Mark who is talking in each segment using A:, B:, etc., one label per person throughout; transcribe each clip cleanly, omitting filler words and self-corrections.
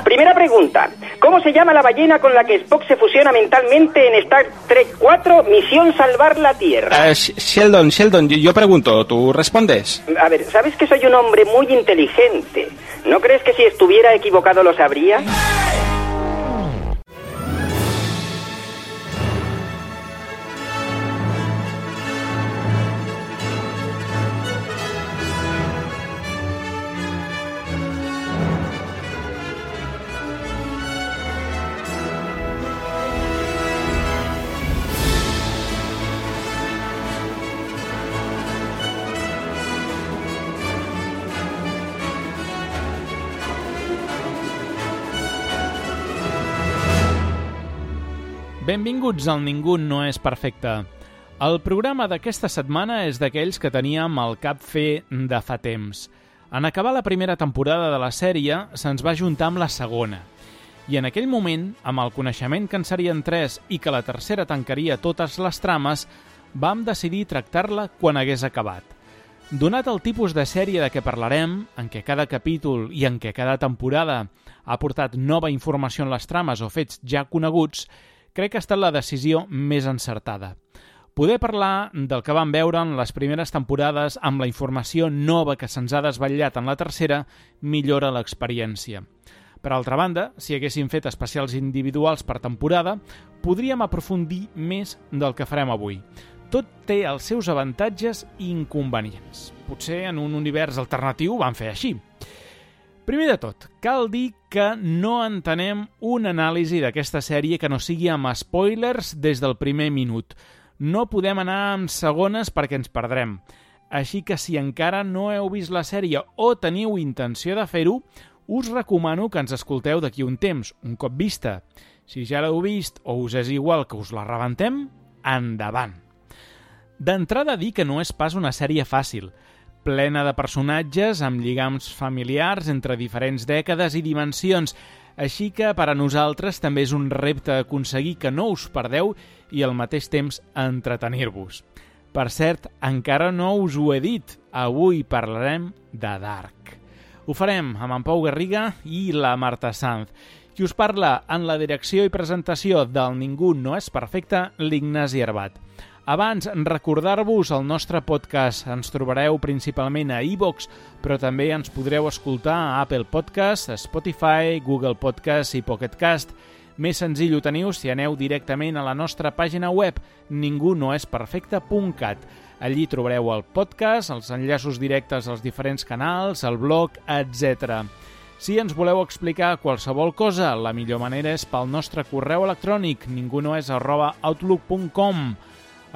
A: Primera pregunta. ¿Cómo se llama la ballena con la que Spock se fusiona mentalmente en Star Trek 4, Misión Salvar la Tierra?
B: Sheldon, yo pregunto, ¿tú respondes?
A: A ver, ¿sabes que soy un hombre muy inteligente? ¿No crees que si estuviera equivocado lo sabría?
C: Benvinguts al Ningú no és perfecte. El programa d'aquesta setmana és d'aquells que teníem al cap fer de fa temps. En acabar la primera temporada de la sèrie, se'ns va juntar amb la segona. I en aquell moment, amb el coneixement que en serien 3 i que la tercera tancaria totes les trames, vam decidir tractar-la quan hagués acabat. Donat el tipus de sèrie de què parlarem, en què cada capítol i en què cada temporada ha aportat nova informació en les trames o fets ja coneguts, crec que ha estat la decisió més encertada. Poder parlar del que vam veure en les primeres temporades amb la informació nova que se'ns ha desvetllat en la tercera millora l'experiència. Per altra banda, si haguéssim fet especials individuals per temporada, podríem aprofundir més del que farem avui. Tot té els seus avantatges i inconvenients. Potser en un univers alternatiu van fer així. Primer de tot, cal dir que no entenem una anàlisi d'aquesta sèrie que no sigui amb spoilers des del primer minut. No podem anar amb segones perquè ens perdrem. Així que si encara no heu vist la sèrie o teniu intenció de fer-ho, us recomano que ens escolteu d'aquí un temps, un cop vista. Si ja l'heu vist o us és igual que us la rebentem, endavant. D'entrada dir que no és pas una sèrie fàcil, plena de personatges amb lligams familiars entre diferents dècades i dimensions, així que per a nosaltres també és un repte aconseguir que no us perdeu i al mateix temps entretenir-vos. Per cert, encara no us ho he dit, avui parlarem de Dark. Ho farem amb en Pau Garriga i la Marta Sanz. Qui us parla en la direcció i presentació del Ningú no és perfecte, l'Ignasi Arbat. Abans, recordar-vos el nostre podcast. Ens trobareu principalment a iVoox, però també ens podreu escoltar a Apple Podcast, Spotify, Google Podcast i Pocket Cast. Més senzill ho teniu si aneu directament a la nostra pàgina web ningunoesperfecte.cat. Allí trobareu el podcast, els enllaços directes als diferents canals, el blog, etc. Si ens voleu explicar qualsevol cosa, la millor manera és pel nostre correu electrònic ningunoes@outlook.com.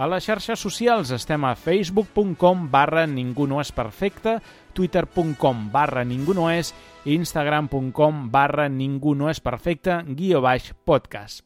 C: A les xarxes socials estem a facebook.com/ningunoesperfecte, twitter.com/ningunoes i instagram.com/ningunoesperfecte_podcast.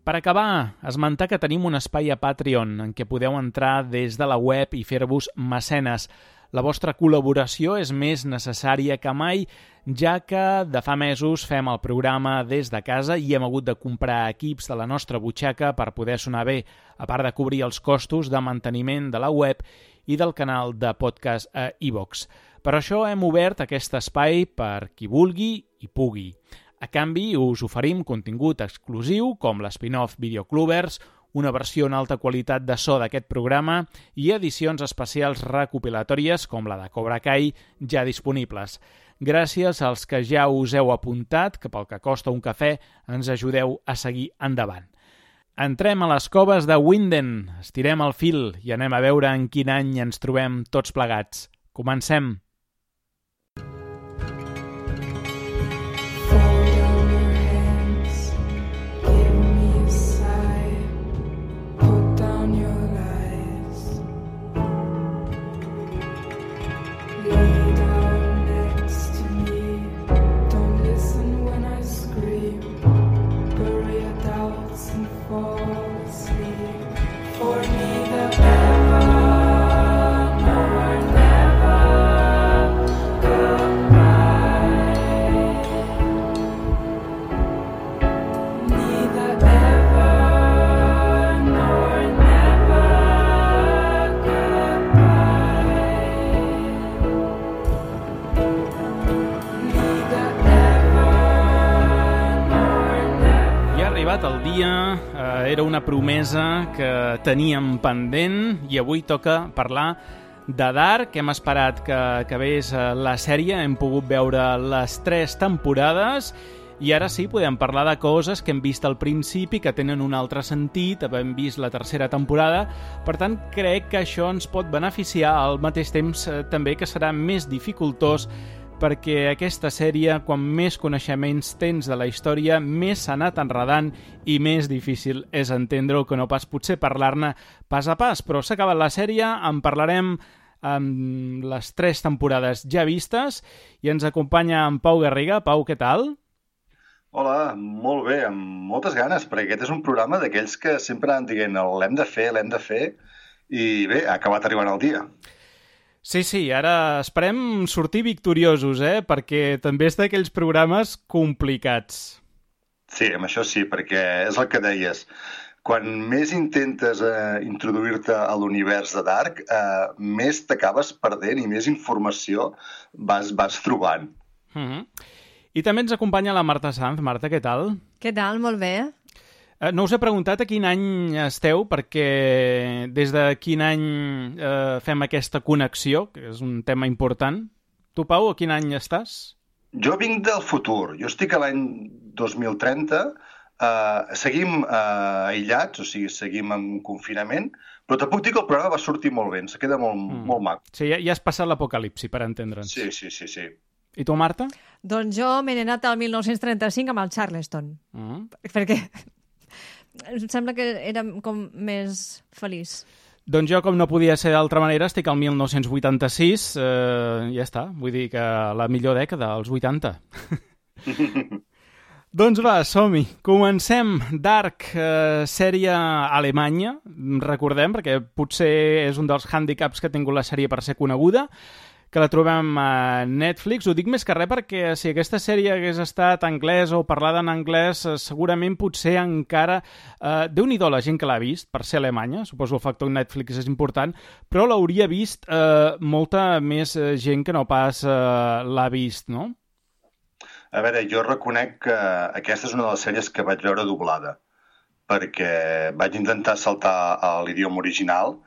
C: Per acabar, esmentar que tenim un espai a Patreon en què podeu entrar des de la web i fer-vos mecenes. La vostra col·laboració és més necessària que mai, ja que de fa mesos fem el programa des de casa i hem hagut de comprar equips de la nostra butxaca per poder sonar bé, a part de cobrir els costos de manteniment de la web i del canal de podcast a iVoox. Per això hem obert aquest espai per qui vulgui i pugui. A canvi, us oferim contingut exclusiu com l'spin-off Videoclubers, una versió en alta qualitat de so d'aquest programa i edicions especials recopilatòries com la de Cobra Kai ja disponibles. Gràcies als que ja us heu apuntat, que pel que costa un cafè ens ajudeu a seguir endavant. Entrem a les coves de Winden, estirem el fil i anem a veure en quin any ens trobem tots plegats. Comencem!
D: For neither ever nor never
C: arribat el dia, era una promesa que teníem pendent i avui toca parlar de Dark. Hem esperat que acabés la sèrie, hem pogut veure les 3 temporades i ara sí, podem parlar de coses que hem vist al principi, que tenen un altre sentit, hem vist la 3a temporada, per tant crec que això ens pot beneficiar al mateix temps també que serà més dificultós perquè aquesta sèrie, quan més coneixements tens de la història, més s'ha anat enredant i més difícil és entendre-ho que no pas potser parlar-ne pas a pas. Però s'ha acabat la sèrie, en parlarem amb les 3 temporades ja vistes i ens acompanya en Pau Garriga. Pau, què tal?
D: Hola, molt bé, amb moltes ganes, perquè aquest és un programa d'aquells que sempre han dient l'hem de fer, i bé, ha acabat arribant el dia.
C: Sí, ara esperem sortir victoriosos, perquè també és d'aquells programes complicats.
D: Sí, amb això sí, perquè és el que deies. Quan més intentes introduir-te a l'univers de Dark, més t'acabes perdent i més informació vas trobant.
C: I també ens acompanya la Marta Sanz. Marta, què tal?
E: Què tal? Molt bé.
C: No us he preguntat a quin any esteu, perquè des de quin any fem aquesta connexió, que és un tema important. Tu, Pau, a quin any estàs?
D: Jo vinc del futur. Jo estic a l'any 2030. Seguim aïllats, o sigui, seguim en confinament, però te puc dir que el programa va sortir molt bé, ens queda molt maco.
C: Sí, ja has passat l'apocalipsi, per entendre'ns.
D: Sí.
C: I tu, Marta?
E: Doncs jo m'he anat al 1935 amb el Charleston, perquè em sembla que era com més feliç.
C: Doncs jo, com no podia ser d'altra manera, estic al 1986, ja està, vull dir que la millor dècada, els 80. Doncs va, som-hi. Comencem. Dark, sèrie alemanya, recordem, perquè potser és un dels hàndicaps que ha tingut la sèrie per ser coneguda, que la trobem a Netflix. Ho dic més que res perquè si aquesta sèrie hagués estat anglès o parlada en anglès, segurament potser encara... Déu-n'hi-do la gent que l'ha vist, per ser alemanya, suposo el factor Netflix és important, però l'hauria vist molta més gent que no pas l'ha vist, no?
D: A veure, jo reconec que aquesta és una de les sèries que vaig veure doblada, perquè vaig intentar saltar a l'idioma original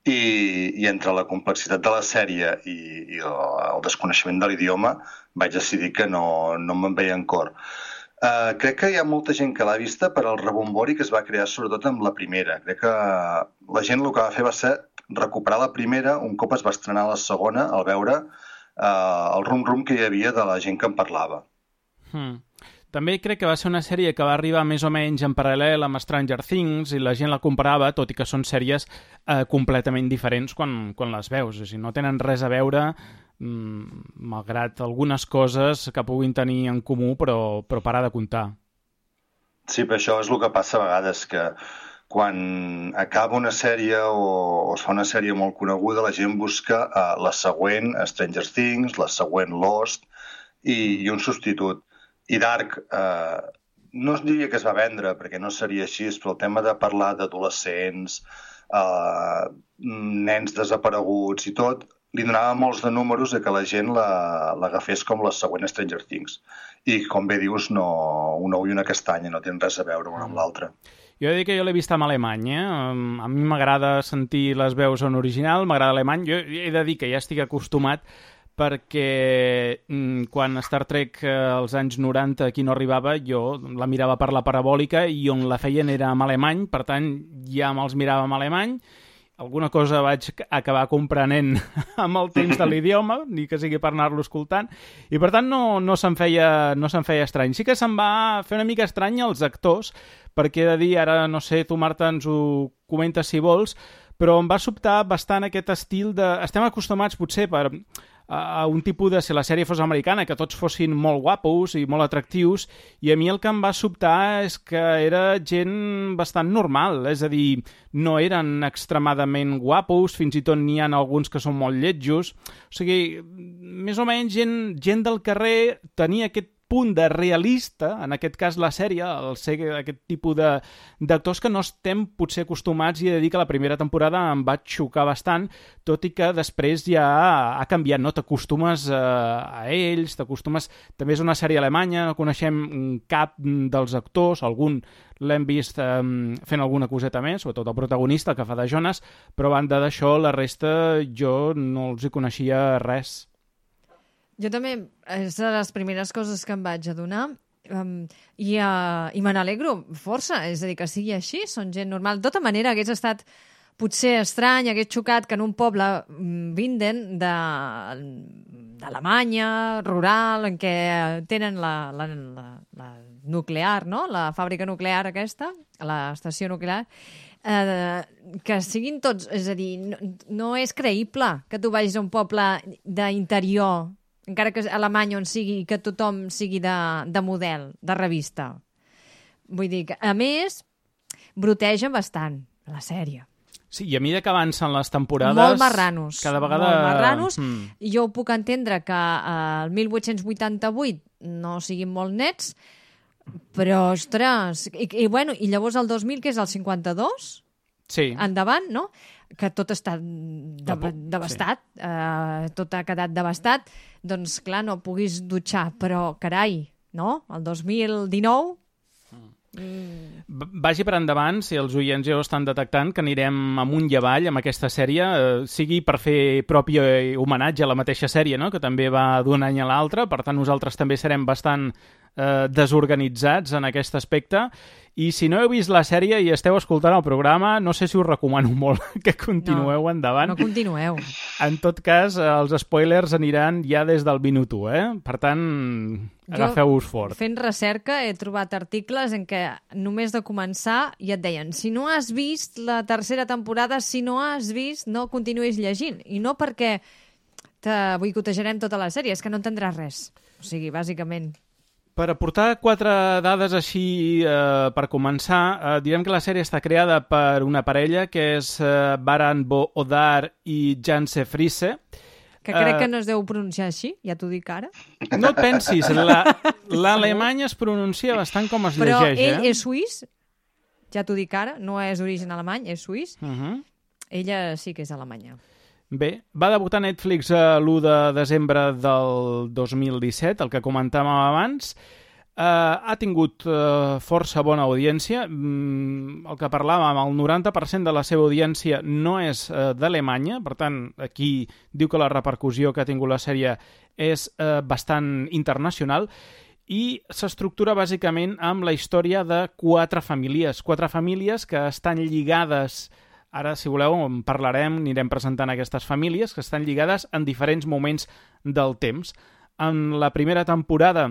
D: i entre la complexitat de la sèrie i el desconeixement de l'idioma vaig decidir que no me'n veia en cor. Crec que hi ha molta gent que l'ha vista per al rebombori que es va crear sobretot amb la primera. Crec que la gent el que va fer va ser recuperar la primera un cop es va estrenar la segona al veure el rum-rum que hi havia de la gent que en parlava.
C: També crec que va ser una sèrie que va arribar més o menys en paral·lel amb Stranger Things i la gent la comparava, tot i que són sèries completament diferents quan les veus. O sigui, no tenen res a veure, malgrat algunes coses que puguin tenir en comú, però parar de comptar.
D: Sí, però això és el que passa a vegades, que quan acaba una sèrie o es fa una sèrie molt coneguda, la gent busca la següent Stranger Things, la següent Lost i un substitut. I Dark, no es diria que es va vendre, perquè no seria així, però el tema de parlar d'adolescents, nens desapareguts i tot, li donava molts de números que la gent l'agafés com la següent Stranger Things. I, com bé dius, una ull i una castanya, no tenen res a veure una amb l'altra.
C: Jo he de dir que jo l'he vist en alemany, A mi m'agrada sentir les veus en original, m'agrada alemany. Jo he de dir que ja estic acostumat perquè quan Star Trek als anys 90 aquí no arribava, jo la mirava per la parabòlica i on la feien era en alemany, per tant ja me'ls mirava en alemany. Alguna cosa vaig acabar comprenent amb el temps de l'idioma, ni que sigui per anar-lo escoltant, i per tant no se'm feia estrany. Sí que se'm va fer una mica estrany als actors, perquè he de dir, ara no sé, tu Marta ens ho comentes si vols, però em va sobtar bastant aquest estil de... Estem acostumats potser a un tipus de... Si la sèrie fos americana, que tots fossin molt guapos i molt atractius, i a mi el que em va sobtar és que era gent bastant normal, és a dir, no eren extremadament guapos, fins i tot n'hi ha alguns que són molt lletjos, o sigui, més o menys gent del carrer tenia aquest punt de realista, en aquest cas la sèrie, el ser aquest tipus d'actors que no estem potser acostumats, i he de dir que la primera temporada em va xocar bastant, tot i que després ja ha canviat, no? T'acostumes a ells, t'acostumes... També és una sèrie alemanya, no coneixem cap dels actors, algun l'hem vist fent alguna coseta més, sobretot el protagonista, que fa de Jonas, però a banda d'això, la resta jo no els hi coneixia res.
E: Jo també, és de les primeres coses que em vaig adonar, i me n'alegro força, és a dir, que sigui així, són gent normal. De tota manera, hagués estat potser estrany, hagués xocat que en un poble Winden d'Alemanya, rural, en què tenen la nuclear, no? La fàbrica nuclear aquesta, l'estació nuclear, que siguin tots... És a dir, no és creïble que tu vagis a un poble d'interior, encara que alemany on sigui, que tothom sigui de model, de revista. Vull dir que, a més, broteja bastant la sèrie.
C: Sí, i a mesura que avancen les temporades...
E: Molt marranos.
C: Cada vegada...
E: Molt marranos. Jo ho puc entendre que el 1888 no siguin molt nets, però, ostres... I llavors el 2000, que és el 52?
C: Sí.
E: Endavant, no? Que tot està devastat. Sí. Tot ha quedat devastat. Doncs, clar, no puguis dutxar, però, carai, no? El 2019...
C: Vagi per endavant, si els oients ja ho estan detectant, que anirem amunt i avall amb aquesta sèrie, sigui per fer propi homenatge a la mateixa sèrie, no? Que també va d'un any a l'altre, per tant nosaltres també serem bastant desorganitzats en aquest aspecte, i si no heu vist la sèrie i esteu escoltant el programa, no sé si us recomano molt que continueu endavant.
E: No continueu.
C: En tot cas, els spoilers aniran ja des del minut 1, Per tant, agafeu-vos fort.
E: Fent recerca he trobat articles en què només de començar ja et deien, si no has vist la tercera temporada, si no has vist, no continuïs llegint. I no perquè te boicotejarem tota la sèrie, és que no entendràs res. O sigui, bàsicament...
C: Per aportar 4 dades així per començar, direm que la sèrie està creada per una parella que és Baran Bo Odar i Janse Friese.
E: Que crec que no es deu pronunciar així, ja t'ho dic ara.
C: No et pensis, l'alemany es pronuncia bastant com es llegeix.
E: Però ell és suís, ja t'ho dic ara, no és d'origen alemany, és suís. Ella sí que és alemanya.
C: Bé, va debutar a Netflix l'1 de desembre del 2017, el que comentàvem abans. Ha tingut força bona audiència. El que parlàvem, el 90% de la seva audiència no és d'Alemanya, per tant, aquí diu que la repercussió que ha tingut la sèrie és bastant internacional, i s'estructura bàsicament amb la història de 4 famílies que estan lligades. Ara, si voleu, en parlarem, anirem presentant aquestes famílies que estan lligades en diferents moments del temps. En la primera temporada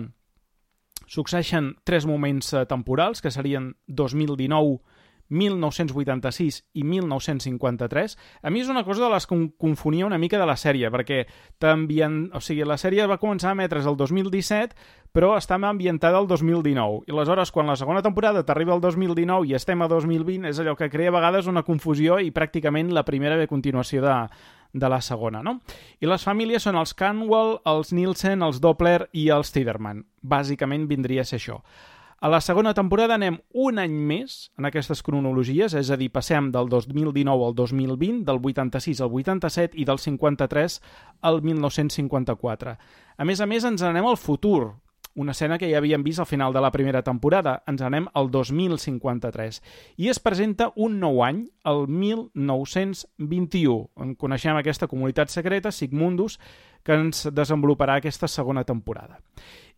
C: succeeixen 3 moments temporals, que serien 2019, 1986 i 1953. A mi és una cosa de les que confonia una mica de la sèrie, perquè la sèrie va començar a emetre's el 2017, però estava ambientada al 2019. I aleshores, quan la segona temporada t'arriba al 2019 i estem a 2020, és allò que crea a vegades una confusió i pràcticament la primera ve a continuació de la segona, no? I les famílies són els Canwell, els Nielsen, els Doppler i els Tiderman. Bàsicament vindria a ser això. A la segona temporada anem un any més en aquestes cronologies, és a dir, passem del 2019 al 2020, del 86 al 87 i del 53 al 1954. A més, ens anem al futur, una escena que ja havíem vist al final de la primera temporada. Ens anem al 2053. I es presenta un nou any, el 1921. En coneixem aquesta comunitat secreta, Sigmundus, que ens desenvoluparà aquesta segona temporada.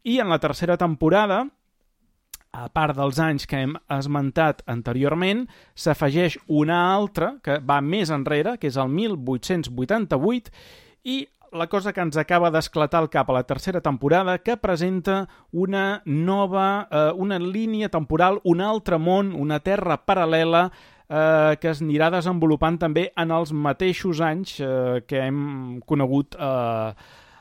C: I en la tercera temporada, a part dels anys que hem esmentat anteriorment, s'afegeix una altra que va més enrere, que és el 1888, i la cosa que ens acaba d'esclatar al cap a la tercera temporada, que presenta una nova, una línia temporal, un altre món, una terra paral·lela, que es anirà desenvolupant també en els mateixos anys que hem conegut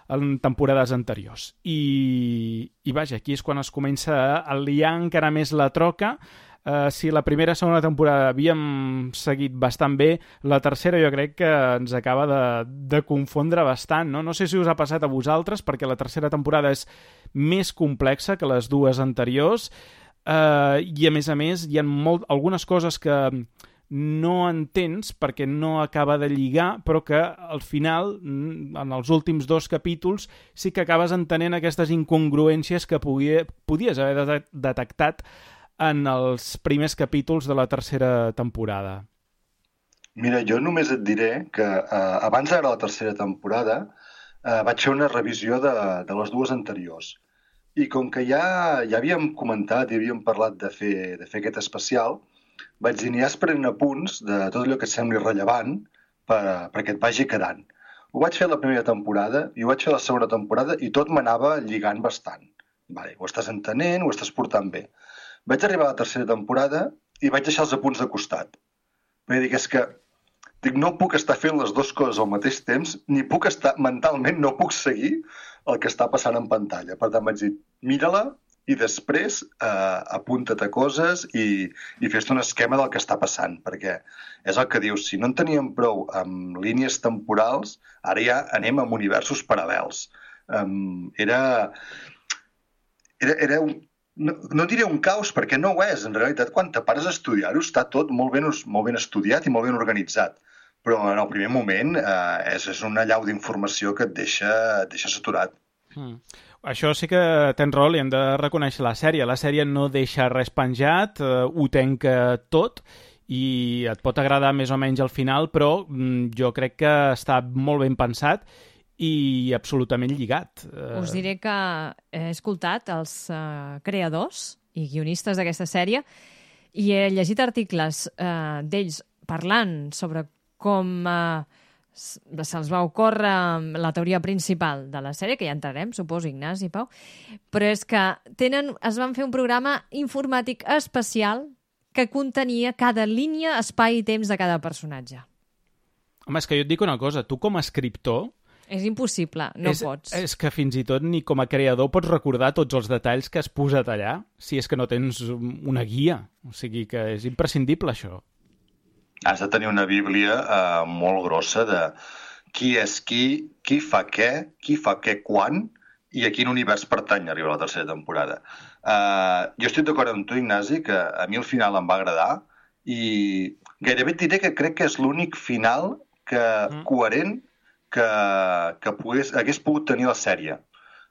C: en temporades anteriors. I vaja, aquí és quan es comença a liar encara més la troca. Si la primera i segona temporada havíem seguit bastant bé, la tercera jo crec que ens acaba de confondre bastant, no? No sé si us ha passat a vosaltres, perquè la tercera temporada és més complexa que les dues anteriors, i a més, hi ha algunes coses que no entens perquè no acaba de lligar, però que al final, en els últims 2 capítols, sí que acabes entenent aquestes incongruències que podies haver detectat en els primers capítols de la tercera temporada.
D: Mira, jo només et diré que abans de la tercera temporada vaig fer una revisió de les 2 anteriors. I com que ja havíem comentat i havíem parlat de fer aquest especial, vaig dir, aniràs prenent apunts de tot allò que et sembli rellevant perquè et vagi quedant. Ho vaig fer la primera temporada i ho vaig fer la segona temporada i tot m'anava lligant bastant. Vale, ho estàs entenent, ho estàs portant bé. Vaig arribar a la tercera temporada i vaig deixar els apunts de costat. Perquè és que no puc estar fent les 2 coses al mateix temps, ni puc estar, mentalment no puc seguir el que està passant en pantalla. Per tant, vaig dir, mira-la i després apunta't a coses i fes-te un esquema del que està passant, perquè és el que dius, si no en teníem prou amb línies temporals, ara ja anem amb universos paral·lels. Era no diré un caos, perquè no ho és. En realitat, quan te pares a estudiar-ho, està tot molt ben estudiat i molt ben organitzat. Però en el primer moment és una llau d'informació que et deixa saturat.
C: Això sí que tens raó, li hem de reconèixer la sèrie. La sèrie no deixa res penjat, ho tanca tot i et pot agradar més o menys al final, però jo crec que està molt ben pensat i absolutament lligat.
E: Us diré que he escoltat els creadors i guionistes d'aquesta sèrie i he llegit articles d'ells parlant sobre com se'ls va ocórrer la teoria principal de la sèrie, que ja entrarem, suposo, Ignasi i Pau, però és que es van fer un programa informàtic especial que contenia cada línia, espai i temps de cada personatge.
C: Home, és que jo et dic una cosa, tu com a escriptor...
E: És impossible, no pots.
C: És que fins i tot ni com a creador pots recordar tots els detalls que has posat allà, si és que no tens una guia. O sigui que és imprescindible, això.
D: Has de tenir una bíblia molt grossa de qui és qui fa què quan i a quin univers pertany arriba a la tercera temporada. Jo estic d'acord amb tu, Ignasi, que a mi el final em va agradar i gairebé et diré que crec que és l'únic final coherent que hagués pogut tenir la sèrie.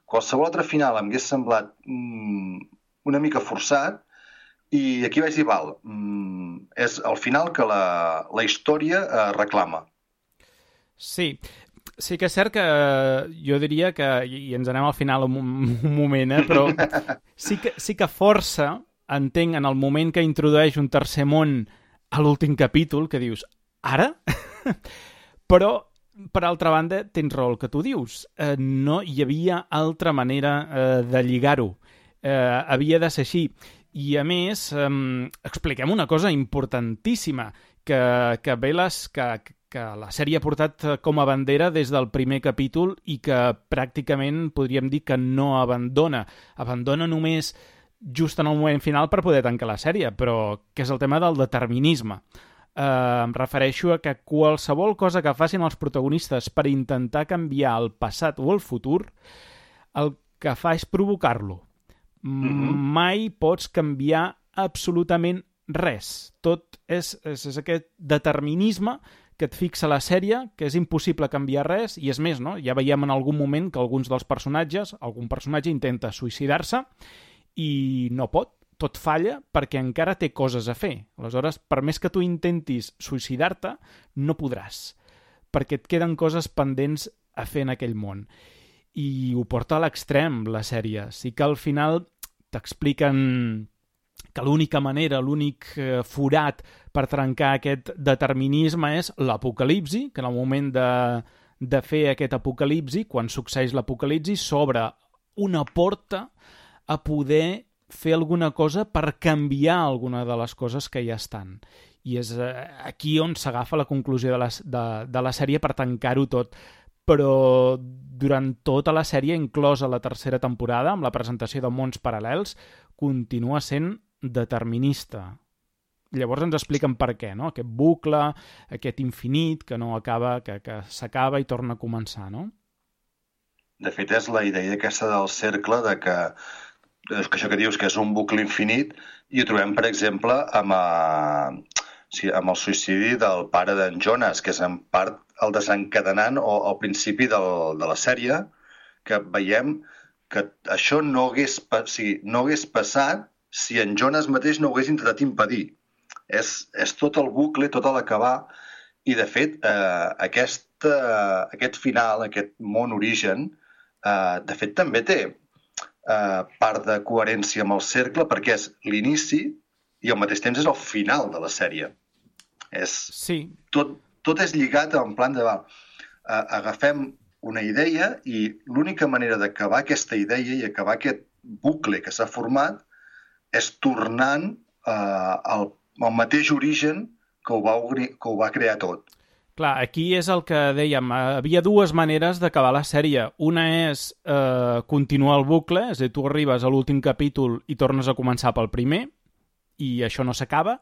D: Qualsevol altre final em hagués semblat una mica forçat i aquí vaig dir, val, és el final que la història reclama.
C: Sí que és cert que jo diria que, i ens anem al final un moment, però sí que força, entenc, en el moment que introdueix un tercer món a l'últim capítol, que dius, ara? Però, per altra banda, tens raó el que tu dius. No hi havia altra manera de lligar-ho. Havia de ser així. I, a més, expliquem una cosa importantíssima, que la sèrie ha portat com a bandera des del primer capítol i que pràcticament podríem dir que no abandona. Abandona només just en el moment final per poder tancar la sèrie, però que és el tema del determinisme. Em refereixo a que qualsevol cosa que facin els protagonistes per intentar canviar el passat o el futur, el que fa és provocar-lo. Mai pots canviar absolutament res. Tot és aquest determinisme que et fixa la sèrie, que és impossible canviar res, i és més, no? Ja veiem en algun moment que algun personatge intenta suïcidar-se i no pot, tot falla perquè encara té coses a fer. Aleshores, per més que tu intentis suïcidar-te, no podràs, perquè et queden coses pendents a fer en aquell món. I ho porta a l'extrem, la sèrie. Sí que al final t'expliquen que l'única manera, l'únic forat per trencar aquest determinisme és l'apocalipsi, que en el moment de fer aquest apocalipsi, quan succeeix l'apocalipsi, s'obre una porta a poder fer alguna cosa per canviar alguna de les coses que ja estan. I és aquí on s'agafa la conclusió de la sèrie per tancar-ho tot. Però durant tota la sèrie, inclosa la tercera temporada, amb la presentació de mons paral·lels, continua sent determinista. Llavors ens expliquen per què, no? Aquest bucle, aquest infinit que no acaba, que s'acaba i torna a començar, no?
D: De fet, és la idea aquesta del cercle, de que això que dius que és un bucle infinit, i ho trobem, per exemple, amb el suïcidi del pare d'en Jonas, que és en part el desencadenant o el principi de la sèrie, que veiem que això no hagués passat si en Jonas mateix no ho hagués intentat impedir. És tot el bucle, tot l'acabar, i de fet aquest final, aquest món origen, de fet també té part de coherència amb el cercle, perquè és l'inici i al mateix temps és el final de la sèrie.
C: Sí.
D: Tot és lligat en plan de... agafem una idea i l'única manera d'acabar aquesta idea i acabar aquest bucle que s'ha format és tornant al mateix origen que ho va crear tot.
C: Clar, aquí és el que dèiem. Havia dues maneres d'acabar la sèrie. Una és continuar el bucle, és a dir, tu arribes a l'últim capítol i tornes a començar pel primer, i això no s'acaba,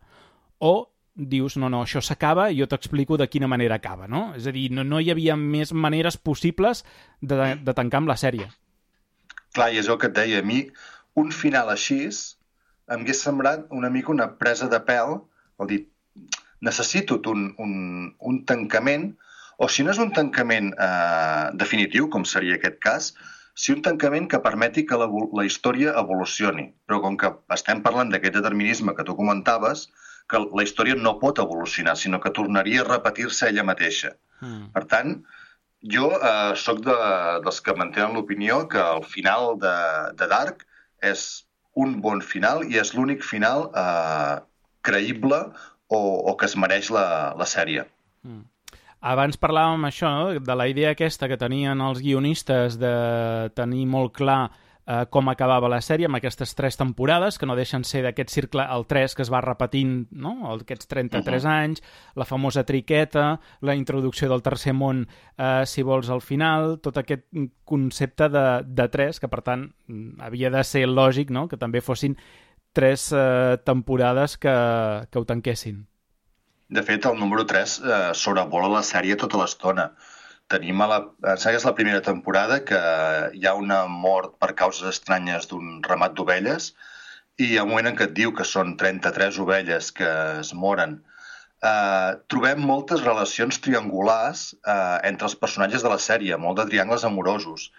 C: o dius, no, això s'acaba i jo t'explico de quina manera acaba, no? És a dir, no hi havia més maneres possibles de tancar amb la sèrie.
D: Clar, i és el que et deia, a mi un final així em hagués semblat una mica una presa de pèl, vol dir, necessito un tancament, o si no és un tancament definitiu, com seria aquest cas, si un tancament que permeti que la història evolucioni. Però com que estem parlant d'aquest determinisme que tu comentaves, que la història no pot evolucionar, sinó que tornaria a repetir-se ella mateixa. Per tant, jo sóc dels que mantenen l'opinió que el final de Dark és un bon final i és l'únic final creïble o que es mereix la sèrie.
C: Abans parlàvem això, no? De la idea aquesta que tenien els guionistes de tenir molt clar com acabava la sèrie amb aquestes 3 temporades, que no deixen ser d'aquest cercle, el 3 que es va repetint, no? Aquests 33 anys, la famosa triqueta, la introducció del tercer món, si vols, al final, tot aquest concepte de 3, que per tant havia de ser lògic, no? Que també fossin 3 temporades que ho tanquessin.
D: De fet, el número 3 sobrevola la sèrie tota l'estona. Tenim és la primera temporada que hi ha una mort per causes estranyes d'un ramat d'ovelles i hi ha un moment en què et diu que són 33 ovelles que es moren. Trobem moltes relacions triangulars entre els personatges de la sèrie, molt de triangles amorosos.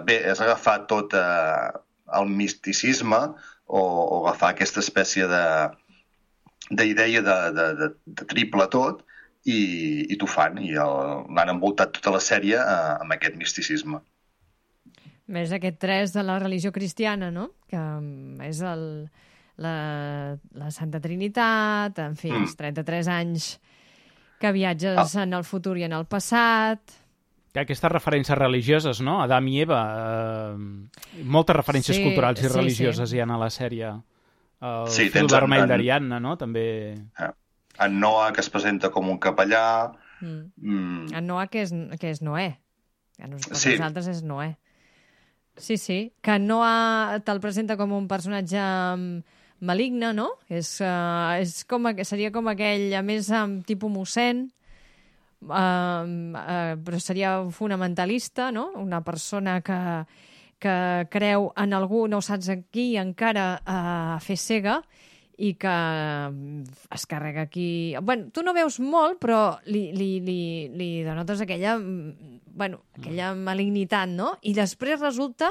D: Bé, és agafar tot el misticisme o agafar aquesta espècie d'idea de triple tot i t'ho fan, i l'han envoltat tota la sèrie amb aquest misticisme.
E: Més aquest 3 de la religió cristiana, no? Que és la Santa Trinitat, en fi, els 33 anys que viatges en el futur i en el passat.
C: Aquestes referències religioses, no? Adam i Eva. Moltes referències culturals i religioses hi ha a la sèrie. El fil vermell d'Ariadna, no? També...
D: En Noah, que es presenta com un capellà...
E: En Noah, que és Noé. Nosaltres és Noé. Sí. Que Noah te'l presenta com un personatge maligne, no? Seria com aquell, a més, tipus mossèn, però seria fonamentalista, no? Una persona que creu en algú, no saps qui, encara a fer cega, i que es carrega aquí... Bueno, tu no veus molt, però li denotes aquella malignitat, no? I després resulta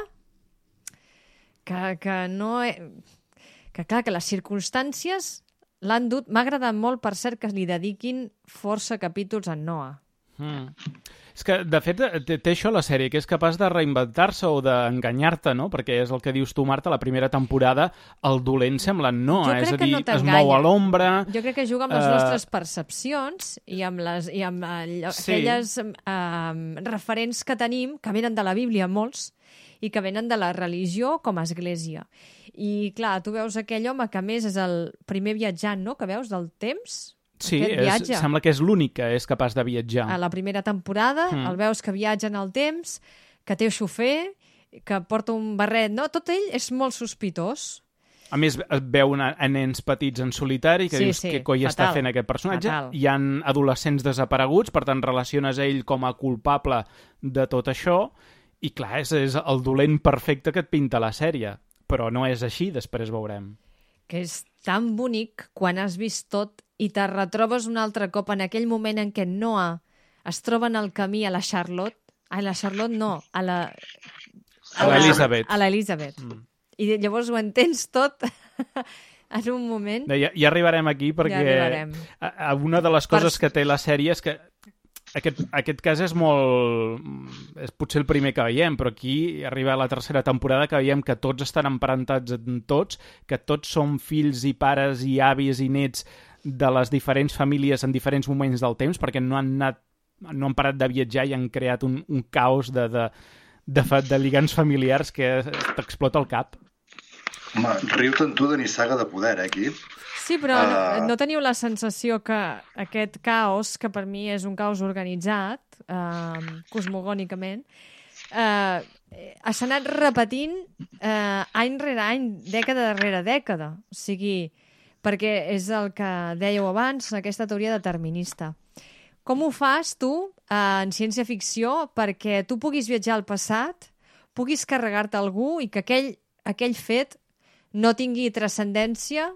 E: que no... Que clar, que les circumstàncies l'han dut... M'ha agradat molt, per cert, que li dediquin força capítols a Noah.
C: És que, de fet, té això la sèrie, que és capaç de reinventar-se o d'enganyar-te, no? Perquè és el que dius tu, Marta, la primera temporada, el dolent sembla Noah, és a dir, es mou a l'ombra...
E: Jo crec que juga amb les nostres percepcions i amb aquelles referents que tenim, que venen de la Bíblia, molts, i que venen de la religió com a església. I, clar, tu veus aquell home que, a més, és el primer viatjant, no?, que veus del temps...
C: Sí, sembla que és l'únic que és capaç de viatjar.
E: A la primera temporada el veus que viatja en el temps, que té xofer, que porta un barret, no? Tot ell és molt sospitós.
C: A més, et veu a nens petits en solitari, que dius què coi està fent aquest personatge. Hi ha adolescents desapareguts, per tant relaciones ell com a culpable de tot això, I clar, és el dolent perfecte que et pinta la sèrie. Però no és així, després veurem.
E: Que és tan bonic quan has vist tot i te retrobes un altre cop en aquell moment en què Noah es troba en el camí a la Charlotte. A la Charlotte no, a
C: l'Elizabeth.
E: A l'Elizabeth. I llavors ho entens tot en un moment.
C: Ja arribarem aquí perquè una de les coses que té la sèrie és que aquest cas és molt... és potser el primer que veiem, però aquí arriba a la tercera temporada que veiem que tots estan emparentats en tots, que tots són fills i pares i avis i nets de les diferents famílies en diferents moments del temps, perquè no han parat de viatjar i han creat un caos de lligams familiars que t'explota el cap.
D: Home, riu-te'n tu de Nissaga de poder, aquí.
E: Sí, però no teniu la sensació que aquest caos, que per mi és un caos organitzat, cosmogònicament, s'ha anat repetint any rere any, dècada darrere dècada. O sigui, perquè és el que dèieu abans, aquesta teoria determinista. Com ho fas tu en ciència-ficció perquè tu puguis viatjar al passat, puguis carregar-te algú i que aquell fet no tingui transcendència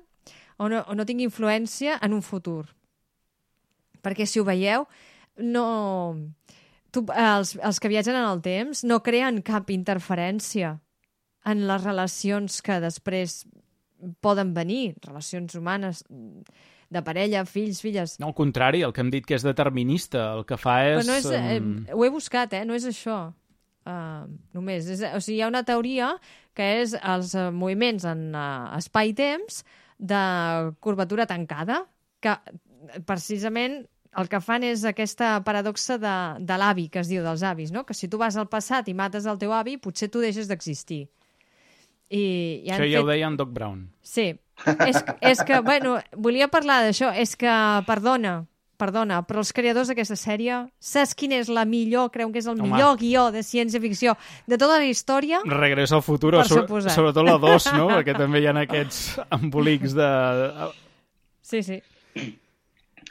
E: o no tingui influència en un futur? Perquè si ho veieu, els que viatgen en el temps no creen cap interferència en les relacions que després poden venir, relacions humanes de parella, fills, filles.
C: No, al contrari, el que hem dit que és determinista, el que fa és...
E: Però no és ho he buscat, no és això. Només. O sigui, hi ha una teoria que és els moviments en espai-temps de curvatura tancada, que precisament el que fan és aquesta paradoxa de l'avi, que es diu dels avis, no? Que si tu vas al passat i mates el teu avi, potser tu deixes d'existir.
C: Això ja ho deia en Doc Brown.
E: Sí. És que, bueno, volia parlar d'això. És que, perdona, però els creadors d'aquesta sèrie, saps quin és la millor, creuen que és el millor guió de ciència-ficció de tota la història?
C: Regreso al futuro, sobretot la 2, no? Perquè també hi ha aquests embolics de...
E: Sí, sí.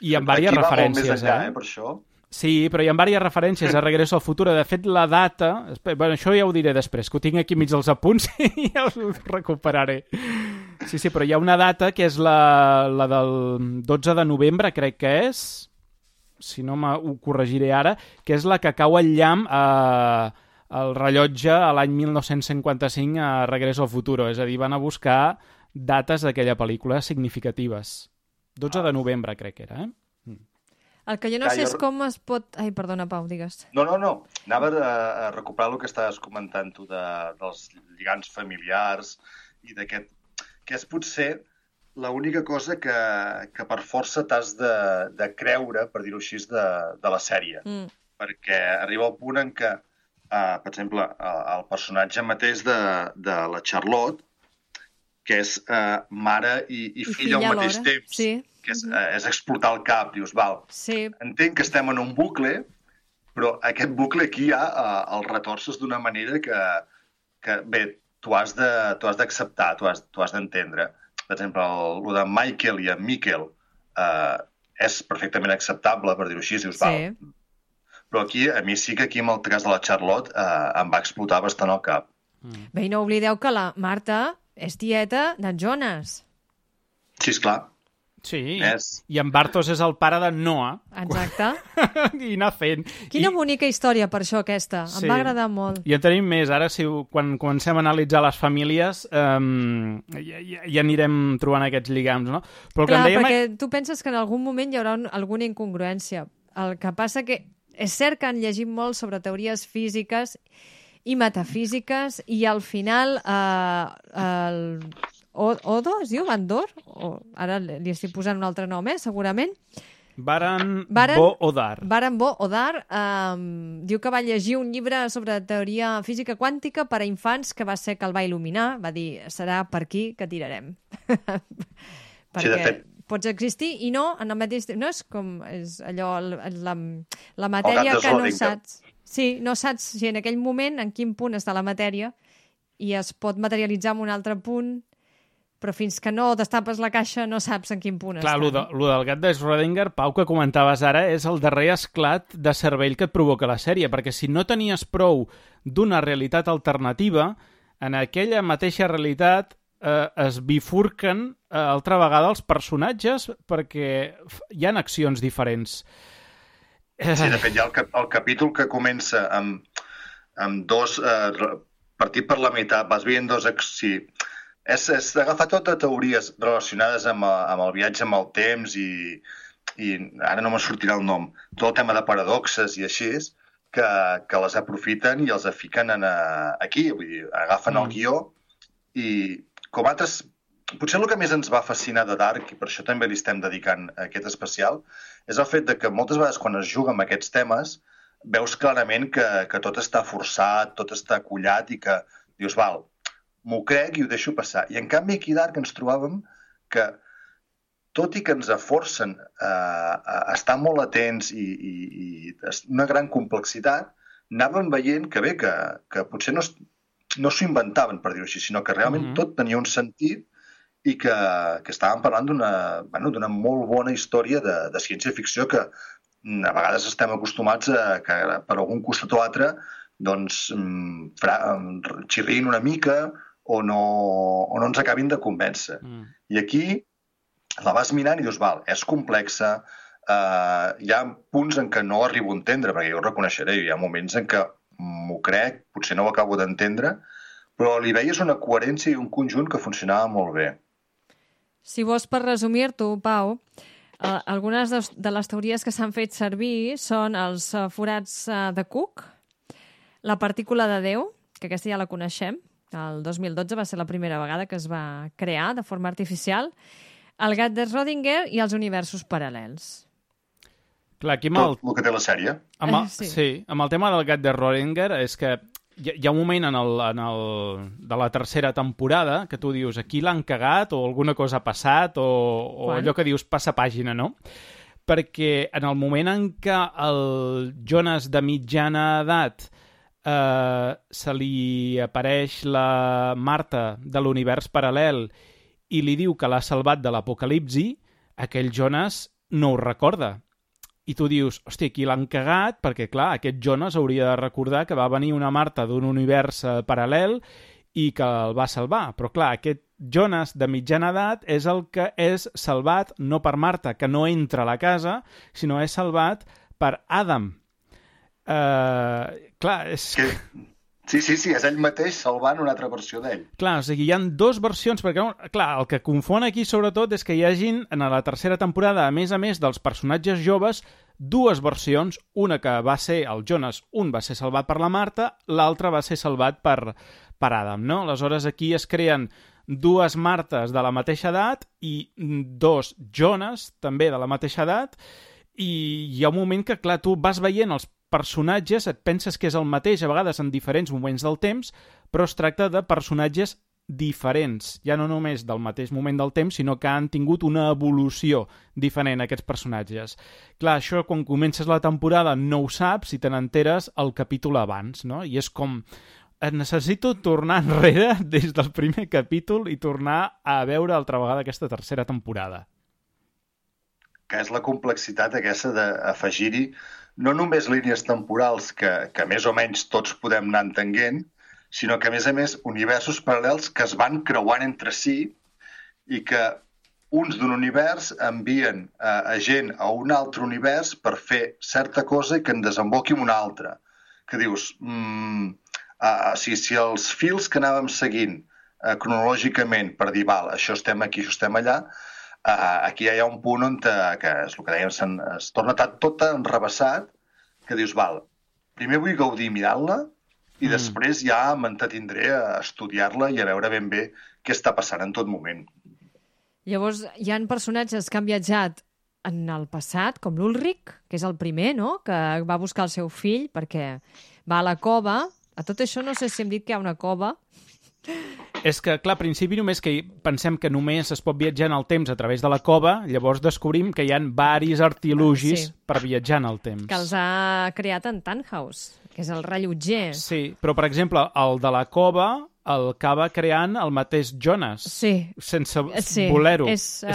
C: I amb diverses referències,
D: més enllà, per això.
C: Sí, però hi ha diverses referències a Regreso al futuro. De fet, la data... Bueno, això ja ho diré després, que ho tinc aquí mig dels apunts i ja ho recuperaré. Sí, però hi ha una data que és la del 12 de novembre, crec que és, si no ho corregiré ara, que és la que cau el llamp al rellotge a l'any 1955 a Regreso al futuro. És a dir, van a buscar dates d'aquella pel·lícula significatives. 12 de novembre, crec que era,
E: El que jo no sé és com es pot... Ai, perdona, Pau, digues.
D: No. Anava a recuperar el que estaves comentant tu dels lligams familiars i d'aquest... que és potser l'única cosa que per força t'has de creure, per dir-ho així, de la sèrie. Perquè arriba el punt en què, per exemple, el personatge mateix de la Charlotte, que és mare i filla al mateix temps,
E: sí.
D: Que és explotar el cap, dius, val,
E: sí.
D: Entenc que estem en un bucle, però aquest bucle aquí ja el retorces d'una manera que bé, tu has d'acceptar, tu has d'entendre. Per exemple, el de Michael i en Miquel és perfectament acceptable, per dir-ho així, dius, val. Però aquí, a mi sí que aquí, en el cas de la Charlotte, em va explotar bastant el cap.
E: Bé, i no oblideu que la Marta és tieta d'en Jonas.
D: Sí, esclar.
C: Sí, i en Bartos és el pare de Noah.
E: Exacte.
C: I anar fent.
E: Quina bonica història, per això, aquesta. Em va agradar molt.
C: I en tenim més. Ara, quan comencem a analitzar les famílies, ja anirem trobant aquests lligams, no? Però
E: clar, perquè tu penses que en algun moment hi haurà alguna incongruència. El que passa que és cert que han llegit molt sobre teories físiques i metafísiques i al final Odo es diu? Bandor? Ara li estic posant un altre nom, segurament.
C: Baran Bo Odar.
E: Baran Bo Odar diu que va llegir un llibre sobre teoria física quàntica per a infants que va ser que el va il·luminar. Va dir, serà per aquí que tirarem. Perquè
D: sí, de fet.
E: Pots existir i no en el mateix temps. No és com és allò, la matèria que no saps. Sí, no saps si en aquell moment en quin punt està la matèria i es pot materialitzar en un altre punt però fins que no destapes la caixa no saps en quin punt
C: Clar,
E: està.
C: lo del gat de Schrödinger, Pau, que comentaves ara, és el darrer esclat de cervell que et provoca la sèrie, perquè si no tenies prou d'una realitat alternativa, en aquella mateixa realitat es bifurquen altra vegada els personatges perquè hi ha accions diferents.
D: Sí, de fet, hi ha el capítol que comença amb dos... partit per la meitat, vas veient dos... Sí, és agafar totes teories relacionades amb el viatge amb el temps i ara no me sortirà el nom, tot el tema de paradoxes i així, que les aprofiten i els fiquen aquí, vull dir, agafen el guió i com altres... Potser el que més ens va fascinar de Dark, i per això també li estem dedicant aquest especial, és el fet de que moltes vegades quan es juga amb aquests temes veus clarament que tot està forçat, tot està collat i que dius, val, m'ho crec i ho deixo passar. I en canvi aquí a Dark ens trobàvem que tot i que ens forcen a estar molt atents i una gran complexitat, anàvem veient que bé, que potser no s'ho inventaven, per dir-ho així, sinó que realment tot tenia un sentit i que estàvem parlant d'una molt bona història de ciència-ficció que a vegades estem acostumats a que per algun costat o altre doncs xirrin una mica o no ens acabin de convèncer. I aquí la vas mirant i dius, val, és complexa, hi ha punts en què no arribo a entendre, perquè jo ho reconeixeré, hi ha moments en què m'ho crec, potser no ho acabo d'entendre, però li veies una coherència i un conjunt que funcionava molt bé.
E: Si vols per resumir-t'ho, Pau, algunes de les teories que s'han fet servir són els forats de Cook, la partícula de Déu, que aquesta ja la coneixem, el 2012 va ser la primera vegada que es va crear de forma artificial, el gat de Schrödinger i els universos paral·lels.
C: Clar, aquí
D: tot el que té la sèrie.
C: Sí, amb el tema del gat de Schrödinger és que hi ha un moment de la tercera temporada que tu dius, aquí l'han cagat o alguna cosa ha passat o allò que dius passa pàgina, no? Perquè en el moment en què el Jonas de mitjana edat se li apareix la Marta de l'univers paral·lel i li diu que l'ha salvat de l'apocalipsi, aquell Jonas no ho recorda. I tu dius, hòstia, aquí l'han cagat perquè, clar, aquest Jonas hauria de recordar que va venir una Marta d'un univers paral·lel i que el va salvar. Però, clar, aquest Jonas de mitjana edat és el que és salvat no per Marta, que no entra a la casa, sinó és salvat per Adam. Clar, és...
D: Sí, és ell mateix salvant una altra versió d'ell.
C: Clar, o sigui, hi ha dues versions, perquè, clar, el que confon aquí, sobretot, és que hi hagin, en la tercera temporada, a més dels personatges joves, dues versions, una que va ser el Jonas, un va ser salvat per la Marta, l'altre va ser salvat per Adam, no? Aleshores, aquí es creen dues Martes de la mateixa edat i dos Jonas, també de la mateixa edat, i hi ha un moment que, clar, tu vas veient els personatges, et penses que és el mateix, a vegades en diferents moments del temps, però es tracta de personatges diferents, ja no només del mateix moment del temps, sinó que han tingut una evolució diferent, aquests personatges. Clar, això quan comences la temporada no ho saps i te n'enteres el capítol abans, no? I és com... necessito tornar enrere des del primer capítol i tornar a veure altra vegada aquesta tercera temporada.
D: Que és la complexitat aquesta d'afegir-hi no només línies temporals que més o menys tots podem anar entenent, sinó que, a més, universos paral·lels que es van creuant entre si i que uns d'un univers envien a gent a un altre univers per fer certa cosa i que en desemboqui en un altre. Que dius, si els fils que anàvem seguint cronològicament per dir, val, això estem aquí, això estem allà, aquí hi ha un punt on, que és el que dèiem, es torna tot enrebaçat, que dius, val, primer vull gaudir mirant-la i després ja m'entretindré a estudiar-la i a veure ben bé què està passant en tot moment.
E: Llavors, hi ha personatges que han viatjat en el passat, com l'Ulrich, que és el primer, no?, que va buscar el seu fill perquè va a la cova. A tot això no sé si hem dit que hi ha una cova.
C: És que, clar, al principi només que pensem que només es pot viatjar en el temps a través de la cova, llavors descobrim que hi ha varis artilugis per viatjar en el temps.
E: Que els ha creat en Tannhaus, que és el rellotger.
C: Sí, però, per exemple, el de la cova el acaba creant el mateix Jonas.
E: Sí.
C: Sense voler-ho.
E: És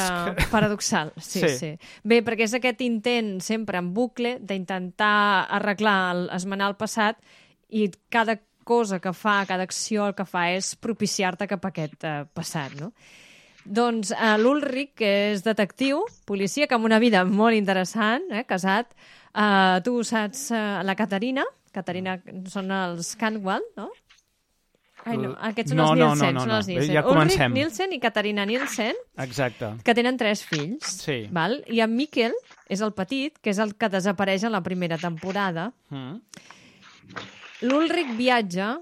E: paradoxal. Sí. Bé, perquè és aquest intent sempre en bucle d'intentar arreglar, esmenar el passat, i cada cosa que fa, cada acció el que fa és propiciar-te cap a aquest passat, no? Doncs l'Ulrich, que és detectiu, policia, que amb una vida molt interessant, casat, tu saps la Caterina són els Cantwell, no? Ai, no, aquests són els Nielsen.
C: No.
E: Són els Nielsen.
C: Ja comencem.
E: Ulrich Nielsen i Caterina Nielsen,
C: Exacte.
E: que tenen 3 fills.
C: Sí.
E: Val? I en Mikkel és el petit, que és el que desapareix en la primera temporada. L'Ulrich viatja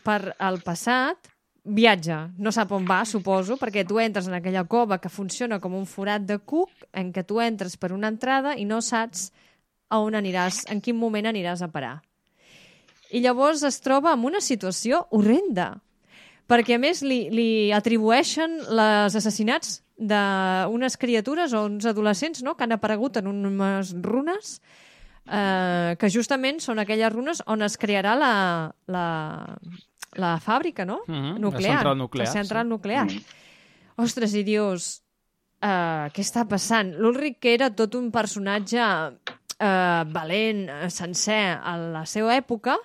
E: per al passat, no sap on va, suposo, perquè tu entres en aquella cova que funciona com un forat de cuc, en què tu entres per una entrada i no saps a on aniràs, en quin moment aniràs a parar. I llavors es troba en una situació horrenda, perquè a més li atribueixen els assassinats d'unes criatures o uns adolescents, no?, que han aparegut en unes runes, que justament són aquelles runes on es crearà la fàbrica, no? Nuclear. La central nuclear. Ostres, i dius, què està passant? L'Ulrich, que era tot un personatge valent, sencer a la seva època,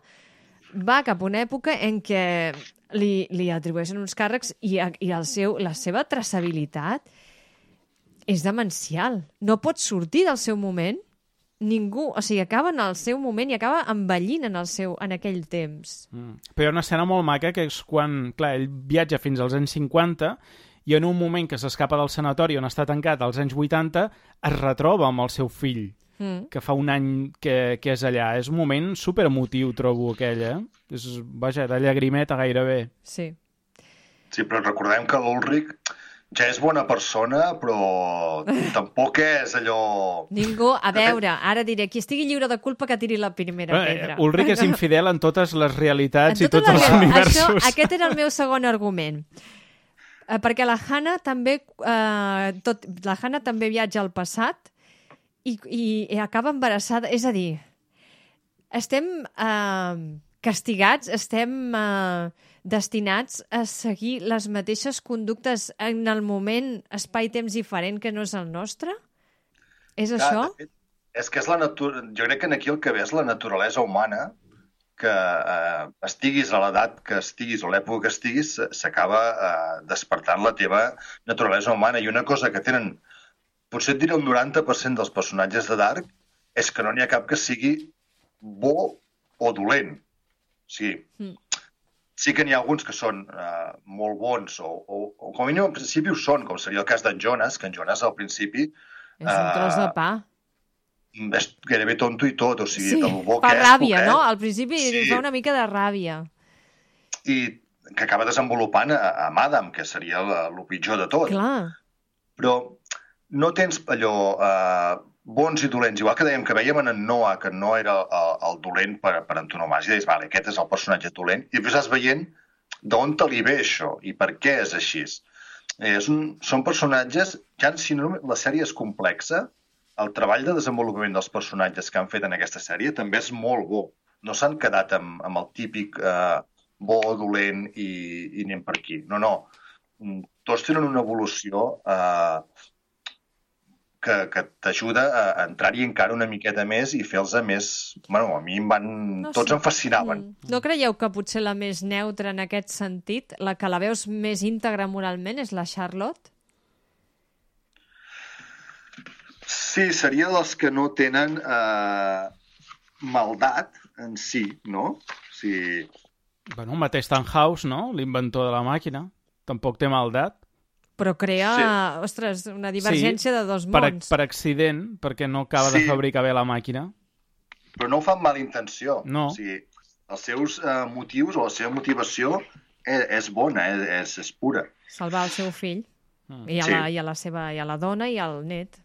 E: va cap a una època en què li atribueixen uns càrrecs i la seva traçabilitat és demencial. No pot sortir del seu moment ningú, o sigui, acaba en el seu moment i acaba envellint en aquell temps.
C: Però hi ha una escena molt maca que és quan, clar, ell viatja fins als anys 50 i en un moment que s'escapa del sanatori on està tancat als anys 80 es retroba amb el seu fill, que fa un any que és allà. És un moment superemotiu, trobo, aquell, És, vaja, de llagrimeta gairebé.
E: Sí.
D: Sí, però recordem que l'Ulrich ja és bona persona, però tampoc és allò...
E: Ningú, a veure, ara diré, qui estigui lliure de culpa que tiri la primera pedra.
C: Ulrich és infidel en totes les realitats i tots els universos.
E: Aquest era el meu segon argument. Perquè la Hannah també viatja al passat i acaba embarassada. És a dir, estem castigats, estem destinats a seguir les mateixes conductes en el moment, espai-temps diferent que no és el nostre? És això?
D: De fet, és que és la natura... Jo crec que aquí el que ve és la naturalesa humana, que estiguis a l'edat que estiguis o l'època que estiguis, s'acaba despertant la teva naturalesa humana. I una cosa que tenen, potser et diré un 90% dels personatges de Dark, és que no n'hi ha cap que sigui bo o dolent. O sigui, sí que n'hi ha alguns que són molt bons o com a mínim al principi ho són, com seria el cas d'en Jonas, que en Jonas al principi...
E: És un tros de pa.
D: És gairebé tonto i tot, o sigui, del bo
E: fa
D: que és...
E: ràbia, no? Al principi fa una mica de ràbia.
D: I que acaba desenvolupant amb Adam, que seria el pitjor de tot.
E: Clar.
D: Però no tens allò... bons i dolents, igual que dèiem que veiem en Noah, que no era el dolent per antonomàsia, i deies, vale, aquest és el personatge dolent, i després vas veient d'on te li ve això i per què és així. Són personatges, ja si no la sèrie és complexa, el treball de desenvolupament dels personatges que han fet en aquesta sèrie també és molt bo. No s'han quedat amb el típic bo, dolent i anem per aquí. No. Tots tenen una evolució que t'ajuda a entrar-hi encara una miqueta més i fer-los més... Bueno, a mi tots em fascinaven.
E: No creieu que potser la més neutra en aquest sentit, la que la veus més íntegra moralment, és la Charlotte?
D: Sí, seria dels que no tenen maldat en si, no? Sí.
C: Bueno, el mateix Tannhaus, no? L'inventor de la màquina. Tampoc té maldat.
E: Però crea, ostres, una divergència de dos mons.
C: Per accident, perquè no acaba de fabricar bé la màquina.
D: Però no ho fa amb mala intenció.
C: No.
D: O sigui, els seus motius o la seva motivació és bona, és pura.
E: Salvar el seu fill. I a la dona i al net.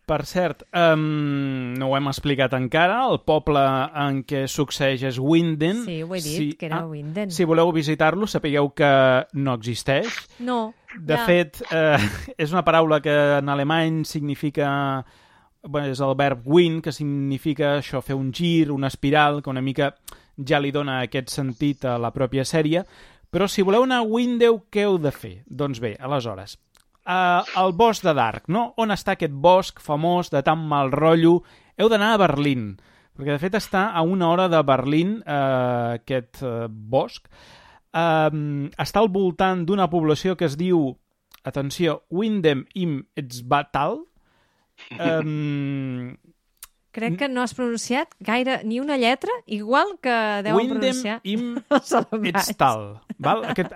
C: Per cert, no ho hem explicat encara, el poble en què succeeix és Winden.
E: Sí, ho he dit, que era Winden.
C: Si voleu visitar-lo, sapigueu que no existeix.
E: No.
C: De fet, és una paraula que en alemany significa... Bueno, és el verb wind, que significa això, fer un gir, una espiral, que una mica ja li dona aquest sentit a la pròpia sèrie, però si voleu anar a Window, què heu de fer? Doncs bé, aleshores, el bosc de Dark, no? On està aquest bosc famós de tan mal rotllo? Heu d'anar a Berlín, perquè de fet està a 1 hora de Berlín, aquest bosc. Està al voltant d'una població que es diu, atenció, Windem im Etzbatal.
E: Crec que no has pronunciat gaire ni una lletra, igual que deuen pronunciar
C: Windem im
E: els alemanys.
C: Etztal.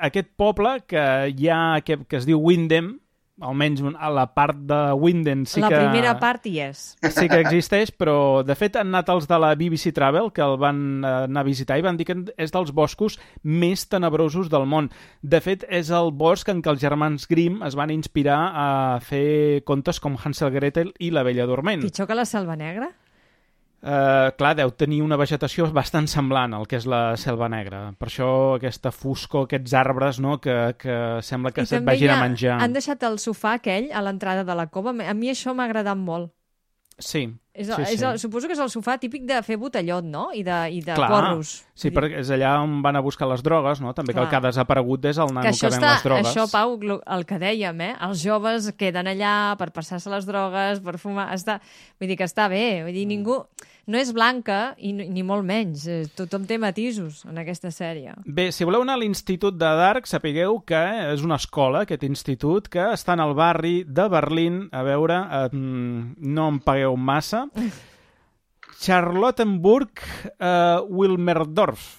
C: Aquest poble que hi ha, que es diu Windem, almenys a la part de Winden sí
E: La
C: que...
E: primera part hi és.
C: Sí que existeix, però de fet han anat els de la BBC Travel, que el van anar a visitar i van dir que és dels boscos més tenebrosos del món. De fet, és el bosc en què els germans Grimm es van inspirar a fer contes com Hansel Gretel i la Bella Dorment.
E: Pitjor que la Selva Negra?
C: Clar, deu tenir una vegetació bastant semblant al que és la Selva Negra. Per això aquesta foscor, aquests arbres, no?, que sembla que se't vagin a menjar.
E: Han deixat el sofà aquell a l'entrada de la cova. A mi això m'ha agradat molt.
C: Sí.
E: Suposo que és el sofà típic de fer botellot, no? I de
C: Clar,
E: porros.
C: Sí, perquè és allà on van a buscar les drogues, no? També que el que ha desaparegut és el nano que ven les drogues.
E: Això, Pau, el que dèiem, Els joves queden allà per passar-se les drogues, per fumar... Vull dir que està bé. Vull dir, ningú... No és blanca, i ni molt menys. Tothom té matisos en aquesta sèrie.
C: Bé, si voleu anar a l'Institut de Dark, sapigueu que és una escola, aquest institut, que està en el barri de Berlín. A veure, no em pagueu massa. Charlottenburg Wilmerdorf,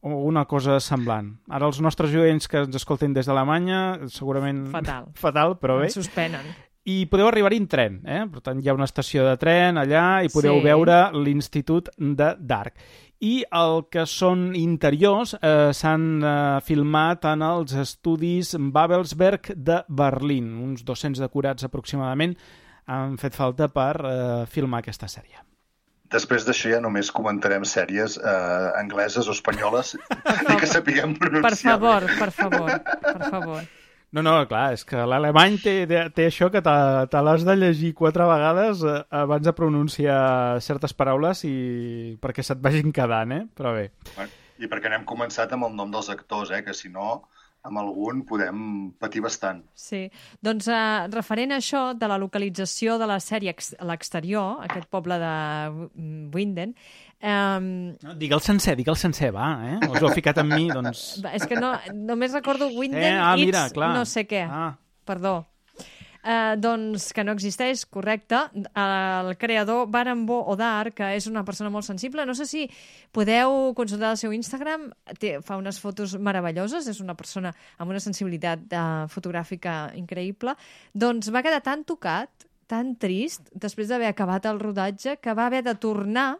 C: o una cosa semblant. Ara els nostres oients que ens escolten des d'Alemanya, segurament... Fatal, però bé.
E: Ens suspenen.
C: I podeu arribar-hi en tren, Per tant, hi ha una estació de tren allà i podeu veure l'Institut de Dark. I el que són interiors s'han filmat en els estudis Babelsberg de Berlín. Uns 200 decorats aproximadament han fet falta per filmar aquesta sèrie.
D: Després d'això ja només comentarem sèries angleses o espanyoles i que sapiguem pronunciar.
E: Per favor.
C: No, clar, és que l'alemany té això que te l'has de llegir 4 vegades abans de pronunciar certes paraules i perquè se't vagin quedant, Però bé.
D: I perquè n'hem començat amb el nom dels actors, que si no, amb algun podem patir bastant.
E: Sí, doncs referent a això de la localització de la sèrie a l'exterior, aquest poble de Winden...
C: Digue'l sencer, va, Us ho heu ficat amb mi, doncs...
E: És que només recordo Winden, no sé què, perdó. Doncs que no existeix, correcte. El creador Baran Bo Odar, que és una persona molt sensible, no sé si podeu consultar el seu Instagram, fa unes fotos meravelloses, és una persona amb una sensibilitat fotogràfica increïble, doncs va quedar tan tocat, tan trist, després d'haver acabat el rodatge, que va haver de tornar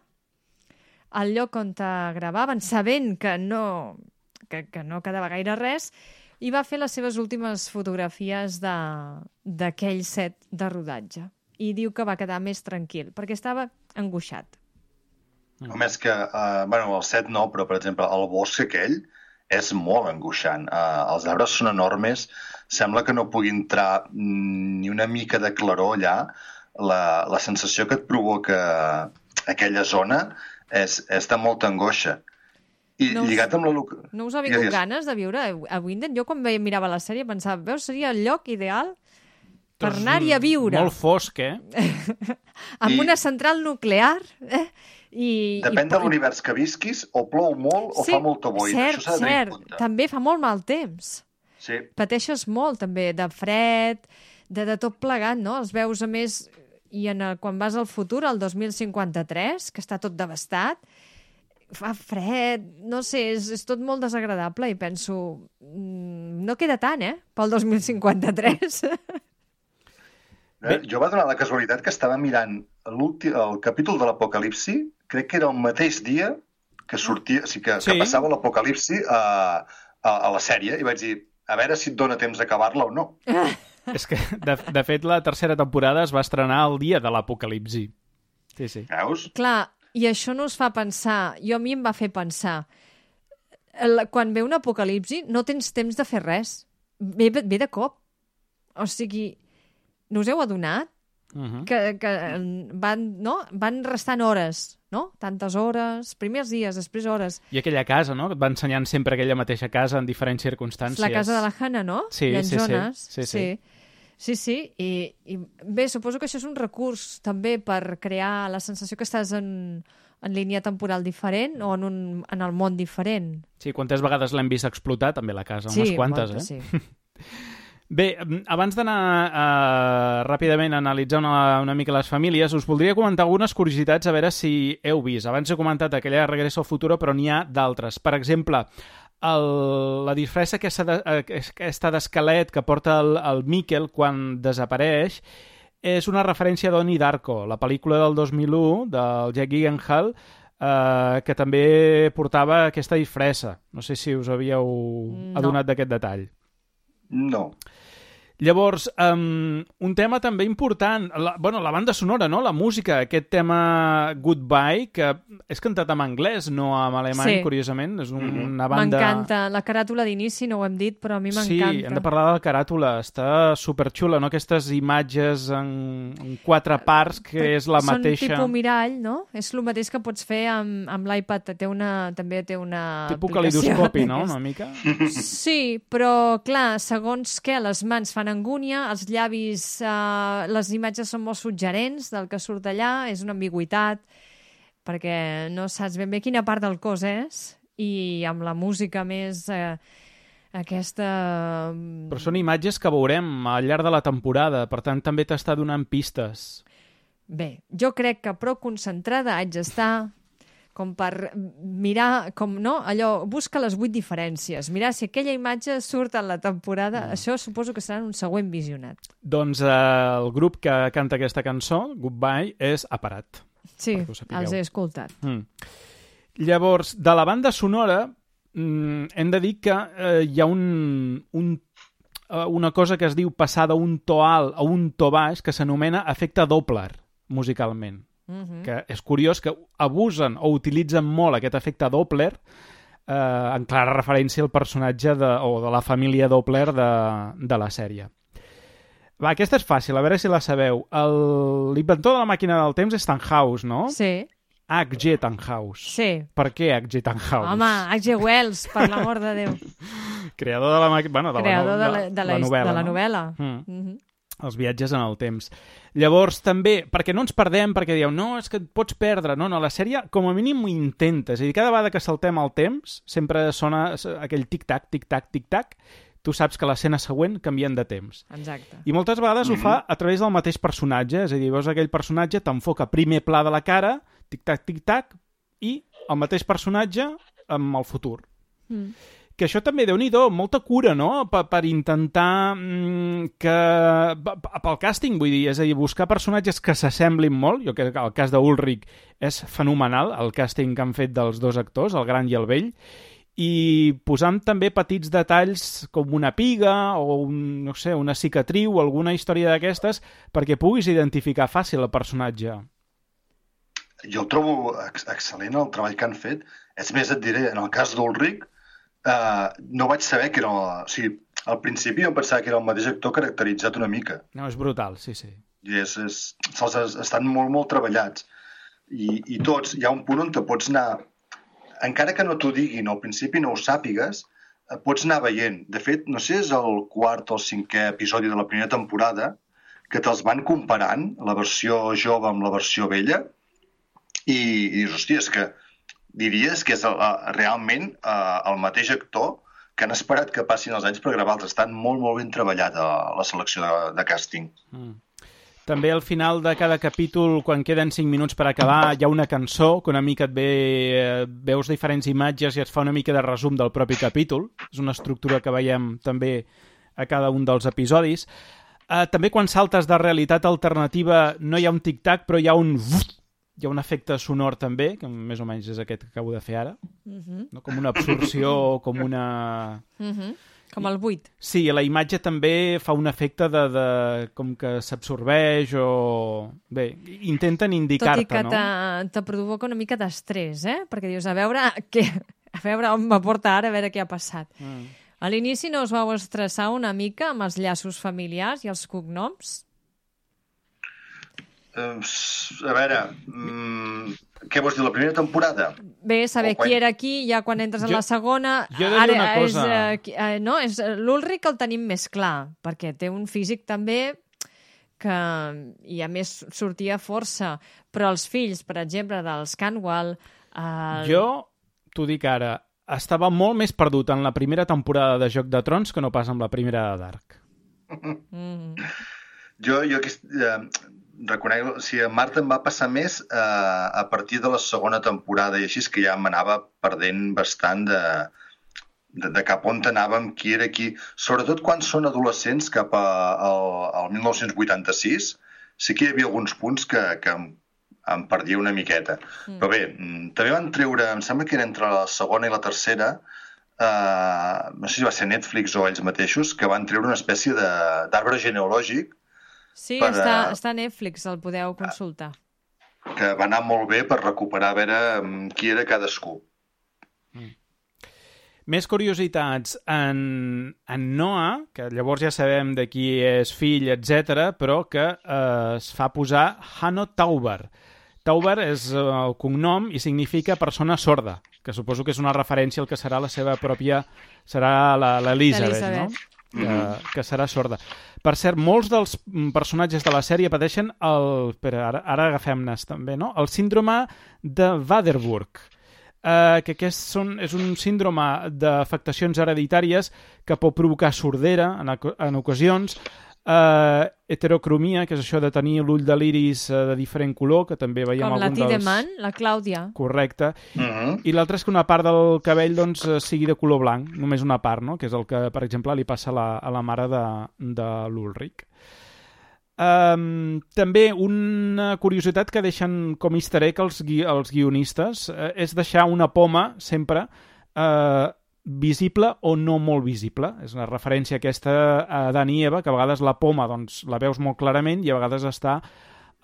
E: al lloc on gravaven, sabent que no quedava gaire res, i va fer les seves últimes fotografies d'aquell set de rodatge. I diu que va quedar més tranquil, perquè estava angoixat.
D: Home, és que, el set no, però, per exemple, el bosc aquell és molt angoixant. Els arbres són enormes, sembla que no pugui entrar ni una mica de claror allà. La sensació que et provoca aquella zona és de molta angoixa. I lligat amb la...
E: No us ha vingut ganes de viure a Winden? Jo quan mirava la sèrie pensava, veus, seria el lloc ideal per anar-hi a viure.
C: Molt fosc,
E: Amb una central nuclear,
D: Depèn de l'univers que visquis, o plou molt o fa molta boira. Això s'ha de tenir en compte.
E: També fa molt mal temps.
D: Sí.
E: Pateixes molt, també, de fred, de tot plegat, no? Els veus, a més, i quan vas al futur, al 2053, que està tot devastat, fa fred, no sé, és tot molt desagradable i penso, no queda tant, pel 2053.
D: Jo va donar la casualitat que estava mirant el capítol de l'Apocalipsi, crec que era el mateix dia que sortia, que passava l'Apocalipsi a la sèrie, i vaig dir, a veure si et dona temps d'acabar-la o no.
C: És que, de fet, la tercera temporada es va estrenar el dia de l'Apocalipsi. Sí.
D: Veus?
E: Clar, i això no us fa pensar, a mi em va fer pensar, quan ve un apocalipsi no tens temps de fer res, ve de cop. O sigui, no us heu adonat? que van restant hores, no? Tantes hores, primers dies, després hores.
C: I aquella casa, no? Que et va ensenyant sempre aquella mateixa casa en diferents circumstàncies.
E: La casa de la Hannah, no?
C: Sí,
E: sí. I bé, suposo que això és un recurs també per crear la sensació que estàs en línia temporal diferent o en el món diferent.
C: Sí, quantes vegades l'hem vist explotar també la casa? Unes quantes,
E: moltes,
C: eh?
E: Sí.
C: Bé, abans d'anar ràpidament a analitzar una mica les famílies, us voldria comentar algunes curiositats a veure si heu vist. Abans he comentat aquella Regreso al Futuro, però n'hi ha d'altres. Per exemple, la disfressa aquesta d'esquelet que porta el Mikkel quan desapareix és una referència a Donnie Darko, la pel·lícula del 2001 del Jake Gyllenhaal, que també portava aquesta disfressa. No sé si us havíeu adonat d'aquest detall.
D: No.
C: Llavors, un tema també important, la banda sonora, no? La música, aquest tema Goodbye, que és cantat en anglès, no en alemany, curiosament. És una banda...
E: M'encanta. La caràtula d'inici no ho hem dit, però a mi m'encanta.
C: Sí, hem de parlar de la caràtula. Està superxula, no? Aquestes imatges en 4 parts, que és la mateixa...
E: Són tipus mirall, no? És el mateix que pots fer amb l'iPad. També té una
C: tipus
E: aplicació.
C: calidoscopi, no? Una mica.
E: Sí, però, clar, segons què, les mans fan angúnia, els llavis, les imatges són molt suggerents del que surt allà, és una ambigüitat, perquè no saps ben bé quina part del cos és, i amb la música més aquesta...
C: Però són imatges que veurem al llarg de la temporada, per tant també t'està donant pistes.
E: Bé, jo crec que prou concentrada haig d'estar com per mirar, allò, busca les 8 diferències, mirar si aquella imatge surt en la temporada, això suposo que serà un següent visionat.
C: Doncs el grup que canta aquesta cançó, Goodbye, és Aparat.
E: Sí, els he escoltat.
C: Llavors, de la banda sonora, hem de dir que hi ha una cosa que es diu passar d'un to alt a un to baix que s'anomena efecte Doppler, musicalment. Que és curiós que abusen o utilitzen molt aquest efecte Doppler en clara referència al personatge o de la família Doppler de la sèrie. Va, aquesta és fàcil, a veure si la sabeu. L'inventor de la màquina del temps és Tannhaus, no?
E: Sí.
C: H.G. Tannhaus.
E: Sí.
C: Per què H.G. Tannhaus?
E: Home, H.G. Wells, per l'amor de Déu.
C: Creador de la màquina... Bueno,
E: de la novel·la.
C: Els viatges en el temps. Llavors, també, perquè no ens perdem, perquè dieu, no, és que et pots perdre. No, la sèrie, com a mínim, ho intenta. És a dir, cada vegada que saltem el temps, sempre sona aquell tic-tac, tic-tac, tic-tac. Tu saps que l'escena següent canvien de temps.
E: Exacte.
C: I moltes vegades ho fa a través del mateix personatge. És a dir, veus aquell personatge, t'enfoca primer pla de la cara, tic-tac, tic-tac, i el mateix personatge amb el futur. Que això també, Déu-n'hi-do, molta cura, no?, per intentar pel càsting, vull dir, és a dir, buscar personatges que s'assemblin molt. Jo crec que el cas d'Ulrich és fenomenal, el càsting que han fet dels 2 actors, el gran i el vell, i posant també petits detalls com una piga o una cicatriu o alguna història d'aquestes perquè puguis identificar fàcil el personatge.
D: Jo el trobo excel·lent el treball que han fet. És més, et diré, en el cas d'Ulrich, no vaig saber que era... O sigui, al principi jo pensava que era el mateix actor caracteritzat una mica.
C: No, és brutal, sí.
D: I estan molt, molt treballats. I tots, hi ha un punt on te pots anar... Encara que no t'ho diguin, al principi no ho sàpigues, pots anar veient. De fet, no sé, és el 4 o el 5è episodi de la primera temporada que te'ls van comparant, la versió jove amb la versió vella, i dius, hòstia, és que diries que és realment el mateix actor que han esperat que passin els anys per gravar-los. Estan molt, molt ben treballat a la selecció de càsting.
C: També al final de cada capítol, quan queden 5 minuts per acabar, hi ha una cançó que una mica veus diferents imatges i et fa una mica de resum del propi capítol. És una estructura que veiem també a cada un dels episodis. També quan saltes de realitat alternativa no hi ha un tic-tac, però hi ha un efecte sonor també, que més o menys és aquest que acabo de fer ara. No? Com una absorció, com una...
E: Com el buit.
C: Sí, la imatge també fa un efecte de com que s'absorbeix o... Bé, intenten indicar-te, no?
E: Tot i que te provoca una mica d'estrès, Perquè dius, a veure on m'aporta ara, a veure què ha passat. A l'inici no us vau estressar una mica amb els llaços familiars i els cognoms?
D: A veure, què vols dir, la primera temporada?
E: Bé, saber qui era qui, ja quan entres en la segona...
C: Jo he de dir una cosa.
E: És l'Ulrich el tenim més clar, perquè té un físic també que, i a més, sortia força. Però els fills, per exemple, dels Canwell...
C: Jo t'ho dic ara, estava molt més perdut en la primera temporada de Joc de Trons que no pas en la primera de Dark.
D: Jo reconec, o sigui, a Marta em va passar més a partir de la segona temporada i així és que ja m'anava perdent bastant de cap on anàvem, qui era qui. Sobretot quan són adolescents cap al 1986, sí que hi havia alguns punts que em perdia una miqueta. Però bé, també van treure, em sembla que era entre la segona i la tercera, no sé si va ser Netflix o ells mateixos, que van treure una espècie d'arbre genealògic.
E: Sí, està a Netflix, el podeu consultar.
D: Que va anar molt bé per recuperar a veure qui era cadascú.
C: Més curiositats en Noah, que llavors ja sabem de qui és fill, etc, però que es fa posar Hanno Tauber. Tauber és el cognom i significa persona sorda, que suposo que és una referència al que serà la seva pròpia... serà l'Elisabeth, no? Que serà sorda. Per cert, molts dels personatges de la sèrie pateixen ara agafem-nes també, no? El síndrome de Waterberg, que és un síndrome d'afectacions hereditàries que pot provocar sordera en ocasions, heterocromia, que és això de tenir l'ull de l'iris de diferent color, que també veiem
E: com
C: algun
E: la Tiedemann, la Clàudia.
C: Correcte. I l'altre és que una part del cabell doncs, sigui de color blanc, només una part, no? Que és el que, per exemple, li passa a la mare de l'Ulrich. També una curiositat que deixen com easter egg els guionistes és deixar una poma sempre visible o no molt visible. És una referència aquesta a Adán i Eva, que a vegades la poma doncs, la veus molt clarament i a vegades està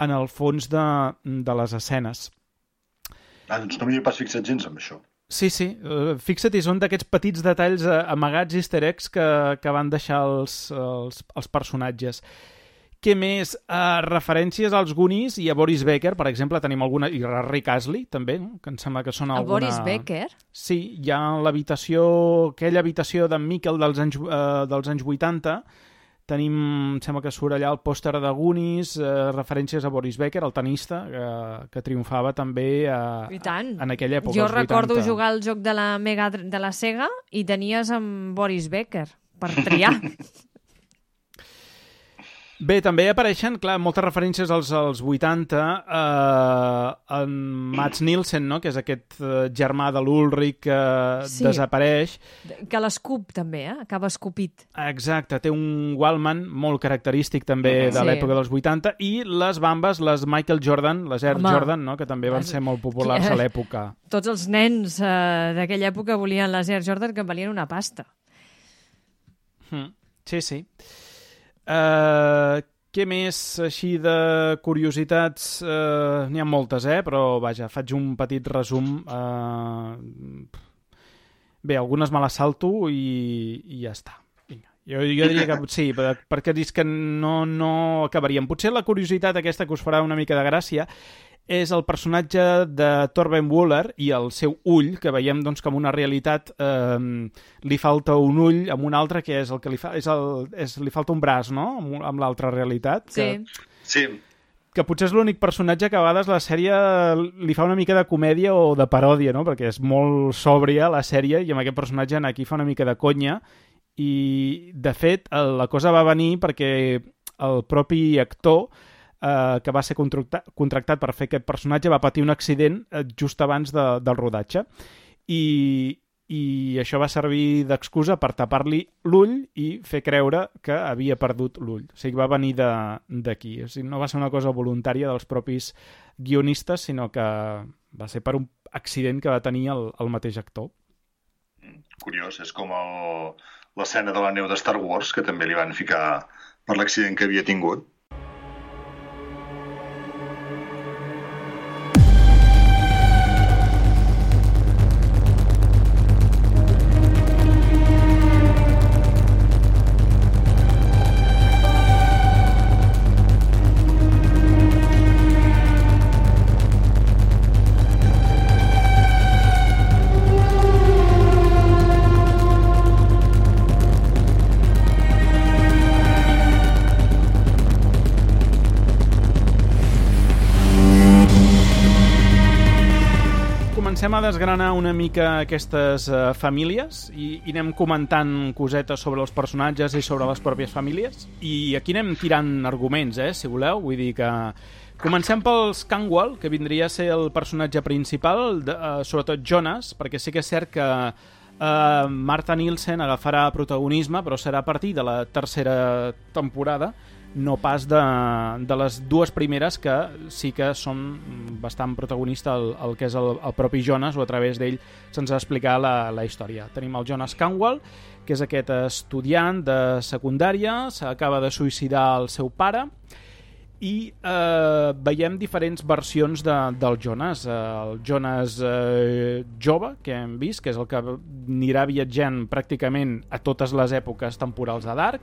C: en el fons de les escenes.
D: Doncs no m'hi he pas fixat gens amb això.
C: Sí, fixa't, són d'aquests petits detalls amagats easter eggs que van deixar els personatges. Què més? Referències als Goonies i a Boris Becker, per exemple, tenim alguna... I a Rick Astley, també, no? Que em sembla que són alguna...
E: Boris Becker?
C: Sí, hi ha aquella habitació d'en Miquel dels anys 80, tenim, em sembla que surt allà el pòster de Goonies, referències a Boris Becker, el tenista, que triomfava també en aquella època,
E: jo
C: als 80.
E: Recordo jugar al joc de la Sega i tenies amb Boris Becker, per triar.
C: Bé, també apareixen, clar, moltes referències als 80, en Mads Nielsen, no?, que és aquest germà de l'Ulrich que desapareix.
E: Que l'escup, també, acaba escupit.
C: Exacte, té un Wallman molt característic també de l'època dels 80, i les bambes, les Michael Jordan, les Air Jordan, no?, que també van ser molt populars a l'època.
E: Tots els nens d'aquella època volien les Air Jordan, que valien una pasta.
C: Sí. Què més així de curiositats? N'hi ha moltes, però vaja, faig un petit resum. Bé, algunes me les salto i ja està. Vinga. Jo diria que sí, perquè dius que no acabaríem. Potser la curiositat aquesta que us farà una mica de gràcia és el personatge de Torben Wöhler i el seu ull, que veiem doncs, com una realitat li falta un ull amb un altre, que és el que li falta un braç, no?, amb l'altra realitat.
D: Sí.
C: Que potser és l'únic personatge que a vegades la sèrie li fa una mica de comèdia o de paròdia, no?, perquè és molt sòbria la sèrie i amb aquest personatge aquí fa una mica de conya i, de fet, la cosa va venir perquè el propi actor que va ser contractat per fer aquest personatge va patir un accident just abans del rodatge i això va servir d'excusa per tapar-li l'ull i fer creure que havia perdut l'ull. O sigui, va venir d'aquí. O sigui, no va ser una cosa voluntària dels propis guionistes, sinó que va ser per un accident que va tenir el mateix actor.
D: Curiós, és com l'escena de la neu de Star Wars, que també li van ficar per l'accident que havia tingut.
C: comencem a desgranar una mica aquestes famílies i anem comentant cosetes sobre els personatges i sobre les pròpies famílies. I aquí anem tirant arguments, si voleu. Vull dir que comencem pels Canwell, que vindria a ser el personatge principal, sobretot Jonas, perquè sí que és cert que Martha Nielsen agafarà protagonisme, però serà a partir de la tercera temporada, no pas de les dues primeres, que sí que són bastant protagonista el que és el propi Jonas, o a través d'ell se'ns ha explicat la història. Tenim el Jonas Canwell, que és aquest estudiant de secundària, s'acaba de suïcidar el seu pare, i veiem diferents versions del Jonas. El Jonas jove, que hem vist, que és el que anirà viatjant pràcticament a totes les èpoques temporals de Dark.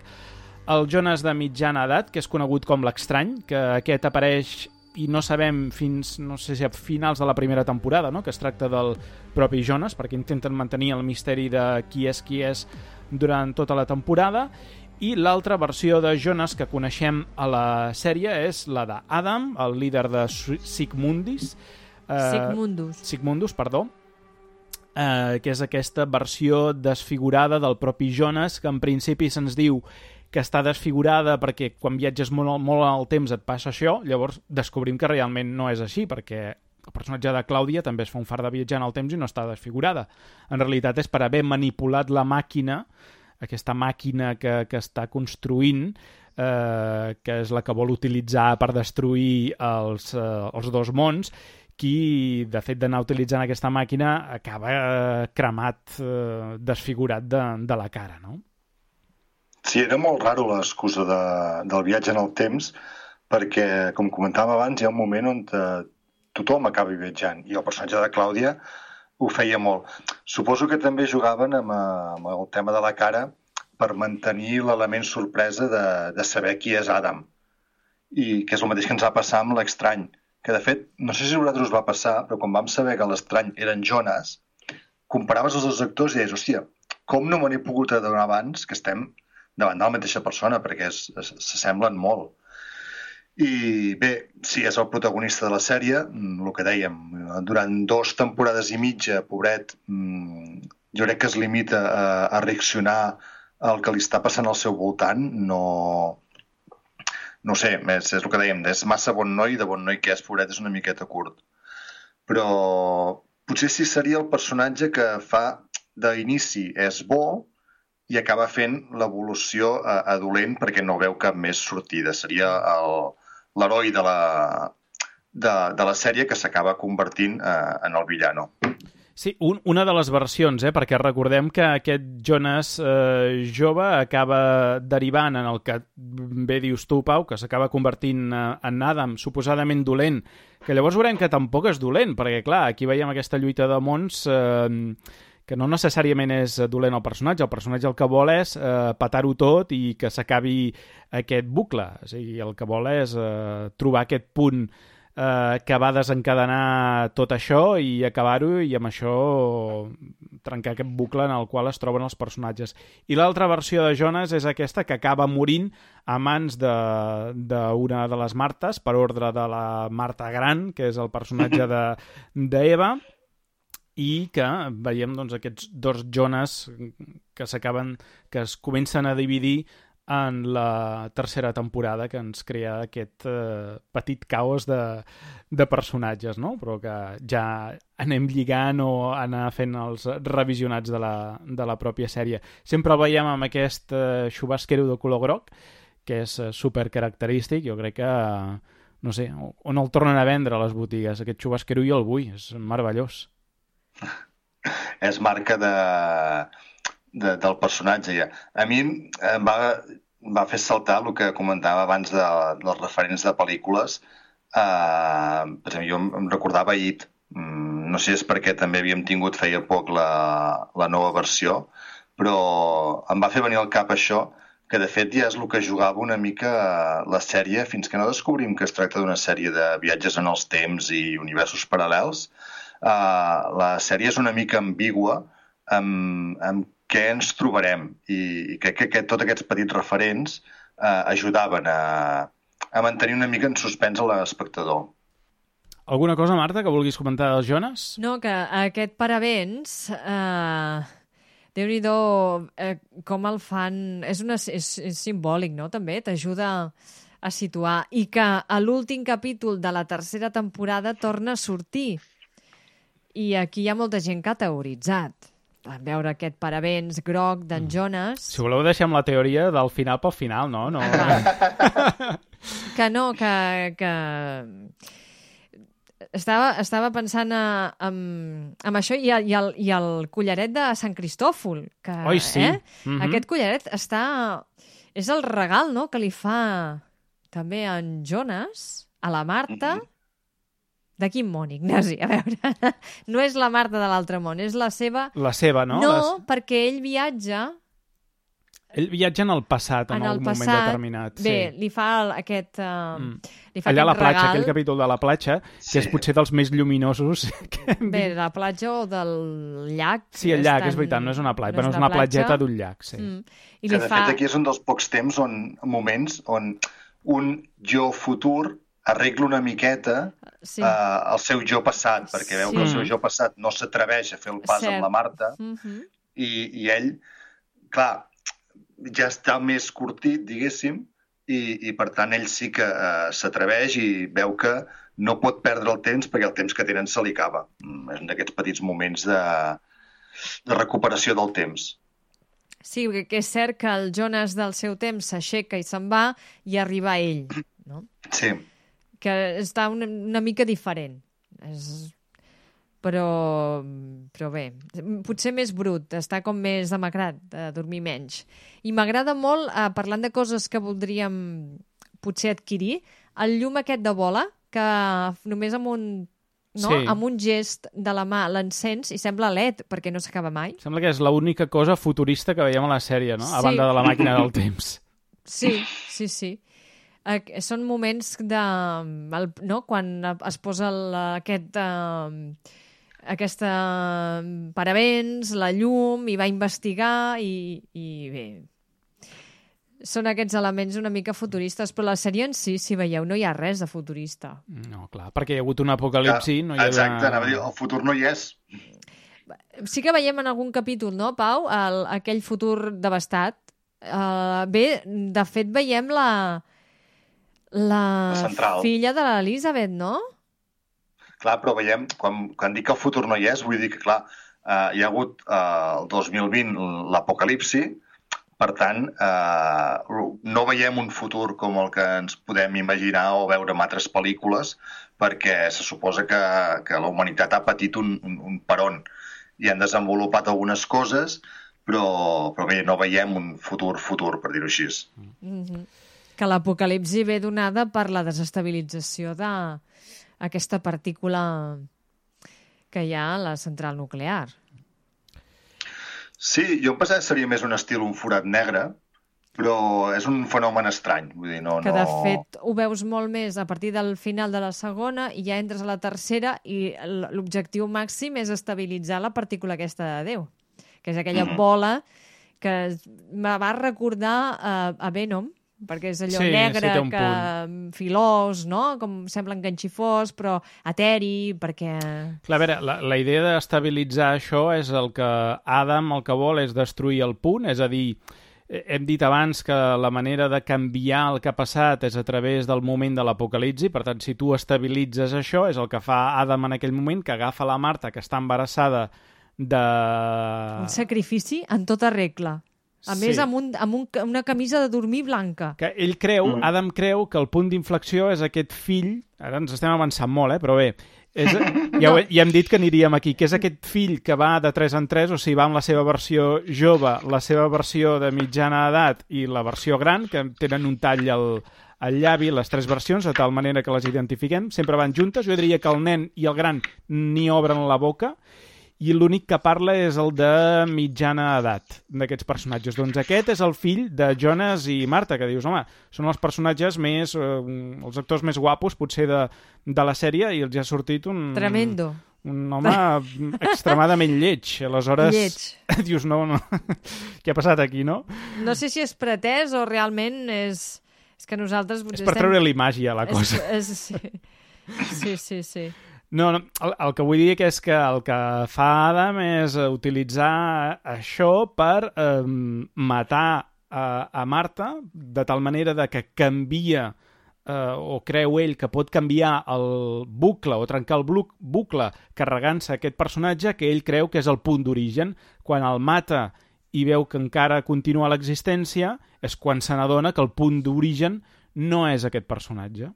C: El Jonas de mitjana edat, que és conegut com l'Estrany, que aquest apareix i no sabem fins, no sé si a finals de la primera temporada, no? Que es tracta del propi Jonas, perquè intenten mantenir el misteri de qui és durant tota la temporada. I l'altra versió de Jonas que coneixem a la sèrie és la d'Adam, el líder de Sigmundus, que és aquesta versió desfigurada del propi Jonas, que en principi se'ns diu que està desfigurada perquè quan viatges molt al temps et passa això. Llavors descobrim que realment no és així, perquè el personatge de Clàudia també es fa un fart de viatjar en el temps i no està desfigurada. En realitat és per haver manipulat la màquina, aquesta màquina que està construint, que és la que vol utilitzar per destruir els dos mons, qui, de fet d'anar utilitzant aquesta màquina, acaba cremat, desfigurat de la cara, no?
D: Sí, era molt raro l'excusa del viatge en el temps, perquè, com comentàvem abans, hi ha un moment on tothom acaba viatjant, i el personatge de Clàudia ho feia molt. Suposo que també jugaven amb el tema de la cara per mantenir l'element sorpresa de saber qui és Adam, i que és el mateix que ens va passar amb l'Estrany, que de fet, no sé si a vosaltres us va passar, però quan vam saber que l'Estrany era en Jonas, comparaves els dos actors i deies, hòstia, com no me n'he pogut adonar abans que estem davant de la mateixa persona, perquè s'assemblen molt. I bé, si és el protagonista de la sèrie, el que dèiem, durant 2 temporades i mitja, pobret, jo crec que es limita a reaccionar al que li està passant al seu voltant. No sé, és el que dèiem, és massa bon noi, de bon noi que és, pobret, és una miqueta curt. Però potser sí seria el personatge que fa d'inici és bo i acaba fent l'evolució a dolent perquè no veu cap més sortida. Seria l'heroi de la sèrie que s'acaba convertint en el villano.
C: Sí, una de les versions, perquè recordem que aquest Jonas jove acaba derivant en el que bé dius tu, Pau, que s'acaba convertint en Adam, suposadament dolent, que llavors veurem que tampoc és dolent, perquè clar, aquí veiem aquesta lluita de mons que no necessàriament és dolent el personatge el que vol és petar-ho tot i que s'acabi aquest bucle. O sigui, el que vol és trobar aquest punt que va desencadenar tot això i acabar-ho i amb això trencar aquest bucle en el qual es troben els personatges. I l'altra versió de Jonas és aquesta que acaba morint a mans d'una de les Martes, per ordre de la Marta Gran, que és el personatge d'Eva, i que veiem doncs, aquests dos Jonas que es comencen a dividir en la tercera temporada, que ens crea aquest petit caos de personatges, no? Però que ja anem lligant o anar fent els revisionats de la pròpia sèrie. Sempre el veiem amb aquest xubasquero de color groc, que és supercaracterístic. Jo crec que, no sé, on el tornen a vendre a les botigues, aquest xubasquero jo el vull, és meravellós.
D: És marca del personatge, ja. A mi em va fer saltar el que comentava abans dels referents de pel·lícules. Per exemple, jo em recordava It. No sé si és perquè també havíem tingut feia poc la nova versió, però em va fer venir al cap això, que de fet ja és el que jugava una mica la sèrie, fins que no descobrim que es tracta d'una sèrie de viatges en els temps i universos paral·lels. La sèrie és una mica ambigua amb què ens trobarem i crec que tots aquests petits referents ajudaven a mantenir una mica en suspens a l'espectador.
C: Alguna cosa, Marta, que vulguis comentar dels Jonas?
E: No, que aquest parabens, Déu-n'hi-do com el fan... És simbòlic, no?, també, t'ajuda a situar. I que a l'últim capítol de la tercera temporada torna a sortir. I aquí hi ha molta gent que ha teoritzat. Van veure aquest parabens groc d'en Jonas...
C: Si voleu deixem la teoria del final pel final, no?
E: Que no, que... Estava pensant en això i el collaret de Sant Cristòfol. Que,
C: Oi, sí.
E: Aquest collaret és el regal, no?, que li fa també en Jonas a la Marta. De quin món, Ignasi? A veure, no és la Marta de l'altre món, és la seva...
C: La seva, no?
E: No, perquè ell viatja...
C: Ell viatja en el passat, en algun moment determinat.
E: Bé,
C: sí.
E: Li fa aquest... li fa
C: allà a la platja,
E: regal.
C: aquell capítol de la platja, que és potser dels més lluminosos que hem
E: Bé,
C: vist.
E: la platja o del llac.
C: Sí, el llac, és veritat, no és una platja, però és una platgeta d'un llac, sí.
E: I
D: que, de fet, aquí és un dels pocs moments on un jo futur arregla una miqueta el seu jo passat, perquè veu que el seu jo passat no s'atreveix a fer el pas amb la Marta, i ell, clar, ja està més curtit, diguéssim, i per tant ell sí que s'atreveix i veu que no pot perdre el temps perquè el temps que tenen se li acaba. És un d'aquests petits moments de recuperació del temps.
E: Sí, que és cert que el Jonas del seu temps s'aixeca i se'n va i arriba ell, no?
D: Sí.
E: Que està una mica diferent. Però bé, potser més brut, està com més demacrat, de dormir menys. I m'agrada molt, parlant de coses que voldríem potser adquirir, el llum aquest de bola, que només amb un gest de la mà l'encens i sembla LED, perquè no s'acaba mai.
C: Sembla que és l'única cosa futurista que veiem a la sèrie, no? A banda de la màquina del temps.
E: Sí. Són moments quan es posa aquesta parabens, la llum, i va investigar i bé, són aquests elements una mica futuristes, però la sèrie en si veieu, no hi ha res de futurista.
C: No, clar, perquè hi ha hagut un apocalipsi. No hi ha...
D: Exacte, anava a dir, el futur no hi és.
E: Sí que veiem en algun capítol, no, Pau? Aquell futur devastat. Bé, de fet, veiem la filla de l'Elisabet, no?
D: Clar, però veiem, quan dic que el futur no hi és, vull dir que, clar, hi ha hagut el 2020 l'apocalipsi, per tant, no veiem un futur com el que ens podem imaginar o veure en altres pel·lícules, perquè se suposa que la humanitat ha patit un peron i han desenvolupat algunes coses, però bé, no veiem un futur, per dir-ho així.
E: Que l'apocalipsi ve donada per la desestabilització d'aquesta partícula que hi ha a la central nuclear.
D: Sí, jo em pensava que seria més un estil un forat negre, però és un fenomen estrany. Vull dir,
E: que de fet ho veus molt més a partir del final de la segona i ja entres a la tercera i l'objectiu màxim és estabilitzar la partícula aquesta de Déu, que és aquella bola que me va recordar a Venom, perquè és allò negre, filós, no? Com semblen ganxifós, però eteri, perquè...
C: Clar, a veure, la idea d'estabilitzar això és el que Adam el que vol és destruir el punt, és a dir, hem dit abans que la manera de canviar el que ha passat és a través del moment de l'apocalipsi, per tant, si tu estabilitzes això, és el que fa Adam en aquell moment, que agafa la Marta, que està embarassada de...
E: Un sacrifici en tota regla. A més, amb una camisa de dormir blanca.
C: Que ell creu, Adam creu que el punt d'inflexió és aquest fill... Ara ens estem avançant molt, però bé. Ja hem dit que aniríem aquí, que és aquest fill que va de 3 en 3, o sigui, va amb la seva versió jove, la seva versió de mitjana edat i la versió gran, que tenen un tall al llavi, les 3 versions, de tal manera que les identifiquem. Sempre van juntes. Jo diria que el nen i el gran ni obren la boca, i l'únic que parla és el de mitjana edat d'aquests personatges. Doncs aquest és el fill de Jonas i Marta, que dius, home, són els personatges més... els actors més guapos, potser, de la sèrie, i els ha sortit un...
E: Tremendo.
C: Un home extremadament lleig. Aleshores,
E: lleig.
C: Dius, no... Què ha passat aquí, no?
E: No sé si és pretès o realment és que nosaltres...
C: És per treure-li màgia a la cosa.
E: Sí. Sí.
C: No, el que vull dir és que el que fa Adam és utilitzar això per matar a Marta, de tal manera de que canvia o creu ell que pot canviar el bucle o trencar el bucle carregant-se aquest personatge que ell creu que és el punt d'origen. Quan el mata i veu que encara continua l'existència, és quan se n'adona que el punt d'origen no és aquest personatge.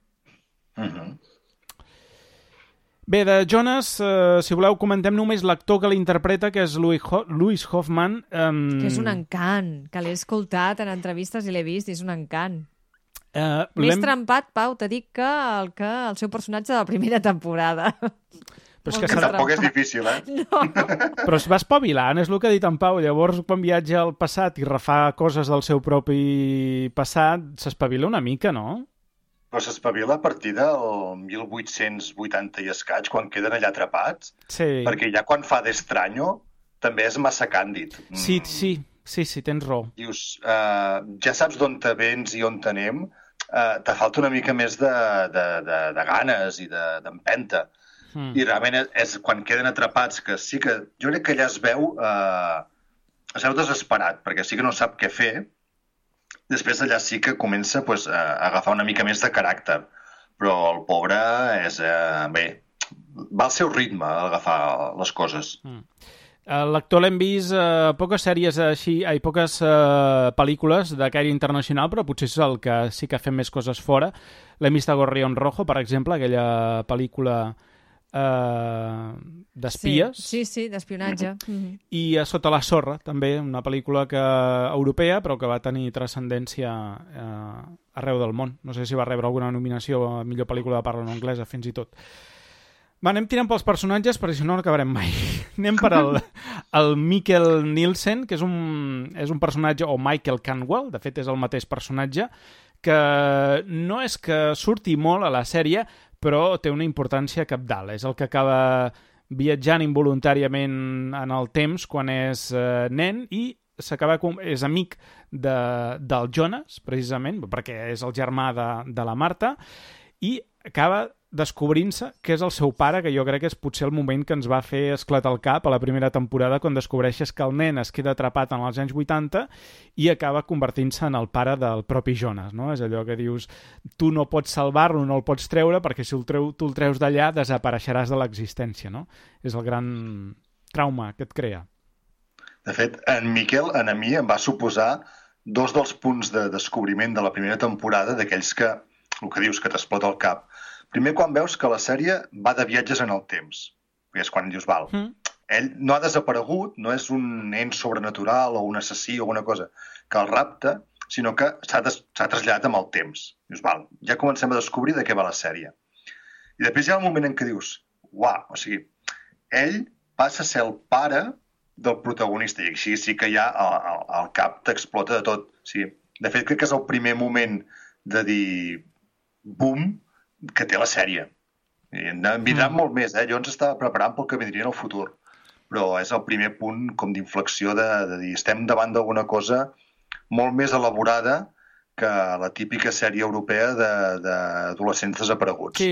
C: Bé, de Jonas, si voleu, comentem només l'actor que l'interpreta, que és Louis Hoffman.
E: Que és un encant, que l'he escoltat en entrevistes i l'he vist, i és un encant. Més trempat, Pau, t'he dit que el seu personatge de la primera temporada.
C: Però és
D: que tampoc és difícil,
E: No.
C: Però es va espavilant, és el que ha dit en Pau. Llavors, quan viatja al passat i refà coses del seu propi passat, s'espavila una mica, no?
D: Però s'espavila a partir del 1880 i escaig, quan queden allà atrapats, perquè ja quan fa d'estranyo també és massa càndid.
C: Sí, tens raó.
D: Dius, ja saps d'on te vens i on t'anem, te falta una mica més de ganes i d'empenta. I realment és quan queden atrapats, que sí que jo crec que allà es veu desesperat, perquè sí que no sap què fer. Després allà sí que comença a agafar una mica més de caràcter, però el pobre és... Bé, va al seu ritme a agafar les coses.
C: L'actor l'hem vist a poques sèries així, poques pel·lícules de caire internacional, però potser és el que sí que ha fet més coses fora. L'hem vist a Gorrión Rojo, per exemple, aquella pel·lícula d'espies.
E: Sí, d'espionatge.
C: I a Sota la sorra, també, una pel·lícula europea, però que va tenir transcendència arreu del món. No sé si va rebre alguna nominació a millor pel·lícula de parla no anglesa, fins i tot. Va, anem tirant pels personatges, perquè si no acabarem mai. Anem per el Mikkel Nielsen, que és un personatge, o Michael Canwell, de fet és el mateix personatge, que no és que surti molt a la sèrie, però té una importància cabdal. És el que acaba viatjant involuntàriament en el temps quan és nen i és amic del Jonas, precisament, perquè és el germà de la Marta, i acaba descobrint-se que és el seu pare, que jo crec que és potser el moment que ens va fer esclatar el cap a la primera temporada, quan descobreixes que el nen es queda atrapat en els anys 80 i acaba convertint-se en el pare del propi Jonas, no? És allò que dius, tu no pots salvar-lo, no el pots treure, perquè si tu el treus d'allà desapareixeràs de l'existència, no? És el gran trauma que et crea.
D: De fet, en Miquel, a mi, em va suposar dos dels punts de descobriment de la primera temporada, d'aquells que, el que dius, que t'explota el cap. Primer, quan veus que la sèrie va de viatges en el temps. Perquè és quan dius, val, ell no ha desaparegut, no és un ent sobrenatural o un assassí o una cosa que el rapta, sinó que s'ha traslladat amb el temps. Dius, val, ja comencem a descobrir de què va la sèrie. I després hi ha el moment en què dius, uau, o sigui, ell passa a ser el pare del protagonista, i així sí que ja el cap t'explota de tot. O sigui, de fet, crec que és el primer moment de dir boom que té la sèrie. I en vindran molt més, Jo ens estava preparant pel que vindria en el futur, però és el primer punt com d'inflexió de dir estem davant d'alguna cosa molt més elaborada que la típica sèrie europea d'adolescents desapareguts.
C: Sí,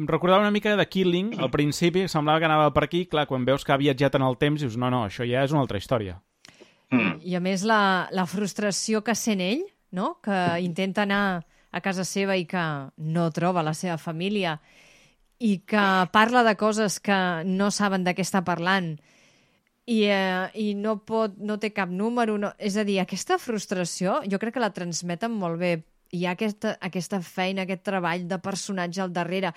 C: recordava una mica de Killing, al principi, semblava que anava per aquí, clar, quan veus que ha viatjat en el temps, dius, no, això ja és una altra història.
E: I a més la frustració que sent ell, no? Que intenta anar a casa seva i que no troba la seva família i que parla de coses que no saben de què està parlant i no té cap número. No. És a dir, aquesta frustració jo crec que la transmeten molt bé. Hi ha aquesta feina, aquest treball de personatge al darrere,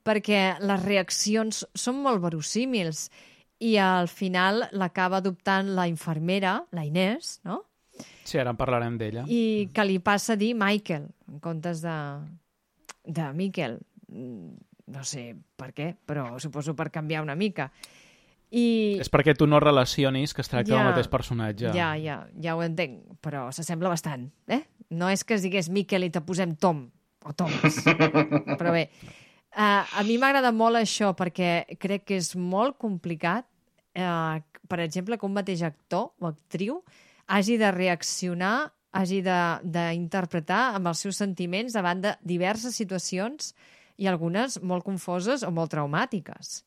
E: perquè les reaccions són molt verossímils i al final l'acaba adoptant la infermera, la Inés, no?
C: Sí, ara en parlarem d'ella.
E: I que li passa a dir Michael, en comptes de Miquel. No sé per què, però suposo per canviar una mica.
C: És perquè tu no relacionis que es tracta del mateix personatge.
E: Ja ho entenc, però s'assembla bastant, No és que es digués Miquel i te posem Tom, o Thomas. Però bé, a mi m'agrada molt això, perquè crec que és molt complicat, per exemple, que un mateix actor o actriu hagi de reaccionar, hagi d'interpretar amb els seus sentiments davant de diverses situacions i algunes molt confoses o molt traumàtiques.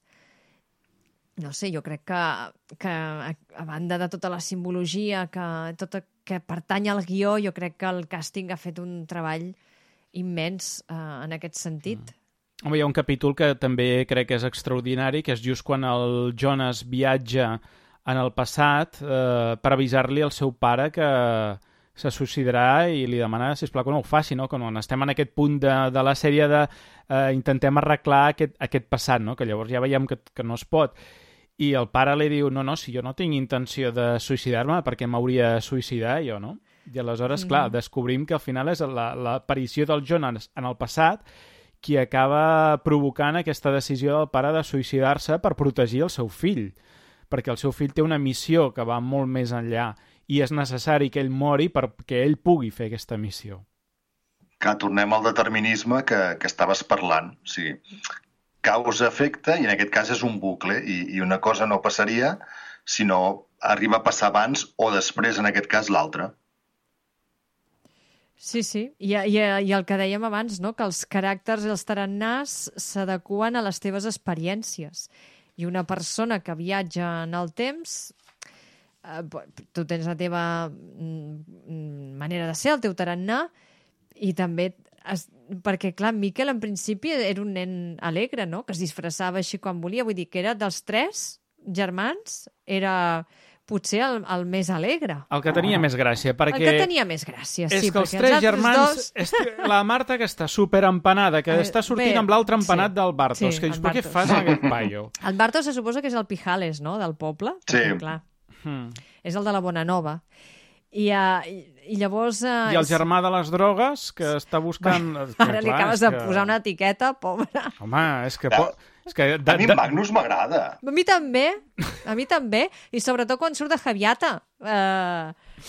E: No sé, jo crec que a banda de tota la simbologia que pertany al guió, jo crec que el càsting ha fet un treball immens en aquest sentit.
C: Home, hi ha un capítol que també crec que és extraordinari, que és just quan el Jonas viatja en el passat per avisar-li al seu pare que se suicidarà i li demana, sisplau, que no ho faci, no? Que quan estem en aquest punt de la sèrie de intentem arreglar aquest passat, no? Que llavors ja veiem que no es pot. I el pare li diu, no, si jo no tinc intenció de suïcidar-me, perquè m'hauria de suïcidar jo, no? I aleshores, clar, descobrim que al final és l'aparició del Jonas en el passat qui acaba provocant aquesta decisió del pare de suïcidar-se per protegir el seu fill, perquè el seu fill té una missió que va molt més enllà i és necessari que ell mori perquè ell pugui fer aquesta missió.
D: Que tornem al determinisme que estaves parlant. O sigui, causa-efecte, i en aquest cas és un bucle, i una cosa no passaria si no arriba a passar abans o després, en aquest cas, l'altre.
E: Sí. I el que dèiem abans, no? Que els caràcters i els tarannàs s'adequen a les teves experiències. I una persona que viatja en el temps, tu tens la teva manera de ser, el teu tarannà, i també... Perquè, clar, Miquel, en principi, era un nen alegre, no? Que es disfressava així quan volia. Vull dir que era dels 3 germans, era potser el més alegre.
C: El que tenia més gràcia, perquè...
E: El que tenia més gràcia, sí.
C: És que els 3 germans... La Marta, que està superempanada, que està sortint amb l'altre empanat del Bartos, que dius, però què fas amb aquest paio?
E: El Bartos se suposa que és el Pijales, no?, del poble.
D: Sí.
E: Perquè, clar, és el de la Bonanova. I llavors...
C: I el germà de les drogues, que està buscant...
E: Ara li acabes de posar una etiqueta, pobre.
C: Home, és que...
D: A mi Magnus m'agrada.
E: A mi també. I sobretot quan surt de Javiata,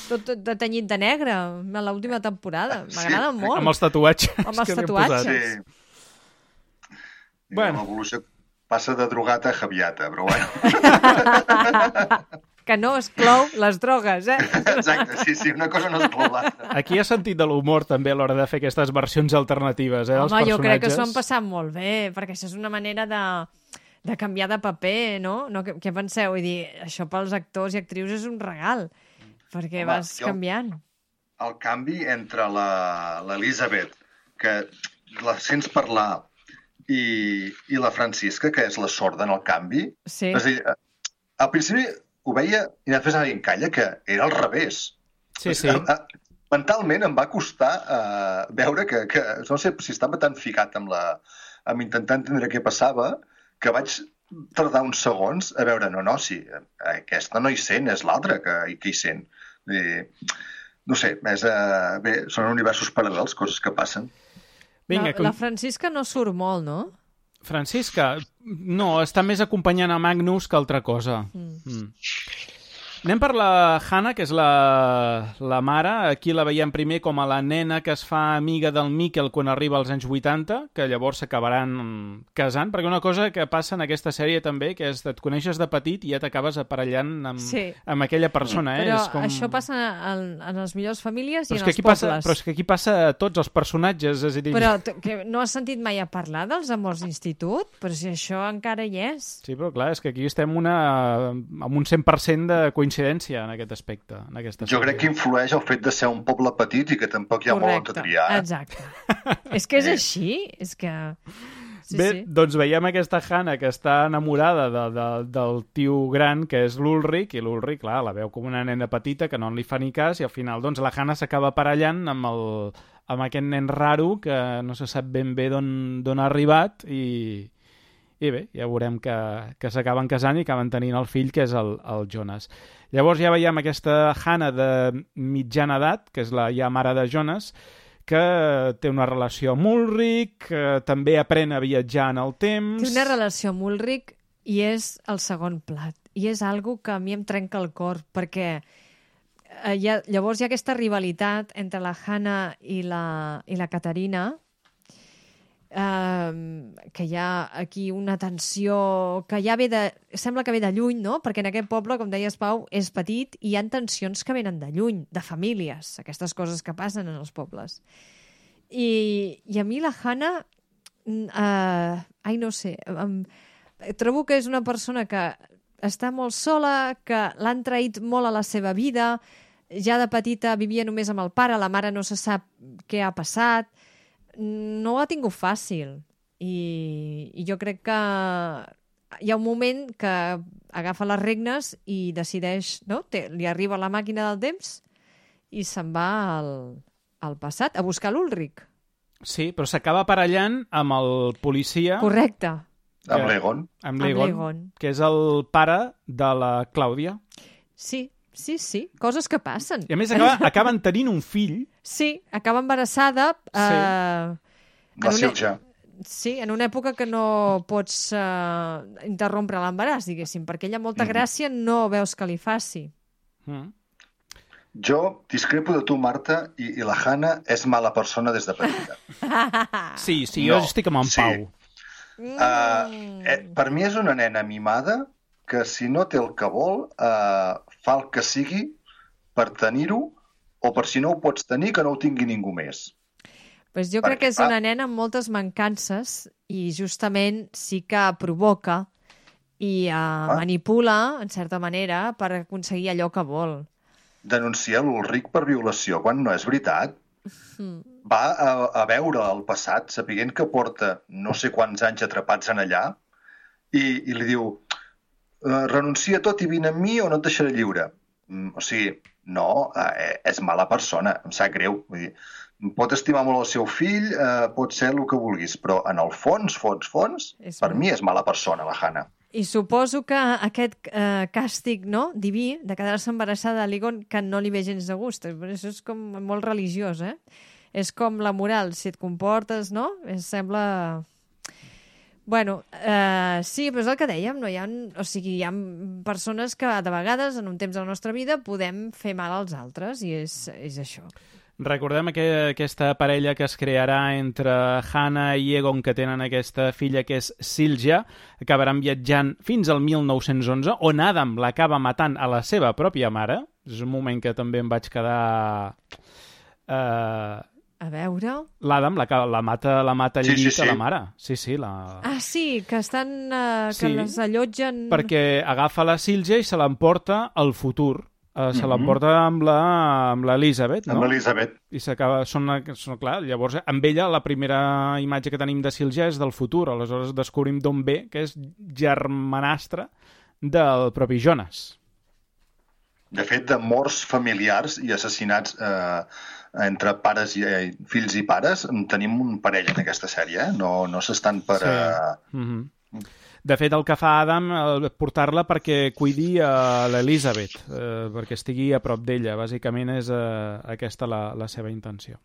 E: tot tenyit de negre, a l'última temporada. M'agrada molt.
C: Amb els tatuatges.
E: Amb els tatuatges.
D: Sí. Bueno. L'evolució passa de drogat a Javiata, però bueno.
E: Que no exclou les drogues,
D: Exacte, sí, una cosa no exclou l'altra.
C: Aquí ha sentit de l'humor també a l'hora de fer aquestes versions alternatives, dels personatges.
E: Jo crec que s'ho han passat molt bé, perquè això és una manera de canviar de paper, no? Què penseu? Vull dir, això pels actors i actrius és un regal, perquè vas canviant.
D: El canvi entre l'Elisabet, que la sents parlar, i la Francisca, que és la sorda en el canvi,
E: sí.
D: És a dir, al principi ho veia i després anava en calla, que era al revés.
C: Sí.
D: Mentalment em va costar veure que no sé si estava tan ficat amb intentar entendre què passava, que vaig tardar uns segons a veure, sí, aquesta no hi sent, és l'altra que hi sent. No sé, són universos paral·lels, coses que passen.
C: Vinga,
E: la Francisca no surt molt, no?
C: Francisca, no, està més acompanyant a Magnus que altra cosa. Anem per la Hannah, que és la mare. Aquí la veiem primer com a la nena que es fa amiga del Miquel quan arriba als anys 80, que llavors s'acabaran casant, perquè una cosa que passa en aquesta sèrie també, que és que et coneixes de petit i ja t'acabes aparellant amb aquella persona.
E: Però això passa en les millors famílies i en els pobles.
C: Però és que aquí passa a tots els personatges. És a dir...
E: Però que no has sentit mai a parlar dels amors d'institut? Però si això encara hi és.
C: Sí, però clar, és que aquí estem amb un 100% de coincidència en aquest aspecte.
D: Jo crec que influeix el fet de ser un poble petit i que tampoc hi ha molt a triar.
E: Exacte. És que és així. És que...
C: Sí. Doncs veiem aquesta Hannah que està enamorada del tio gran, que és l'Ulrich, i l'Ulrich, clar, la veu com una nena petita que no li fa ni cas, i al final doncs, la Hannah s'acaba aparellant amb aquest nen raro que no se sap ben bé d'on ha arribat, i bé, ja veurem que s'acaben casant i acaben tenint el fill, que és el Jonas. Llavors ja veiem aquesta Hannah de mitjana edat, que és la ja mare de Jonas, que té una relació amb Ulrich, que també aprèn a viatjar en el temps...
E: Té una relació amb Ulrich i és el segon plat. I és algo que a mi em trenca el cor, perquè llavors hi ha aquesta rivalitat entre la Hannah i la Caterina, que hi ha aquí una tensió que ja sembla que ve de lluny, no? Perquè en aquest poble, com deies, Pau, és petit i hi ha tensions que venen de lluny, de famílies, aquestes coses que passen en els pobles. I a mi la Hannah no sé, trobo que és una persona que està molt sola, que l'han traït molt a la seva vida, ja de petita vivia només amb el pare, la mare no se sap què ha passat, no ho ha tingut fàcil. I jo crec que hi ha un moment que agafa les regnes i decideix, no? Li arriba la màquina del temps i se'n va al passat a buscar l'Ulrich.
C: Sí, però s'acaba aparellant amb el policia...
E: Correcte.
D: Amb l'Egon.
C: Amb l'Egon, que és el pare de la Clàudia.
E: Sí, coses que passen.
C: I a més acaben tenint un fill.
E: Sí, acaba embarassada.
D: La Silja.
E: Sí, en una època que no pots interrompre l'embaràs, diguéssim, perquè ella molta gràcia no veus que li faci.
D: Jo discrepo de tu, Marta, i la Hannah és mala persona des de petita.
C: Sí, jo estic amb en Pau.
D: Per mi és una nena mimada que si no té el que vol fa el que sigui per tenir-ho, o per si no ho pots tenir que no ho tingui ningú més.
E: Pues jo crec que és una nena amb moltes mancances i justament sí que provoca i manipula, en certa manera, per aconseguir allò que vol.
D: Denuncia l'Ulrich per violació quan no és veritat. Va a veure el passat sapient que porta no sé quants anys atrapats en allà i li diu renuncia a tot i vine amb mi o no et deixaré lliure. O sigui, no, és mala persona, em sap greu. Vull dir, pot estimar molt el seu fill, pot ser el que vulguis, però en el fons, per mi és mala persona, la Hannah.
E: I suposo que aquest càstig diví de quedar-se embarassada de l'Egon que no li ve gens de gust. Això és com molt religiós, eh? És com la moral, si et comportes, no? Sembla... Bueno, sí, però és el que dèiem, no? Hi ha persones que de vegades en un temps de la nostra vida podem fer mal als altres i és això.
C: Recordem que aquesta parella que es crearà entre Hannah i Egon, que tenen aquesta filla que és Silja, acabaran viatjant fins al 1911, on Adam l'acaba matant a la seva pròpia mare. És un moment que també em vaig quedar...
E: A veure...
C: L'Adam la mata al llit a la mare. Sí.
E: Sí, que estan... que les allotgen...
C: Perquè agafa la Silja i se l'emporta al futur. Se l'emporta amb l'Elisabet, no?
D: Amb l'Elisabet.
C: I s'acaba... Clar, llavors, amb ella, la primera imatge que tenim de Silja és del futur. Aleshores descobrim d'on ve, que és germanastre del propi Jonas.
D: De fet, de morts familiars i assassinats entre pares i fills i pares, tenim un parell en aquesta sèrie, no s'estan per...
C: Sí. De fet, el que fa Adam portar-la perquè cuidi a l'Elisabet, perquè estigui a prop d'ella. Bàsicament és aquesta la seva intenció.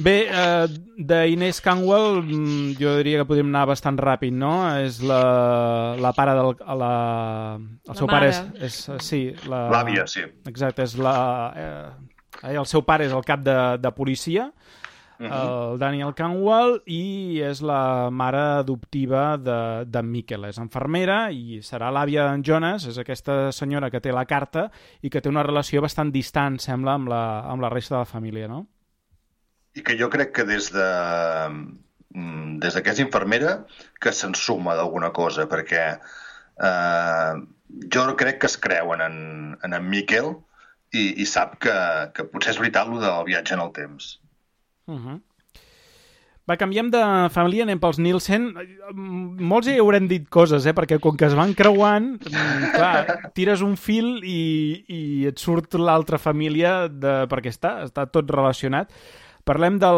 C: Bé, d'Inés Canwell jo diria que podríem anar bastant ràpid, no? És la pare del... El seu pare és... Sí,
D: l'àvia, sí.
C: Exacte, és el seu pare és el cap de policia, el Daniel Canwell, i és la mare adoptiva de Mikkel. És infermera i serà l'àvia d'en Jonas, és aquesta senyora que té la carta i que té una relació bastant distant, sembla, amb la resta de la família, no?
D: I que jo crec que des que és infermera que se'n suma d'alguna cosa, perquè jo crec que es creuen en Mikkel i sap que potser és veritat el del viatge en el temps.
C: Va, canviem de família, anem pels Nielsen. Molts hi haurem dit coses, perquè com que es van creuant, clar, tires un fil i et surt l'altra família perquè està tot relacionat. Parlem a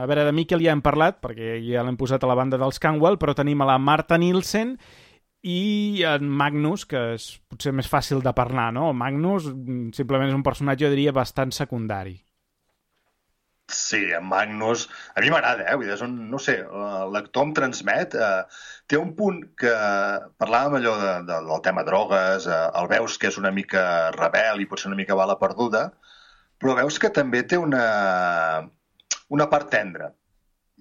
C: veure, de Mikkel ja hem parlat, perquè ja l'hem posat a la banda dels Canwell, però tenim a la Marta Nielsen i en Magnus, que és potser més fàcil de parlar, no? Magnus simplement és un personatge, jo diria, bastant secundari.
D: Sí, en Magnus... A mi m'agrada, no sé, l'actor em transmet... Té un punt que... Parlàvem allò del tema drogues, el veus que és una mica rebel i potser una mica bala perduda, però veus que també té una part tendra.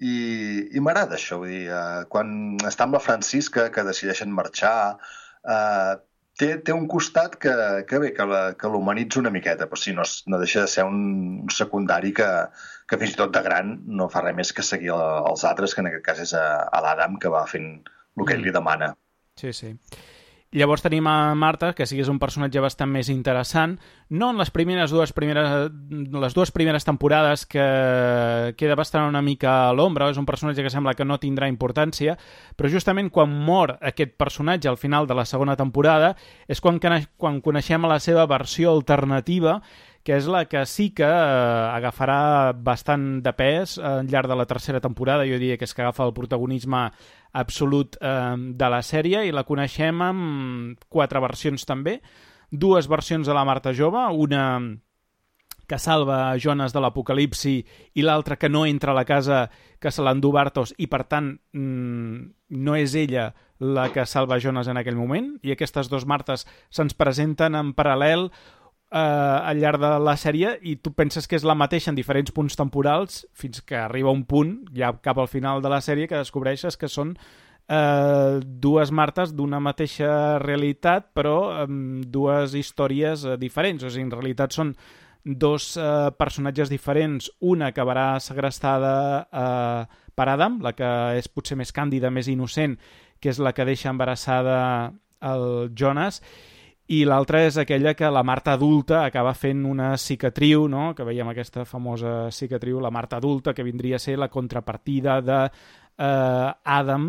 D: I m'agrada això, vull dir, quan està amb la Francisca, que decideixen marxar, té un costat que l'humanitza una miqueta, però sí, no deixa de ser un secundari que fins i tot de gran no fa res més que seguir els altres, que en aquest cas és a l'Adam, que va fent el que ell li demana.
C: Sí, sí. Llavors tenim a Marta, que sí que és un personatge bastant més interessant, no en les dues primeres temporades, que queda bastant una mica a l'ombra, és un personatge que sembla que no tindrà importància, però justament quan mor aquest personatge al final de la segona temporada és quan coneixem la seva versió alternativa, que és la que sí que agafarà bastant de pes al llarg de la tercera temporada. Jo diria que és que agafa el protagonisme absolut de la sèrie, i la coneixem amb 4 versions també. 2 versions de la Marta jove, una que salva Jonas de l'apocalipsi i l'altra que no entra a la casa, que se l'endú Bartos, i per tant no és ella la que salva Jonas en aquell moment, i aquestes 2 Martes se'ns presenten en paral·lel al llarg de la sèrie, i tu penses que és la mateixa en diferents punts temporals, fins que arriba un punt, ja cap al final de la sèrie, que descobreixes que són 2 Martes d'una mateixa realitat, però amb 2 històries diferents. O sigui, en realitat són 2 personatges diferents, una que acabarà segrestada per Adam, la que és potser més càndida, més innocent, que és la que deixa embarassada el Jonas, i l'altra és aquella que la Marta adulta acaba fent una cicatriu, no? Que veiem aquesta famosa cicatriu, la Marta adulta, que vindria a ser la contrapartida de Adam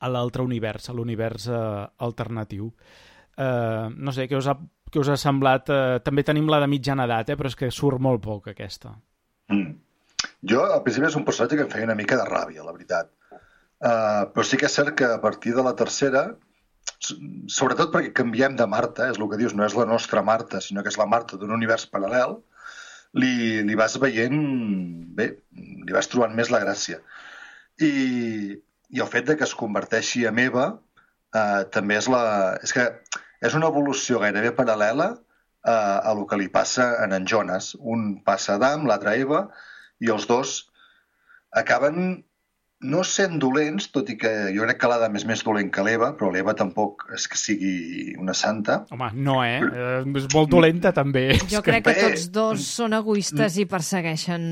C: a l'altre univers, a l'univers alternatiu. No sé, què us ha semblat? També tenim la de mitjana edat, però és que surt molt poc, aquesta.
D: Jo, al principi, és un personatge que em feia una mica de ràbia, la veritat. Però sí que és cert que a partir de la tercera, sobretot perquè canviem de Marta, és el que dius, no és la nostra Marta, sinó que és la Marta d'un univers paral·lel, li vas veient bé, li vas trobant més la gràcia. I el fet de que es converteixi en Eva també és que és una evolució gairebé paral·lela a el que li passa en Jonas. Un passa a Adam, l'altre a Eva, i els 2 acaben no sent dolents, tot i que jo crec que l'Adam és més dolent que l'Eva, però l'Eva tampoc és que sigui una santa.
C: Home, no, és molt dolenta, també.
E: Jo crec que tots 2 són egoistes i persegueixen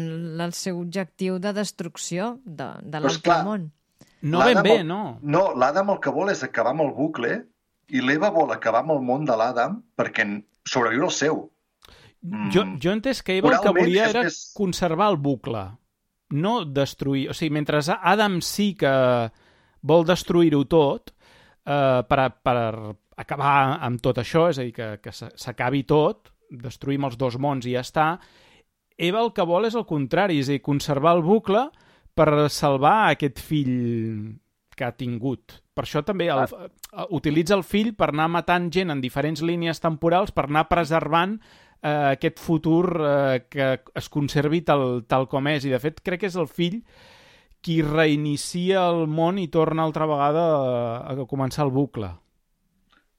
E: el seu objectiu de destrucció de l'altre món.
C: No ben bé, no.
D: No, l'Adam el que vol és acabar amb el bucle, i l'Eva vol acabar amb el món de l'Adam perquè sobreviure el seu.
C: Jo he entès que Eva el que volia era conservar el bucle, no destruir. O sigui, mentre Adam sí que vol destruir-ho tot per acabar amb tot això, és a dir, que s'acabi tot, destruïm els 2 mons i ja està, Eva el que vol és el contrari, és a dir, conservar el bucle per salvar aquest fill que ha tingut. Per això també utilitza el fill per anar matant gent en diferents línies temporals, per anar preservant aquest futur que es conservi tal com és. I de fet crec que és el fill qui reinicia el món i torna altra vegada a començar el bucle.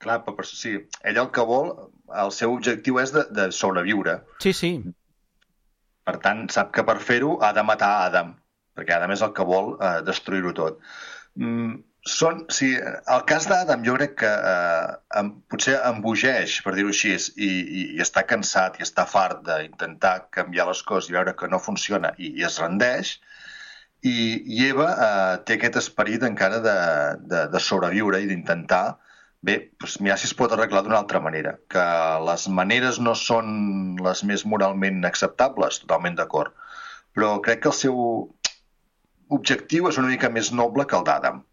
D: Clar, però sí, ell el que vol, el seu objectiu és de sobreviure.
C: Sí, sí.
D: Per tant, sap que per fer-ho ha de matar Adam, perquè Adam és el que vol destruir-ho tot. Sí, el cas d'Adam jo crec que potser embogeix, per dir-ho així, i està cansat i està fart d'intentar canviar les coses i veure que no funciona i es rendeix, i Eva té aquest esperit encara de sobreviure i d'intentar mirar si es pot arreglar d'una altra manera, que les maneres no són les més moralment acceptables, totalment d'acord, però crec que el seu objectiu és una mica més noble que el d'Adam.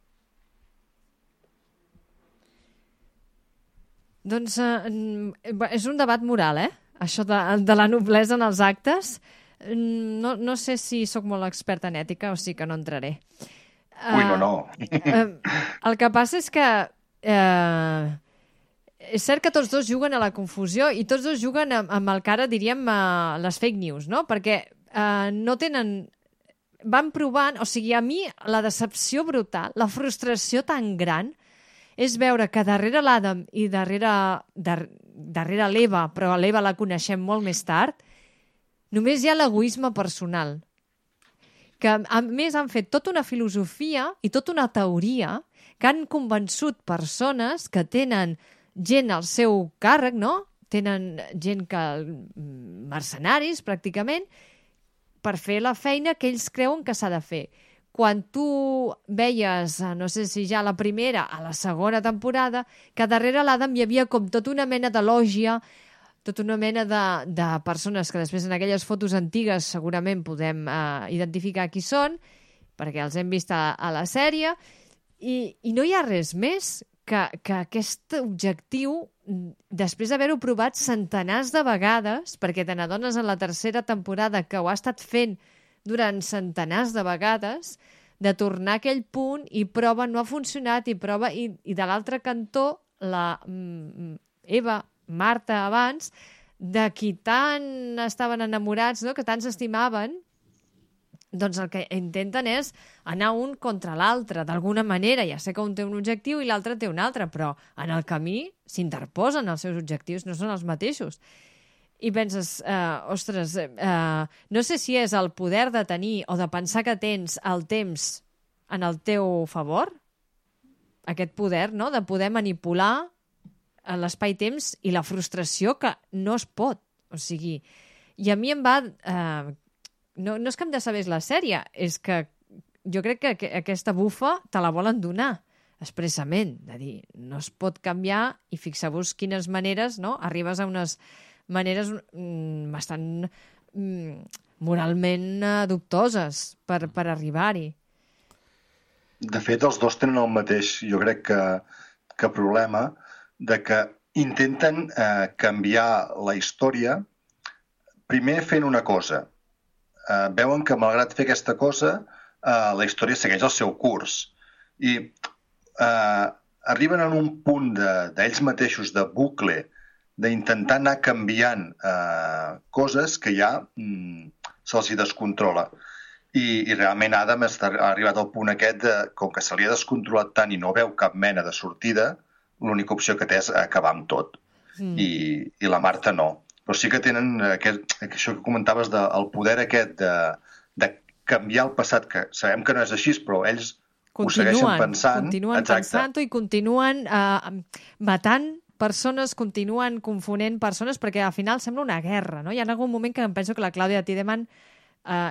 E: Doncs és un debat moral, això de la noblesa en els actes. No sé si sóc molt experta en ètica, o sigui que no entraré.
D: Ui, no.
E: El que passa és que és cert que tots 2 juguen a la confusió i tots 2 juguen amb el que ara diríem les fake news, no? Perquè no tenen... Van provant... O sigui, a mi la decepció brutal, la frustració tan gran és veure que darrere l'Adam i darrere l'Eva, però l'Eva la coneixem molt més tard, només hi ha l'egoisme personal. Que, a més, han fet tota una filosofia i tota una teoria que han convençut persones que tenen gent al seu càrrec, no? Tenen gent mercenaris, pràcticament, per fer la feina que ells creuen que s'ha de fer. Quan tu veies, no sé si ja a la primera, a la segona temporada, que darrere l'Adam hi havia com tota una mena de lògia, tota una mena de persones que després en aquelles fotos antigues segurament podem identificar qui són, perquè els hem vist a la sèrie, i no hi ha res més que aquest objectiu, després d'haver-ho provat centenars de vegades, perquè te n'adones en la tercera temporada que ho ha estat fent durant centenars de vegades, de tornar a aquell punt i prova, no ha funcionat, i prova, i de l'altre cantó, la Eva, Marta, abans, de qui tant estaven enamorats, no? Que tant s'estimaven, doncs el que intenten és anar un contra l'altre, d'alguna manera. Ja sé que un té un objectiu i l'altre té un altre, però en el camí s'interposen els seus objectius, no són els mateixos. I penses, ostres, no sé si és el poder de tenir o de pensar que tens el temps en el teu favor, aquest poder, no?, de poder manipular l'espai-temps i la frustració que no es pot. O sigui, i a mi em va... No és que em decebés la sèrie, és que jo crec que aquesta bufa te la volen donar expressament, de dir, no es pot canviar, i fixeu-vos quines maneres, no?, arribes a unes maneres bastant moralment dubtoses per arribar-hi.
D: De fet, els dos tenen el mateix, jo crec que problema, de que intenten canviar la història primer fent una cosa. Veuen que, malgrat fer aquesta cosa, la història segueix el seu curs. I arriben a un punt d'ells mateixos, de bucle, d'intentar anar canviant coses que ja se'ls hi descontrola. I realment Adam ha arribat al punt aquest, com que se li ha descontrolat tant i no veu cap mena de sortida, l'única opció que té és acabar amb tot. I la Marta no. Però sí que tenen això que comentaves, el poder aquest de canviar el passat, que sabem que no és així, però ells ho segueixen pensant.
E: Continuen pensant-ho i continuen matant persones, continuen confonent persones, perquè al final sembla una guerra, no? Hi ha algun moment que em penso que la Clàudia Tiedemann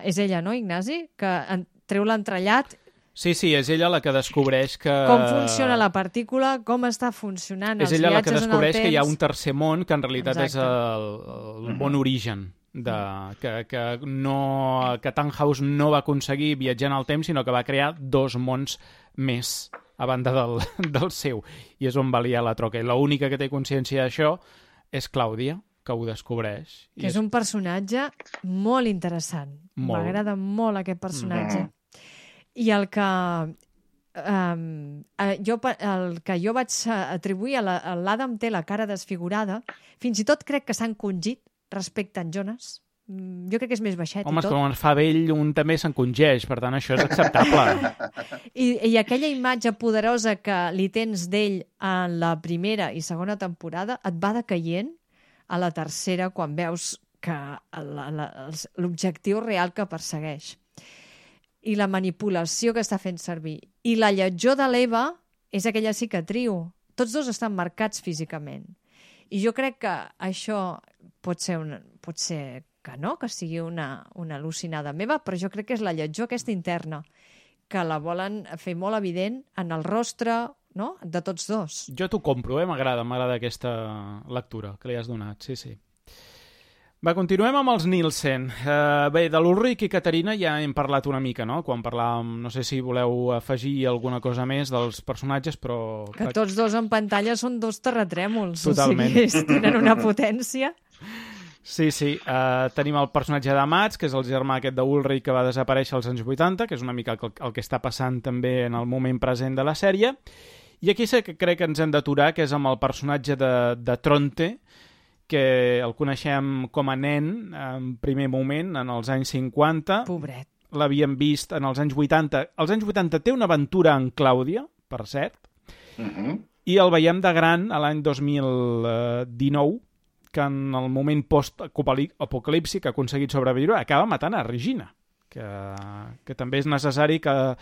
E: és ella, no, Ignasi? Que treu l'entrellat.
C: Sí, és ella la que descobreix que...
E: Com funciona la partícula, com està funcionant els viatges en el temps.
C: És ella la que descobreix que hi ha un tercer món, que en realitat és el món origen, que Tannhaus no va aconseguir viatjar en el temps, sinó que va crear dos mons més a banda del seu. I és on va liar la troca. I l'única que té consciència d'això és Clàudia, que ho descobreix.
E: Que és un personatge molt interessant. M'agrada molt aquest personatge. I el que jo vaig atribuir a l'Adam té la cara desfigurada, fins i tot crec que s'ha encongit respecte a en Jonas. Jo crec que és més baixet.
C: Home,
E: i tot.
C: Com es fa vell, un també s'encongeix, per tant això és acceptable.
E: I aquella imatge poderosa que li tens d'ell en la primera i segona temporada et va decaient a la tercera, quan veus que l'objectiu real que persegueix i la manipulació que està fent servir. I la lletjor de l'Eva és aquella cicatriu. Tots dos estan marcats físicament. I jo crec que això pot ser que no, que sigui una al·lucinada meva, però jo crec que és la lletjor aquesta interna, que la volen fer molt evident en el rostre, no?, de tots dos.
C: Jo t'ho compro, m'agrada aquesta lectura que li has donat, sí. Va, continuem amb els Nielsen. Bé, de l'Ulrich i Caterina ja hem parlat una mica, no?, quan parlàvem, no sé si voleu afegir alguna cosa més dels personatges, però...
E: Que tots dos en pantalla són dos terratrèmols.
C: Totalment.
E: O sigui, tenen una potència...
C: Sí. Tenim el personatge de Mats, que és el germà aquest d'Ulrich que va desaparèixer als anys 80, que és una mica el que està passant també en el moment present de la sèrie. I aquí sí que crec que ens hem d'aturar, que és amb el personatge de Tronte, que el coneixem com a nen en primer moment, en els anys 50.
E: Pobret.
C: L'havíem vist en els anys 80. Als anys 80 té una aventura en Clàudia, per cert, i el veiem de gran a l'any 2019, que en el moment post-apocalipsi que ha aconseguit sobreviure acaba matant a Regina, que també és necessari que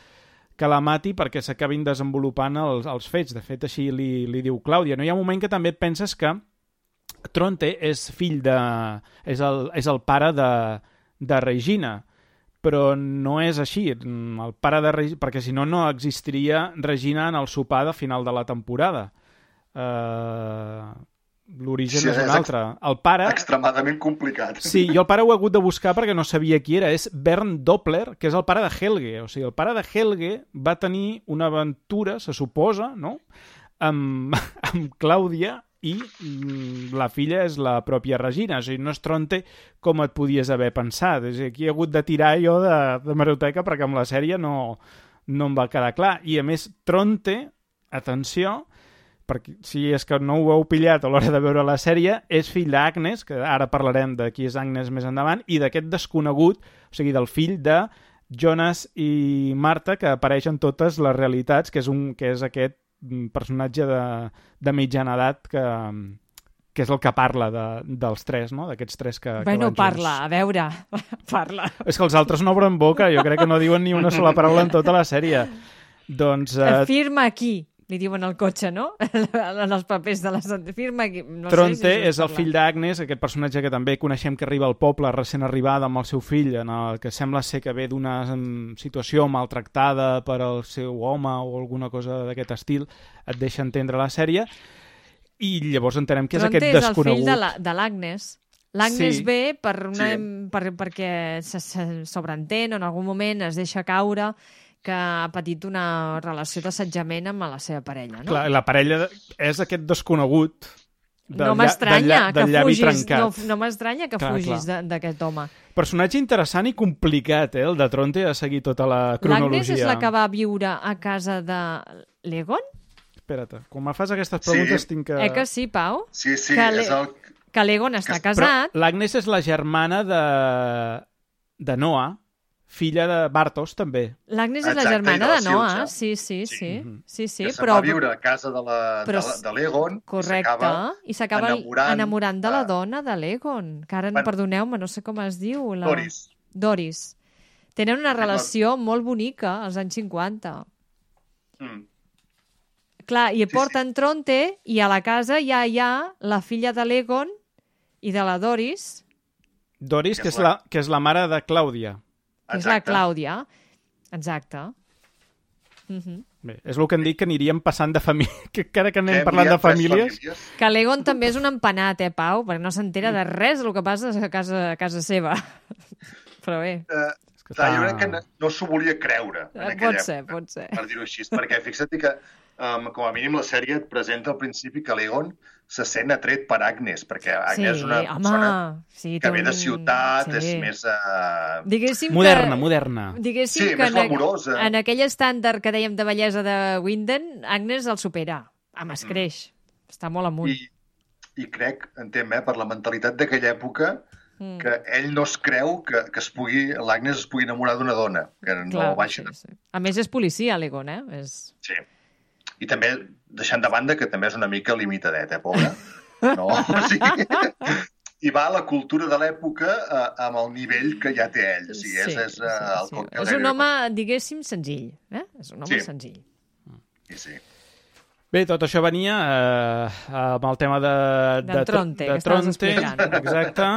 C: que la mati perquè s'acabin desenvolupant els fets. De fet, així li diu Clàudia. No hi ha un moment que també penses que Tronte és fill de... és el pare de Regina, però no és així. El pare de Regina... perquè si no, no existiria Regina en el sopar de final de la temporada. L'origen és un altre. El pare...
D: Extremadament complicat.
C: Sí, jo el pare ho he hagut de buscar perquè no sabia qui era. És Bernd Doppler, que és el pare de Helge. O sigui, el pare de Helge va tenir una aventura, se suposa, no?, amb Clàudia, i la filla és la pròpia Regina. O sigui, no és Tronte com et podies haver pensat. És a dir, aquí he hagut de tirar jo de meroteca perquè amb la sèrie no em va quedar clar. I a més, Tronte, atenció, perquè si és que no ho heu pillat a l'hora de veure la sèrie, és fill d'Agnes, que ara parlarem de qui és Agnes més endavant, i d'aquest desconegut, o sigui, del fill de Jonas i Marta, que apareix en totes les realitats, que és aquest personatge de mitjana edat que és el que parla dels tres, no? D'aquests tres que
E: bueno,
C: van
E: parla,
C: junts.
E: A veure, parla.
C: És que els altres no obren boca, jo crec que no diuen ni una sola paraula en tota la sèrie. Doncs...
E: Firma aquí, li diuen al cotxe, no? En els papers de la... Firma aquí. No
C: Tronte
E: sé si
C: és el fill d'Agnes, aquest personatge que també coneixem que arriba al poble recent arribada amb el seu fill, en el que sembla ser que ve d'una situació maltractada per al seu home o alguna cosa d'aquest estil, et deixa entendre la sèrie, i llavors entenem que és
E: Tronte
C: aquest desconegut.
E: Tronte és el fill de l'Agnes. L'Agnes
C: Sí.
E: ve perquè se sobreentén o en algun moment es deixa caure que ha patit una relació d'assetjament amb la seva parella, no?
C: Clar, la parella és aquest desconegut
E: No m'estranya que fugis,
C: trencat.
E: no m'estranya que fugis d'aquest home.
C: Personatge interessant i complicat, el de Tronte, a seguir tota la cronologia.
E: L'Agnes és la que va viure a casa de l'Egon?
C: Espera't, quan me fas aquestes preguntes tinc que...
E: Que sí, Pau?
D: Sí,
E: que
D: és el...
E: Que l'Egon està
C: Però
E: casat.
C: l'Agnes és la germana de Noah, filla de Bartos, també.
E: L'Agnes és la
D: Exacte,
E: germana
D: i de
E: de
D: la
E: Noah,
D: Silja.
E: sí,
D: que
E: però...
D: va viure a casa de l'Egon.
E: Correcte, i s'acaba enamorant de la dona de l'Egon, que ara, perdoneu-me, no sé com es diu. Doris. Tenen una relació molt bonica als anys 50. Clar, i porten Tronte, i a la casa ja hi ha la filla de l'Egon i de la Doris.
C: Doris, que és la mare de Clàudia.
E: Que és la Clàudia. Exacte.
C: Bé, és el que em dic que aniríem passant de família, que cada que anem parlant de famílies...
E: Que l'Egon també és un empanat, Pau? Perquè no s'entera de res del que passa a casa seva. Però bé.
D: Jo crec que no s'ho volia creure en aquella època.
E: Pot ser.
D: Per dir-ho així, perquè fixa't que com a mínim la sèrie et presenta al principi que l'Egon se sent atret per Agnes, perquè Agnes és una persona que ve de ciutat, és més...
C: Moderna.
E: Diguéssim que
D: més glamurosa.
E: En aquell estàndard que dèiem de bellesa de Winden, Agnes el supera. Amb escreix. Està molt amunt.
D: I crec, per la mentalitat d'aquella època, que ell no es creu que l'Agnes es pugui enamorar d'una dona. Que no baixa.
E: Sí. A més, és policia, l'Egon,
D: Sí. I també, deixant de banda, que també és una mica limitadet, pobre? No? O sigui, i va a la cultura de l'època amb el nivell que ja té ell. O sigui,
E: és un home, diguéssim, senzill. És un home senzill.
D: Sí.
C: Bé, tot això venia amb el tema de
E: Tronte, que estaves explicant.
C: Exacte.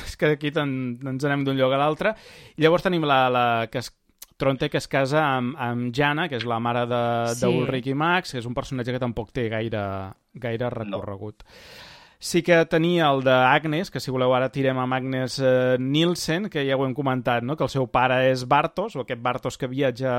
C: És que aquí ens anem d'un lloc a l'altre. I llavors tenim Tronte, que es casa amb Jana, que és la mare d'Ulrich i Max, que és un personatge que tampoc té gaire recorregut. Sí que tenia el d'Agnes, que si voleu ara tirem amb Agnes Nielsen, que ja ho hem comentat, no? Que el seu pare és Bartos, o aquest Bartos que viatja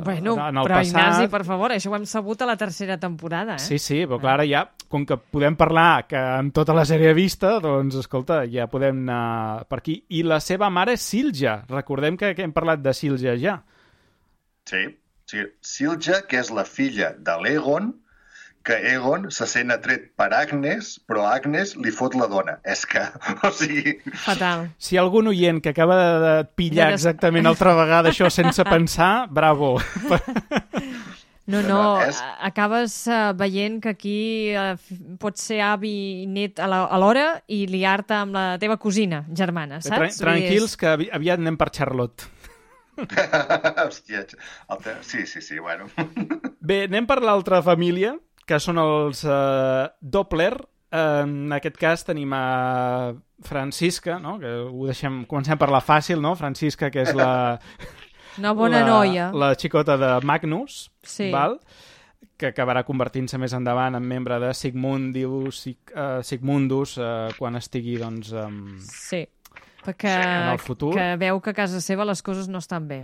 C: en el passat.
E: Però Ignasi, per favor, això ho hem sabut a la tercera temporada.
C: Sí, però clar, ara ja, com que podem parlar que amb tota la sèrie vista, doncs, escolta, ja podem anar per aquí. I la seva mare és Silja. Recordem que hem parlat de Silja ja.
D: Sí. Silja, que és la filla de l'Egon, que Egon se sent atret per Agnes, però Agnes li fot la dona. És que, o sigui...
E: Fatal.
C: Si hi ha algun oient que acaba de pillar exactament altra vegada això sense pensar, bravo.
E: No, acabes veient que aquí pots ser avi i net alhora i liar-te amb la teva cosina germana, saps?
C: Tranquils, que aviat anem per Charlotte.
D: Hòstia, sí, bueno.
C: Bé, anem per l'altra família, que són els Doppler. En aquest cas tenim a Francisca, no? Que comencem per la fàcil, no? Francisca, que és
E: una bona noia.
C: La xicota de Magnus,
E: sí.
C: Val? Que acabarà convertint-se més endavant en membre de Sigmundus quan estigui, doncs...
E: Sí, perquè
C: en el futur.
E: Que veu que a casa seva les coses no estan bé.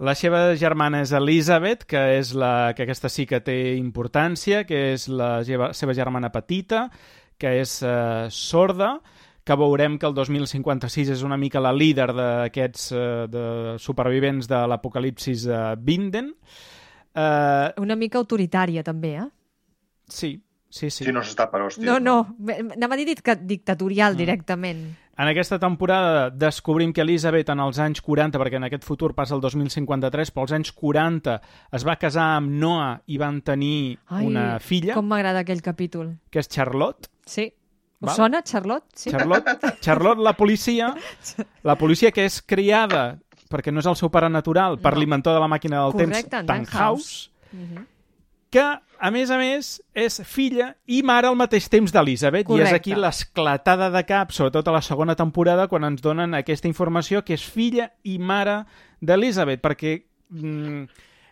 C: La seva germana és Elizabeth, que és que aquesta sí que té importància, que és la seva germana petita, que és sorda, que veurem que el 2056 és una mica la líder d'aquests de supervivents de l'apocalipsis de Vinden.
E: Una mica autoritària, també, eh?
C: Sí.
D: Si no s'està per hòsties.
E: No, anava a dir dictatorial directament.
C: En aquesta temporada descobrim que Elizabeth en els anys 40, perquè en aquest futur passa el 2053, però als anys 40 es va casar amb Noah i van tenir una filla.
E: Com m'agrada aquell capítol.
C: Que és Charlotte.
E: Sí. Us sona, Charlotte? Sí.
C: Charlotte, la policia que és criada, perquè no és el seu pare natural, per l'inventor de la màquina del temps, Tannhaus, que, a més, és filla i mare al mateix temps d'Elizabeth.
E: Correcte.
C: I és aquí l'esclatada de cap, sobretot a la segona temporada, quan ens donen aquesta informació que és filla i mare d'Elizabeth, perquè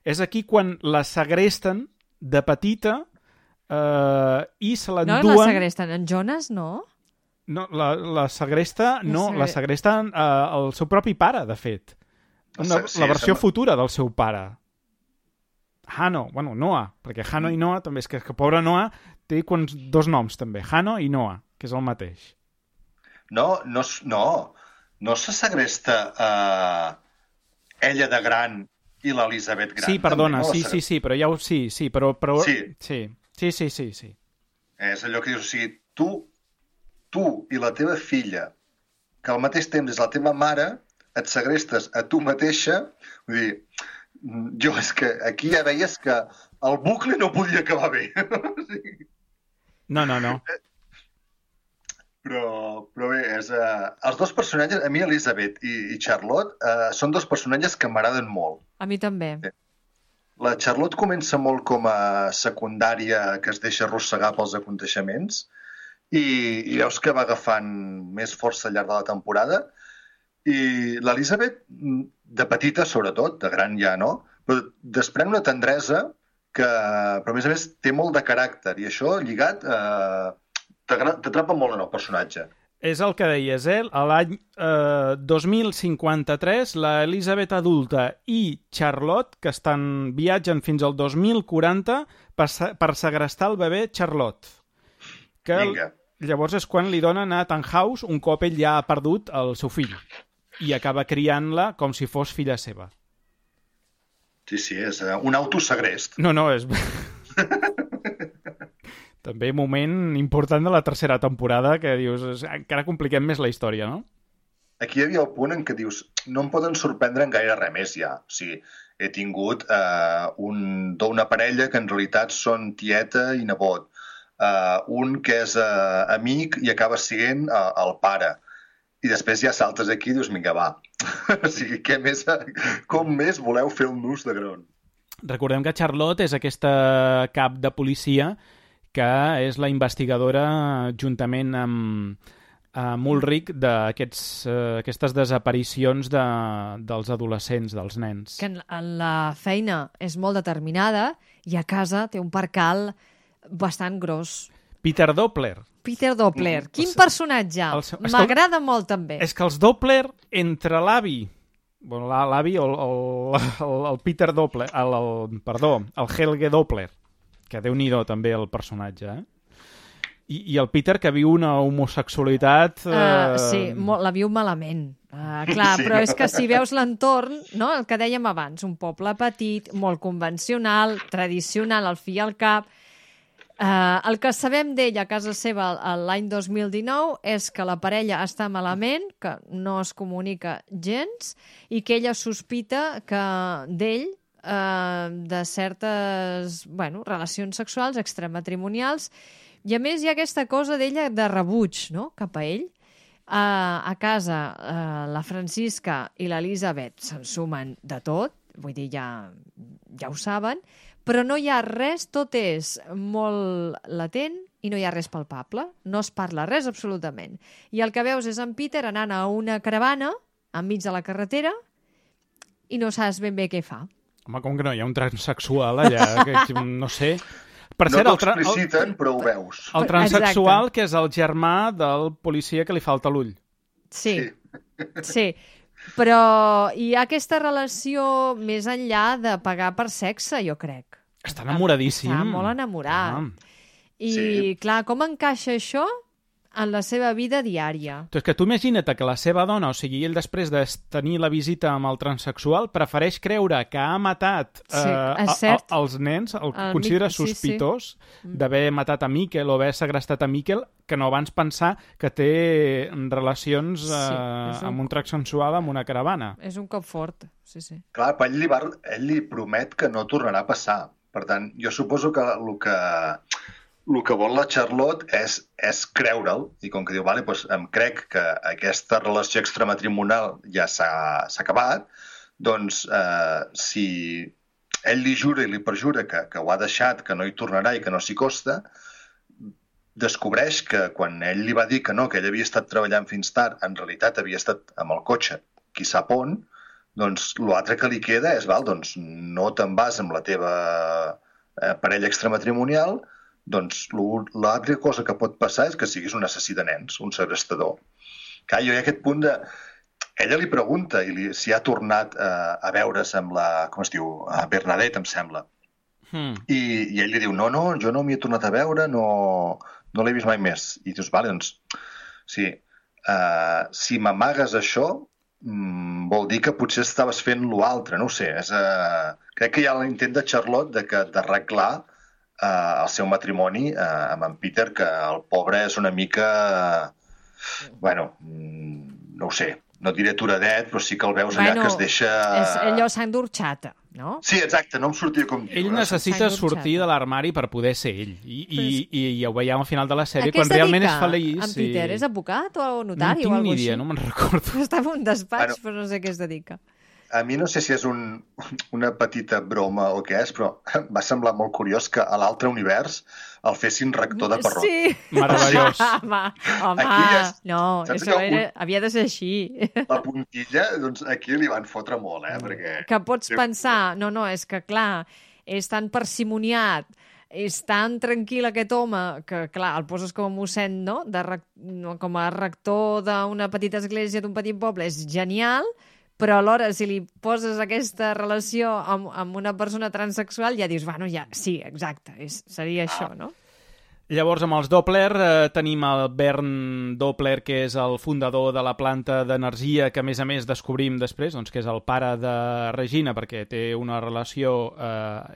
C: és aquí quan la segresten de petita i se l'enduen...
E: No la segresten, en Jonas no?
C: No, la segresta la segresten el seu propi pare, de fet. La versió futura del seu pare. Noah, perquè Hanno i Noah també, és que pobre Noah té dos noms també, Hanno i Noah, que és el mateix.
D: No se segresta ella de gran i l'Elisabet gran.
C: Sí, perdona, també, sí, però ja ho... Sí, però... Sí.
D: És allò que dius, o sigui, tu i la teva filla, que al mateix temps és la teva mare, et segrestes a tu mateixa, vull dir... Jo és que aquí ja veies que el bucle no podia acabar bé.
C: No.
D: Però bé, els dos personatges, a mi Elizabeth i Charlotte, són dos personatges que m'agraden molt.
E: A mi també.
D: La Charlotte comença molt com a secundària que es deixa arrossegar pels aconteixements i veus que va agafant més força al llarg de la temporada. I l'Elizabeth, de petita sobretot, de gran ja no, però desprèn una tendresa que, però a més, té molt de caràcter i això lligat t'atrapa molt en el personatge.
C: És el que deies, a l'any 2053 l'Elizabeth adulta i Charlotte, que viatgen fins al 2040 per segrestar el bebè Charlotte.
D: Vinga.
C: Llavors és quan li donen a Tannhaus un cop ell ja ha perdut el seu fill. I acaba criant-la com si fos filla seva.
D: Sí, és un autosegrest.
C: No, és... També moment important de la tercera temporada que dius, encara compliquem més la història, no?
D: Aquí hi havia el punt en què dius, no em poden sorprendre en gaire res més ja. O sigui, he tingut una parella que en realitat són tieta i nebot. Un que és amic i acaba sent el pare. I després ja saltes aquí i dius, vinga, va. O sigui, com més voleu fer un nus de gron?
C: Recordem que Charlotte és aquesta cap de policia que és la investigadora juntament amb Ulrich d'aquestes desaparicions dels adolescents, dels nens.
E: Que en la feina és molt determinada i a casa té un percal bastant gros.
C: Peter Doppler.
E: Quin personatge? M'agrada molt, també.
C: És que els Doppler, entre l'avi, l'avi o el Peter Doppler, el Helge Doppler, que déu-n'hi-do també el personatge, I el Peter, que viu una homosexualitat...
E: Sí, la viu malament. Clar, sí. Però és que si veus l'entorn, no? El que dèiem abans, un poble petit, molt convencional, tradicional, al fi i al cap... El que sabem d'ell a casa seva l'any 2019 és que la parella està malament, que no es comunica gens i que ella sospita que d'ell de certes relacions sexuals extramatrimonials i a més hi ha aquesta cosa d'ella de rebuig, no? Cap a ell. A casa la Francisca i l'Elisabet s'ensumen de tot, vull dir, ja ho saben, però no hi ha res, tot és molt latent i no hi ha res palpable, no es parla res absolutament. I el que veus és en Peter anant a una caravana enmig de la carretera i no saps ben bé què fa.
C: Home, com que no hi ha un transexual allà, que no sé... Per
D: no
C: cert,
D: t'ho expliciten, però ho veus.
C: El transexual, que és el germà del policia que li falta l'ull.
E: Sí. Però hi ha aquesta relació més enllà de pagar per sexe, jo crec.
C: Està enamoradíssim.
E: Està molt enamorat. I, clar, com encaixa això en la seva vida diària?
C: És que tu imagina't que la seva dona, o sigui, ell després de tenir la visita amb el transexual, prefereix creure que ha matat els nens, el considera sospitós d'haver matat a Miquel o haver segrestat a Miquel, que no abans pensar que té relacions amb un transexual amb una caravana.
E: És un cop fort, sí.
D: Clar, però ell li promet que no tornarà a passar. Per tant, jo suposo que el que vol la Charlotte és creure'l, i com que diu, vale, doncs em crec que aquesta relació extramatrimonial ja s'ha acabat, doncs si ell li jura i li perjura que ho ha deixat, que no hi tornarà i que no s'hi costa, descobreix que quan ell li va dir que no, que ell havia estat treballant fins tard, en realitat havia estat amb el cotxe, qui sap on, doncs l'altre que li queda és, doncs no te'n vas amb la teva parella extramatrimonial, doncs l'altra cosa que pot passar és que siguis un assassí de nens, un segrestador. Clar, jo hi ha aquest punt de... Ella li pregunta si ha tornat a veure's amb la... Com es diu? A Bernadette, em sembla. I ell li diu, no, jo no m'hi he tornat a veure, no l'he vist mai més. I dius, vale, doncs... Sí, si m'amagues això, vol dir que potser estaves fent l'altre, no ho sé. Crec que hi ha l'intent de Charlotte d'arreglar el seu matrimoni amb en Peter, que el pobre és una mica... Bueno, no ho sé, no diré turadet, però sí que el veus allà que es deixa...
E: És allò sang d'orxata, no?
D: Sí, exacte, no em sortia com dir.
C: Ell necessita sortir de l'armari per poder ser ell. I ho veiem al final de la sèrie, quan realment és feliç.
E: En Peter és advocat o notari o alguna cosa així?
C: No tinc ni idea, no me'n recordo.
E: Està en un despatx, però no sé què es dedica.
D: A mi no sé si és una petita broma o què és, però va semblar molt curiós que a l'altre univers el fessin rector de Perrot.
E: Sí.
C: Meravellós.
E: Home, no, això havia de ser així.
D: La puntilla, doncs aquí li van fotre molt, perquè...
E: Que pots pensar, no, és que clar, és tan parsimoniat, és tan tranquil aquest home que, clar, el poses com a mossèn, no? Com a rector d'una petita església d'un petit poble, és genial, però alhora, si li poses aquesta relació amb una persona transexual, ja dius, bueno, ja, sí, exacte, seria això, no?
C: Llavors, amb els Doppler, tenim el Bernd Doppler, que és el fundador de la planta d'energia, que a més descobrim després, doncs, que és el pare de Regina, perquè té una relació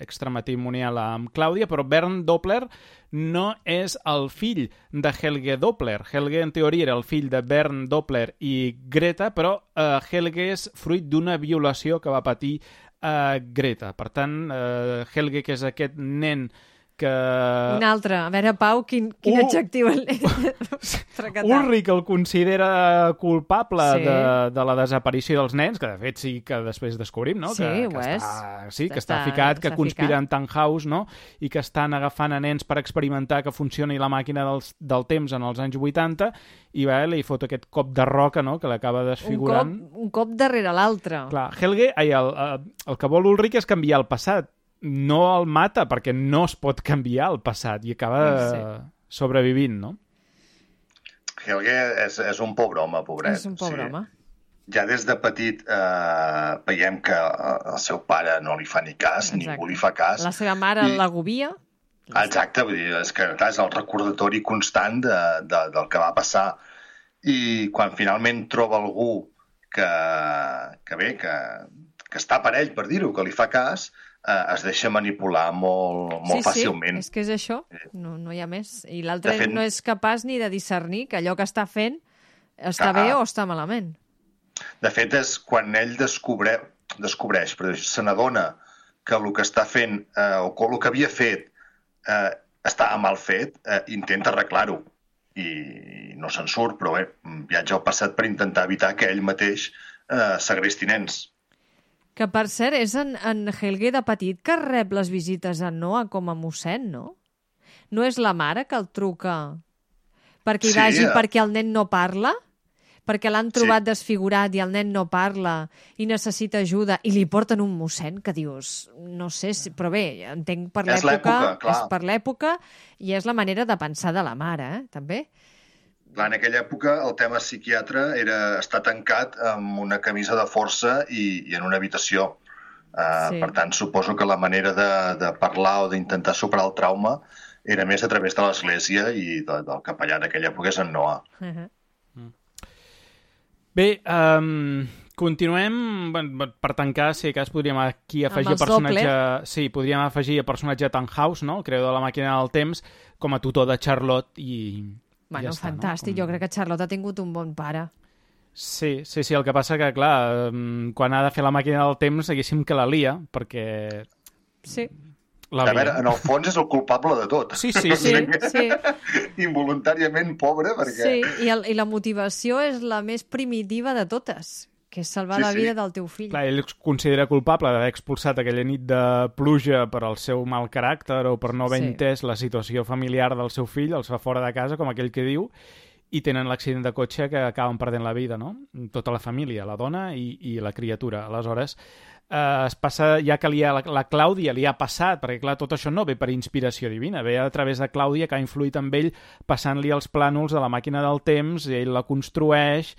C: extramatrimonial amb Clàudia, però Bernd Doppler no és el fill de Helge Doppler. Helge, en teoria, era el fill de Bernd Doppler i Greta, però Helge és fruit d'una violació que va patir Greta. Per tant, Helge, que és aquest nen que...
E: Un altre. A veure, Pau, quin adjectiu...
C: Ulrich el considera culpable de la desaparició dels nens, que de fet sí que després descobrim, no?
E: Sí, ho és.
C: Que està ficat, que conspira en Tannhaus, no? I que estan agafant a nens per experimentar que funcioni la màquina del temps en els anys 80, i li fot aquest cop de roca, no?, que l'acaba desfigurant.
E: Un cop darrere l'altre.
C: Clar, Helge, el que vol Ulrich és canviar el passat. No el mata, perquè no es pot canviar el passat, i acaba sobrevivint, no?
D: Helge és un pobre home, pobret.
E: És un pobre home.
D: Ja des de petit veiem que el seu pare no li fa ni cas, ningú li fa cas.
E: La seva mare l'agobia.
D: Exacte, vull dir, és el recordatori constant del que va passar. I quan finalment troba algú que està per ell, per dir-ho, que li fa cas, es deixa manipular molt fàcilment.
E: Sí, és que és això, no hi ha més. I l'altre no és capaç ni de discernir que allò que està fent està bé o està malament.
D: De fet, és quan ell descobreix, però se n'adona que el que està fent, o el que havia fet, està mal fet, intenta arreglar-ho. i no se'n surt, però bé, viatja al passat per intentar evitar que ell mateix segresti nens.
E: Que, per cert, és en Helge de petit que rep les visites a Noah com a mossèn, no? No és la mare que el truca perquè hi vagi, perquè el nen no parla? Perquè l'han trobat desfigurat i el nen no parla i necessita ajuda i li porten un mossèn que dius, no sé, però bé, entenc per l'època, és per l'època i és la manera de pensar de la mare, també.
D: Clar, en aquella època el tema psiquiatre era estar tancat amb una camisa de força i en una habitació. Per tant, suposo que la manera de parlar o d'intentar superar el trauma era més a través de l'església i del capellà d'aquella època és en Noah.
C: Bé, continuem. Per tancar, si cas podríem aquí afegir personatge... Sí, podríem afegir el personatge Tannhaus, no? El creador de la màquina del temps, com a tutor de Charlotte i...
E: Bueno, ja fantàstic. No? Jo crec que Charlotte ha tingut un bon pare.
C: Sí. El que passa que, clar, quan ha de fer la màquina del temps, haguéssim que la lia, perquè...
E: Sí.
D: A veure, en el fons és el culpable de tot.
C: Sí.
D: Involuntàriament pobre, perquè...
E: Sí, i la motivació és la més primitiva de totes, que és salvar la vida del teu fill.
C: Clar, ell es considera culpable d'haver expulsat aquella nit de pluja per al seu mal caràcter o per no haver entès la situació familiar del seu fill, els fa fora de casa, com aquell que diu, i tenen l'accident de cotxe que acaben perdent la vida, no? Tota la família, la dona i la criatura. Aleshores, es passa, ja que la Clàudia li ha passat, perquè clar, tot això no ve per inspiració divina, ve a través de Clàudia, que ha influït amb ell passant-li els plànols de la màquina del temps, i ell la construeix.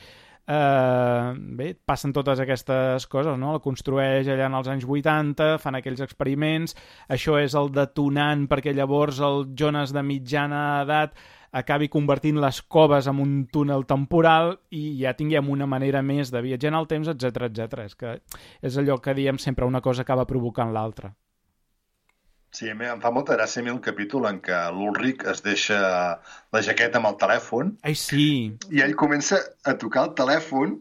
C: Bé, passen totes aquestes coses, no? La construeix allà en els anys 80, fan aquells experiments, això és el detonant perquè llavors el Jonas de mitjana edat acabi convertint les coves en un túnel temporal i ja tinguem una manera més de viatjar en el temps, etc. És que és allò que diem sempre, una cosa acaba provocant l'altra.
D: Sí, em fa molta gràcia a mi el capítol en què l'Ulrich es deixa la jaqueta amb el telèfon.
C: Ai, sí!
D: I ell comença a tocar el telèfon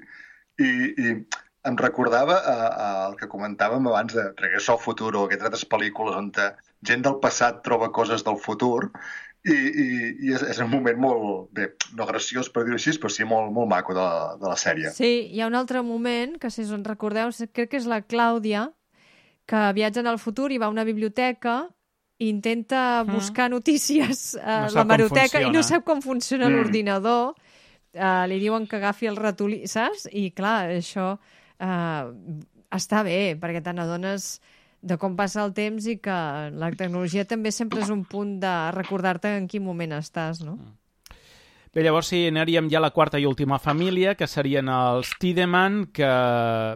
D: i em recordava el que comentàvem abans de Regreso al Futuro o aquestes altres pel·lícules on gent del passat troba coses del futur i és un moment molt, bé, no graciós per dir-ho així, però sí molt maco de la sèrie.
E: Sí, hi ha un altre moment que, si us en recordeu, crec que és la Clàudia, que viatja en el futur i va a una biblioteca i intenta buscar notícies a la hemeroteca i no sap com funciona l'ordinador. Li diuen que agafi el ratolí, saps? I clar, això està bé, perquè te n'adones de com passa el temps i que la tecnologia també sempre és un punt de recordar-te en quin moment estàs, no?
C: Bé, llavors sí, anaríem ja a la quarta i última família, que serien els Tiedemann, que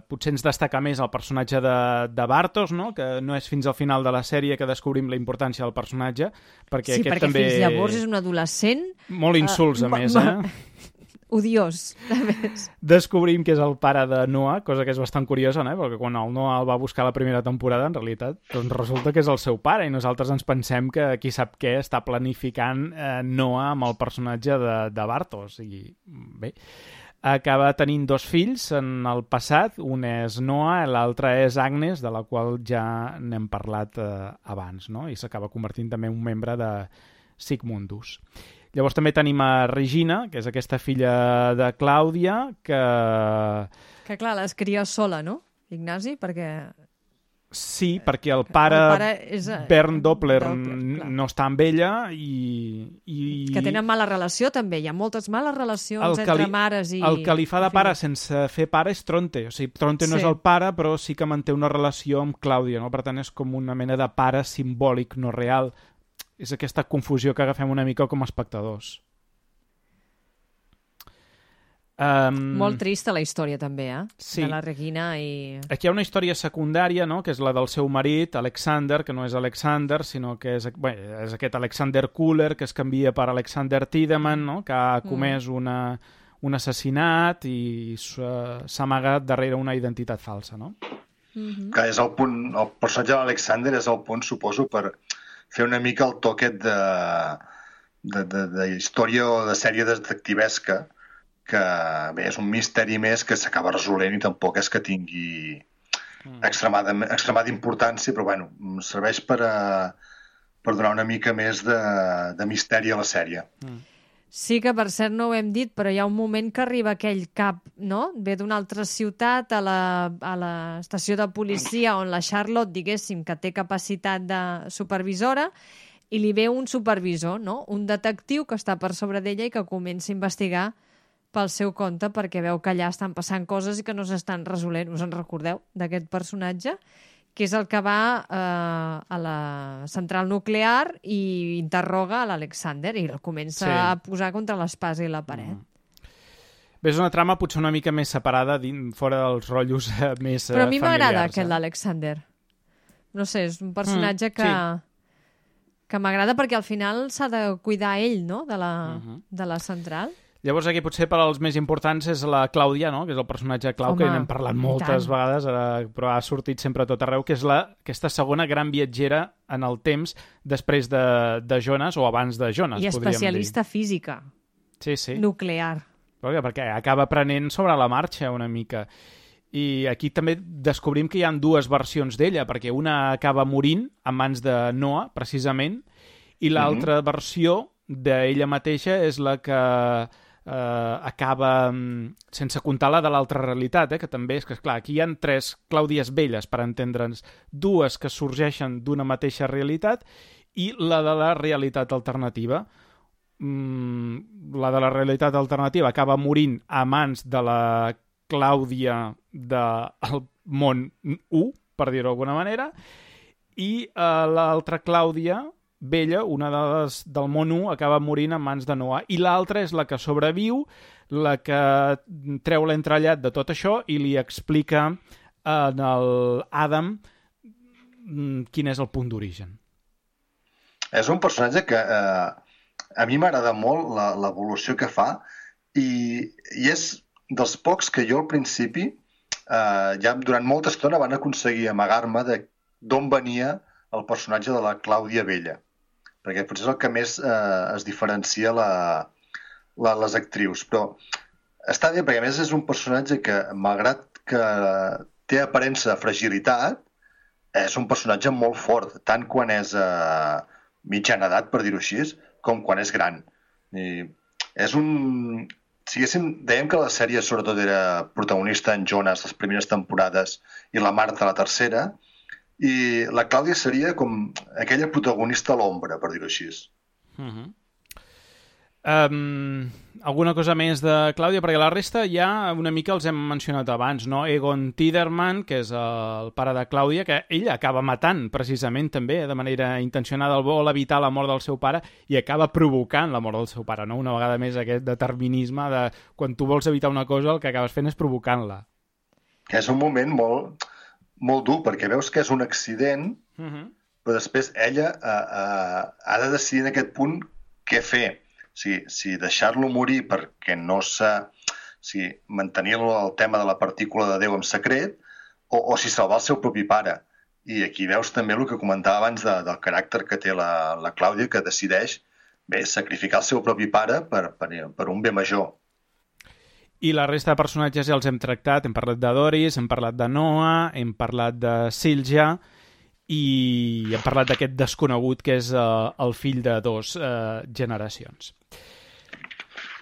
C: potser ens destaca més el personatge de Bartos, no? Que no és fins al final de la sèrie que descobrim la importància del personatge, perquè
E: sí,
C: aquest
E: perquè
C: també...
E: fins llavors és un adolescent...
C: Molt insults, a més,
E: odiós, a més.
C: Descobrim que és el pare de Noah, cosa que és bastant curiosa, no? Perquè quan el Noah el va buscar la primera temporada, en realitat, doncs resulta que és el seu pare, i nosaltres ens pensem que qui sap què està planificant Noah amb el personatge de Bartos. I bé, acaba tenint dos fills en el passat, un és Noah, l'altre és Agnes, de la qual ja n'hem parlat abans, no? I s'acaba convertint també en un membre de Sigmundus. Llavors també tenim a Regina, que és aquesta filla de Clàudia, que
E: clar, les cria sola, no, Ignasi? Perquè...
C: Sí, perquè el pare
E: és,
C: Bernd Doppler no està amb ella i...
E: Que tenen mala relació, també. Hi ha moltes males relacions entre mares i...
C: El que li fa de pare sense fer pare és Tronte. O sigui, Tronte no és el pare, però sí que manté una relació amb Clàudia, no? Per tant, és com una mena de pare simbòlic, no real. És aquesta confusió que agafem una mica com a espectadors.
E: Molt trista la història també,
C: sí.
E: De la Regina i...
C: Aquí hi ha una història secundària, no? Que és la del seu marit, Alexander, que no és Alexander, sinó que és aquest Alexander Kuller, que es canvia per Alexander Tiedemann, no? Que ha comès un assassinat i s'ha amagat darrere una identitat falsa, no?
D: Que és el punt, el personatge de l'Alexander és el punt, suposo, per fer una mica el toquet de història o de sèrie detectivesca, que bé, és un misteri més que s'acaba resolent i tampoc és que tingui extremada importància, però bueno, serveix per donar una mica més de misteri a la sèrie.
E: Sí que, per cert, no ho hem dit, però hi ha un moment que arriba aquell cap, no? Ve d'una altra ciutat a l'estació de policia on la Charlotte, diguéssim, que té capacitat de supervisora, i li ve un supervisor, no? Un detectiu que està per sobre d'ella i que comença a investigar pel seu compte perquè veu que allà estan passant coses i que no s'estan resolent. Us en recordeu d'aquest personatge? Que és el que va a la central nuclear i interroga a l'Alexander i el comença a posar contra l'espasa i la paret.
C: Bé, és una trama potser una mica més separada, fora dels rotllos més familiars.
E: Però a mi m'agrada aquest l'Alexander. No sé, és un personatge que m'agrada perquè al final s'ha de cuidar ell, no?, de la central.
C: Llavors aquí potser per als més importants és la Clàudia, no?, que és el personatge clau, que n'hem parlat moltes vegades, però ha sortit sempre a tot arreu, que és aquesta segona gran viatgera en el temps després de Jonas, o abans de Jonas,
E: i especialista física. Nuclear.
C: Perquè acaba aprenent sobre la marxa una mica. I aquí també descobrim que hi ha dues versions d'ella, perquè una acaba morint en mans de Noah, precisament, i l'altra versió d'ella mateixa és la que acaba, sense comptar la de l'altra realitat, que també és que, esclar, aquí hi ha 3 Clàudies velles, per entendre'ns, 2 que sorgeixen d'una mateixa realitat i la de la realitat alternativa. La de la realitat alternativa acaba morint a mans de la Clàudia del món 1, per dir-ho d'alguna manera, i l'altra Clàudia vella, una de les del món 1, acaba morint en mans de Noah, i l'altra és la que sobreviu, la que treu l'entrellat de tot això i li explica a l'Adam quin és el punt d'origen.
D: És un personatge que a mi m'agrada molt l'evolució que fa i és dels pocs que jo al principi ja durant molta estona van aconseguir amagar-me d'on venia el personatge de la Clàudia Vella, perquè potser és el que més es diferencia les actrius, però està bé perquè a més és un personatge que, malgrat que té aparença de fragilitat, és un personatge molt fort, tant quan és mitjana edat, per dir-ho així, com quan és gran. I és un... dèiem que la sèrie sobretot era protagonista en Jonas les primeres temporades i la Marta la tercera, i la Clàudia seria com aquella protagonista a l'ombra, per dir-ho així.
C: Alguna cosa més de Clàudia? Perquè la resta ja una mica els hem mencionat abans, no? Egon Tiderman, que és el pare de Clàudia, que ell acaba matant precisament també, de manera intencionada, vol evitar la mort del seu pare i acaba provocant la mort del seu pare, no? Una vegada més aquest determinisme de quan tu vols evitar una cosa el que acabes fent és provocant-la. Que
D: és un moment molt dur, perquè veus que és un accident, però després ella ha de decidir en aquest punt què fer. Si deixar-lo morir perquè no mantenir el tema de la partícula de Déu en secret o si salvar el seu propi pare. I aquí veus també el que comentava abans del caràcter que té la Clàudia, que decideix sacrificar el seu propi pare per un bé major.
C: I la resta de personatges ja els hem tractat. Hem parlat de Doris, hem parlat de Noah, hem parlat de Silja i hem parlat d'aquest desconegut que és el fill de 2 generacions.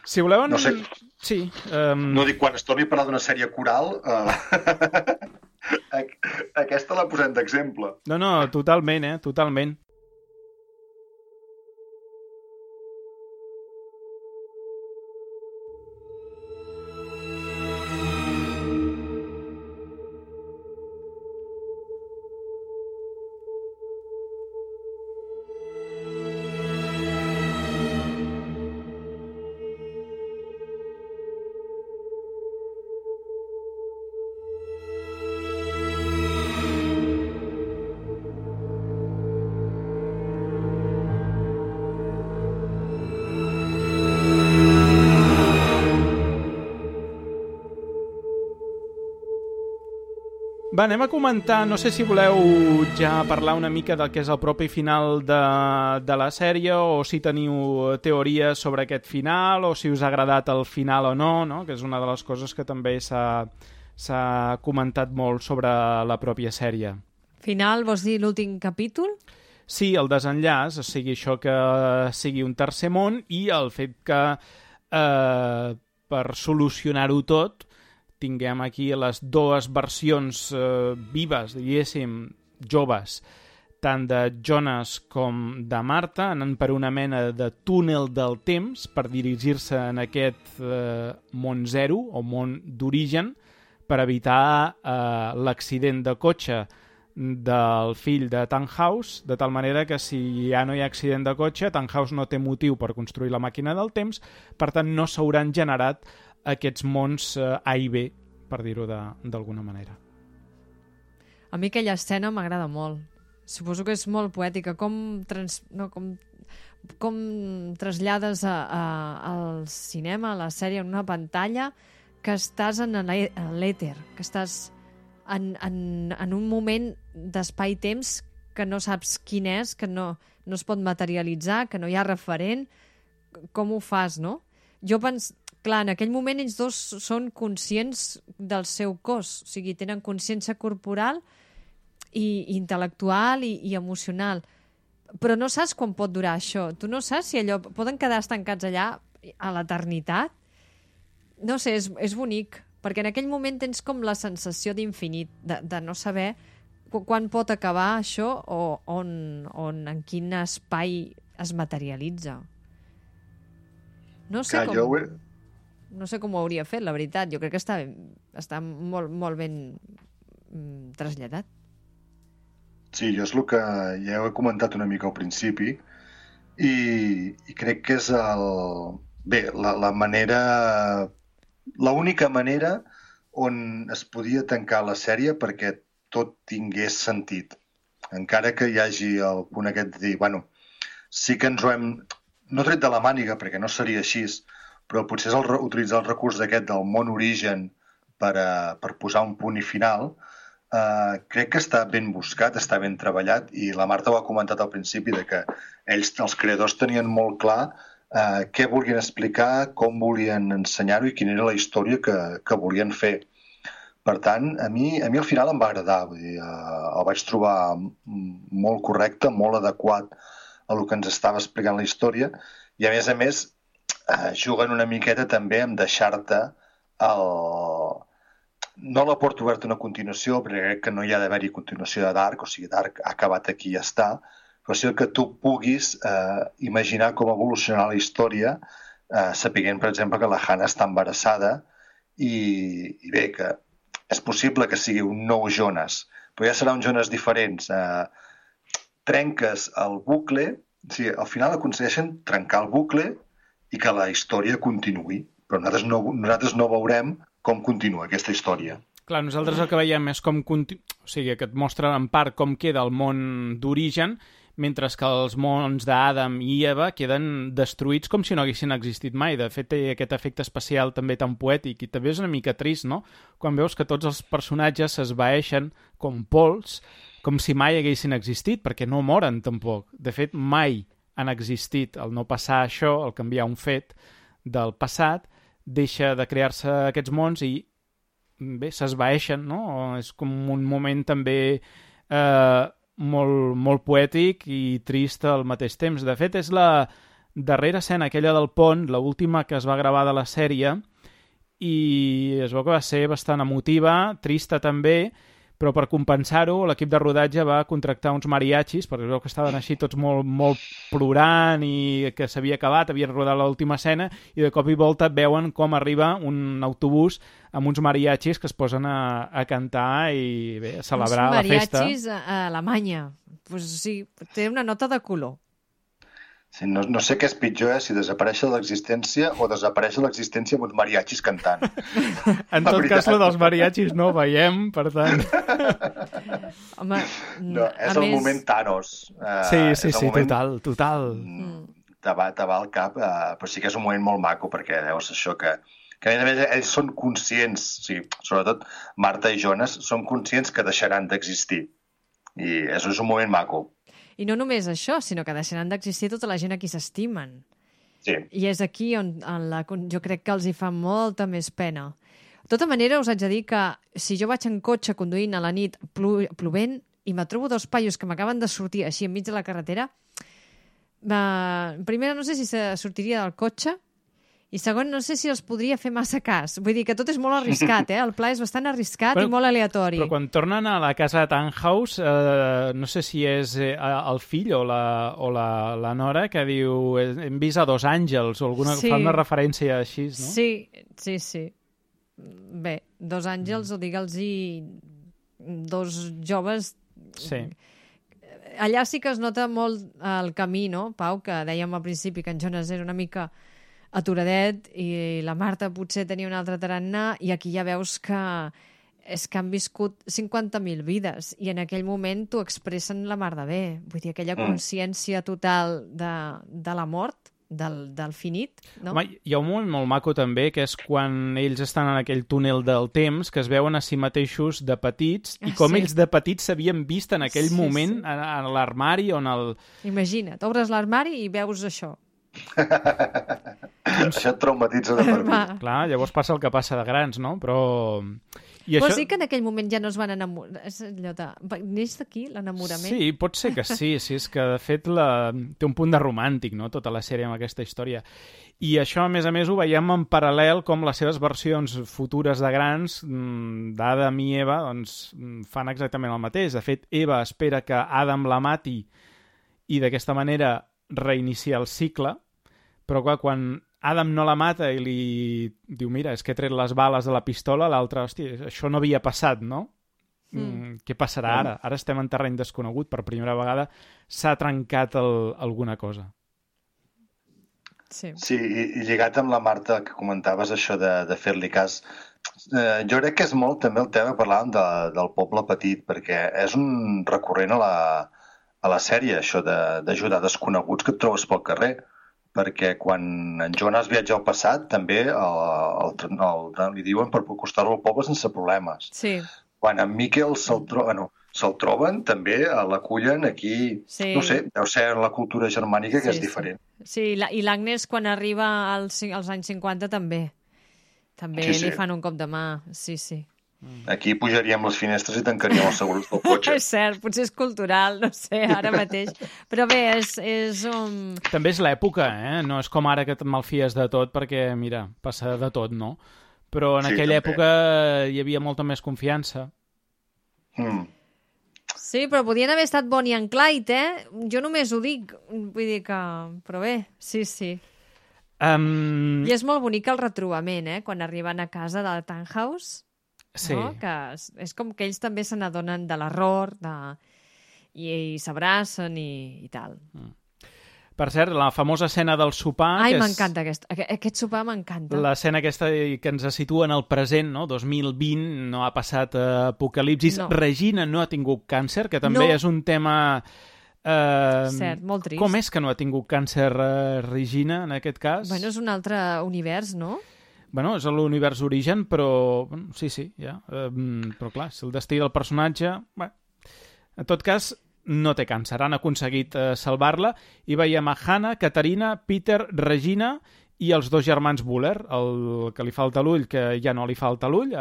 C: Si voleu...
D: No sé.
C: Sí.
D: No dic, quan es torni a parlar d'una sèrie coral, aquesta la posem d'exemple.
C: No, totalment, totalment. Va, anem a comentar, no sé si voleu ja parlar una mica del que és el propi final de la sèrie o si teniu teories sobre aquest final o si us ha agradat el final o no? Que és una de les coses que també s'ha comentat molt sobre la pròpia sèrie.
E: Final, vols dir l'últim capítol?
C: Sí, el desenllaç, o sigui, això que sigui un tercer món i el fet que per solucionar-ho tot tinguem aquí les dues versions vives, diguéssim, joves, tant de Jonas com de Marta, anant per una mena de túnel del temps per dirigir-se en aquest món zero o món d'origen per evitar l'accident de cotxe del fill de Tannhaus, de tal manera que si ja no hi ha accident de cotxe, Tannhaus no té motiu per construir la màquina del temps, per tant no s'hauran generat aquests mons A i B, per dir-ho d'alguna manera.
E: A mi aquella escena m'agrada molt. Suposo que és molt poètica. Com trasllades al cinema, a la sèrie, en una pantalla, que estàs en l'èter, que estàs en un moment d'espai-temps que no saps quin és, que no es pot materialitzar, que no hi ha referent. Com ho fas, no? Jo penso, clar, en aquell moment ells dos són conscients del seu cos, o sigui, tenen consciència corporal i intel·lectual i emocional. Però no saps quan pot durar això. Tu no saps si allò poden quedar estancats allà a l'eternitat. No sé, és bonic, perquè en aquell moment tens com la sensació d'infinit, de no saber quan pot acabar això o en quin espai es materialitza. No sé com ho hauria fet, la veritat. Jo crec que està molt, molt ben traslladat.
D: Sí, jo és el que ja ho he comentat una mica al principi i crec que és la manera, l'única manera on es podia tancar la sèrie perquè tot tingués sentit. Encara que hi hagi el punt aquest de dir, bueno, sí que ens ho hem, no tret de la màniga perquè no seria així, però potser és utilitzar el recurs aquest del món origen per posar un punt i final. Crec que està ben buscat, està ben treballat i la Marta ho ha comentat al principi de que ells, els creadors, tenien molt clar què volien explicar, com volien ensenyar-ho i quina era la història que volien fer. Per tant, a mi al final em va agradar, vull dir, el vaig trobar molt correcte, molt adequat a el que ens estava explicant la història i a més juguen una miqueta també amb deixar-te no la porta oberta una continuació, perquè crec que no hi ha d'haver-hi continuació de Dark, o sigui, Dark ha acabat aquí i ja està, però sí que tu puguis imaginar com evolucionarà la història, sapiguent, per exemple, que la Hannah està embarassada i bé, que és possible que sigui un nou Jonas, però ja serà un Jonas diferent. Trenques el bucle, o sigui, al final aconsegueixen trencar el bucle i que la història continuï, però nosaltres no veurem com continua aquesta història.
C: Clar, nosaltres el que veiem és com o sigui, que et mostra en part com queda el món d'origen, mentre que els mons d'Adam i Eva queden destruïts com si no haguessin existit mai. De fet, té aquest efecte especial també tan poètic i també és una mica trist, no? Quan veus que tots els personatges s'esvaeixen com pols, com si mai haguessin existit, perquè no moren tampoc. De fet, mai han existit. El no passar això, el canviar un fet del passat, deixa de crear-se aquests mons i bé, s'esvaeixen, no? És com un moment també molt, molt poètic i trist al mateix temps. De fet, és la darrera escena, aquella del pont, l'última que es va gravar de la sèrie, i es veu que va ser bastant emotiva, trista també, però per compensar-ho l'equip de rodatge va contractar uns mariachis, perquè es veu que estaven així tots molt, molt plorant i que s'havia acabat, havien rodat l'última escena i de cop i volta veuen com arriba un autobús amb uns mariachis que es posen a cantar i bé, a celebrar la festa.
E: Uns mariachis a Alemanya. Pues sí, té una nota de color.
D: Sí, no sé què és pitjor, si desaparèixer l'existència o desaparèixer l'existència amb uns mariachis cantant.
C: En tot cas, la dels mariachis no veiem, per tant...
E: Home,
D: no, és el moment Thanos.
C: Sí, total.
D: Te va al cap, però sí que és un moment molt maco, perquè veus això que a més ells són conscients, o sigui, sobretot Marta i Jonas, són conscients que deixaran d'existir. I això és un moment maco.
E: I no només això, sinó que deixaran d'existir tota la gent a qui s'estimen.
D: Sí.
E: I és aquí on jo crec que els hi fa molta més pena. De tota manera, us haig de dir que si jo vaig en cotxe conduint a la nit plovent, i me trobo dos paios que m'acaben de sortir així enmig de la carretera, primera no sé si se sortiria del cotxe, i segon, no sé si els podria fer massa cas. Vull dir que tot és molt arriscat, el pla és bastant arriscat i molt aleatori.
C: Però quan tornen a la casa de Tannhaus, no sé si és el fill o la nora que diu hem vist a dos àngels o alguna, fa una referència així, no?
E: Sí. Bé, dos àngels, o digue'ls-hi dos joves...
C: Sí.
E: Allà sí que es nota molt el camí, no, Pau, que dèiem al principi que en Jonas era una mica aturadet i la Marta potser tenia un altre tarannà, i aquí ja veus que és que han viscut 50.000 vides i en aquell moment t'ho expressen la mar de bé. Vull dir, aquella consciència total de la mort, del finit, no?
C: Home, hi ha un moment molt maco també, que és quan ells estan en aquell túnel del temps, que es veuen a si mateixos de petits, i com ells de petits s'havien vist en aquell moment a l'armari on el...
E: Imagina't, obres l'armari i veus això.
D: Això et traumatitza de per mi.
C: Clar, llavors passa el que passa de grans, no? Però...
E: Vols dir que en aquell moment ja no es van enamorar? És allò de... Neix d'aquí l'enamorament?
C: Sí, pot ser que sí, és que de fet té un punt de romàntic, no?, tota la sèrie amb aquesta història. I això, a més, ho veiem en paral·lel com les seves versions futures de grans, d'Adam i Eva, doncs fan exactament el mateix. De fet, Eva espera que Adam la mati i d'aquesta manera reiniciar el cicle, però clar, quan Adam no la mata i li diu, mira, és que he tret les bales de la pistola, l'altre, hòstia, això no havia passat, no? Què passarà ara? Ara estem en terreny desconegut, per primera vegada s'ha trencat alguna cosa.
E: Sí,
D: i lligat amb la Marta que comentaves això de fer-li cas, jo crec que és molt també el tema que parlàvem del poble petit, perquè és un recurrent a la sèrie, això d'ajudar desconeguts que et trobes pel carrer, perquè quan en Jonas viatja al passat també li diuen per acostar-lo al poble sense problemes.
E: Sí.
D: Quan en Miquel se'l troben, també l'acullen aquí, no sé, deu ser la cultura germànica que és diferent.
E: Sí, i l'Agnes quan arriba als anys 50 també li fan un cop de mà, sí.
D: Aquí pujaríem les finestres i tancaríem els segurs del cotxe.
E: És cert, potser és cultural, no sé, ara mateix. Però bé, és un...
C: També és l'època, No és com ara que et malfies de tot, perquè, mira, passa de tot, no? Però en aquella època hi havia molta més confiança.
E: Sí, però podien haver estat Bonnie and Clyde, Jo només ho dic, vull dir que... Però bé, sí. I és molt bonic el retrobament, quan arriben a casa de Tannhaus.
C: Sí.
E: No? Que és com que ells també se n'adonen de l'error i s'abracen i tal.
C: Per cert, la famosa escena del sopar...
E: Ai, m'encanta aquest sopar, m'encanta.
C: L'escena aquesta que ens situa en el present, no? 2020, no ha passat apocalipsis. No. Regina no ha tingut càncer, que també és un tema...
E: Cert, molt trist.
C: Com és que no ha tingut càncer Regina, en aquest cas?
E: Bueno, és un altre univers, no?
C: Bueno, és l'univers Origen, però... Sí, ja. Però clar, és el destí del personatge... Bé, en tot cas, no té càncer. Han aconseguit salvar-la i veiem a Hannah, Caterina, Peter, Regina i els dos germans Buller, el que li falta l'ull, que ja no li falta l'ull,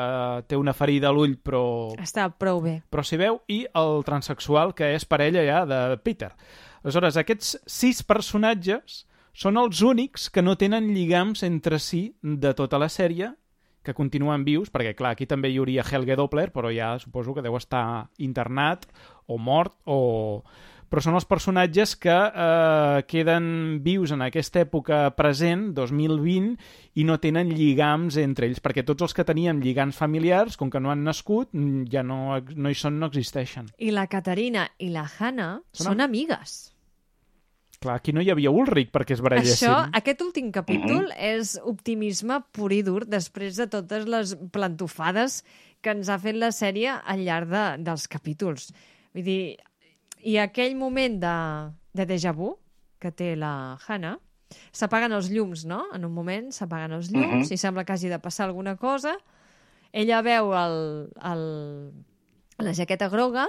C: té una ferida a l'ull, però...
E: Està prou bé.
C: Però s'hi veu, i el transexual, que és parella ja de Peter. Aleshores, aquests 6 personatges són els únics que no tenen lligams entre si de tota la sèrie, que continuen vius, perquè, clar, aquí també hi hauria Helge Doppler, però ja suposo que deu estar internat o mort, però són els personatges que queden vius en aquesta època present, 2020, i no tenen lligams entre ells, perquè tots els que teníem lligams familiars, com que no han nascut, ja no hi són, no existeixen.
E: I la Caterina i la Hannah són amigues.
C: Clar, aquí no hi havia Ulrich perquè es barallessin.
E: Aquest últim capítol és optimisme pur i dur després de totes les plantofades que ens ha fet la sèrie al llarg dels capítols. Vull dir, i aquell moment de déjà vu que té la Hannah, s'apaguen els llums, no? En un moment s'apaguen els llums i sembla que hagi de passar alguna cosa. Ella veu la jaqueta groga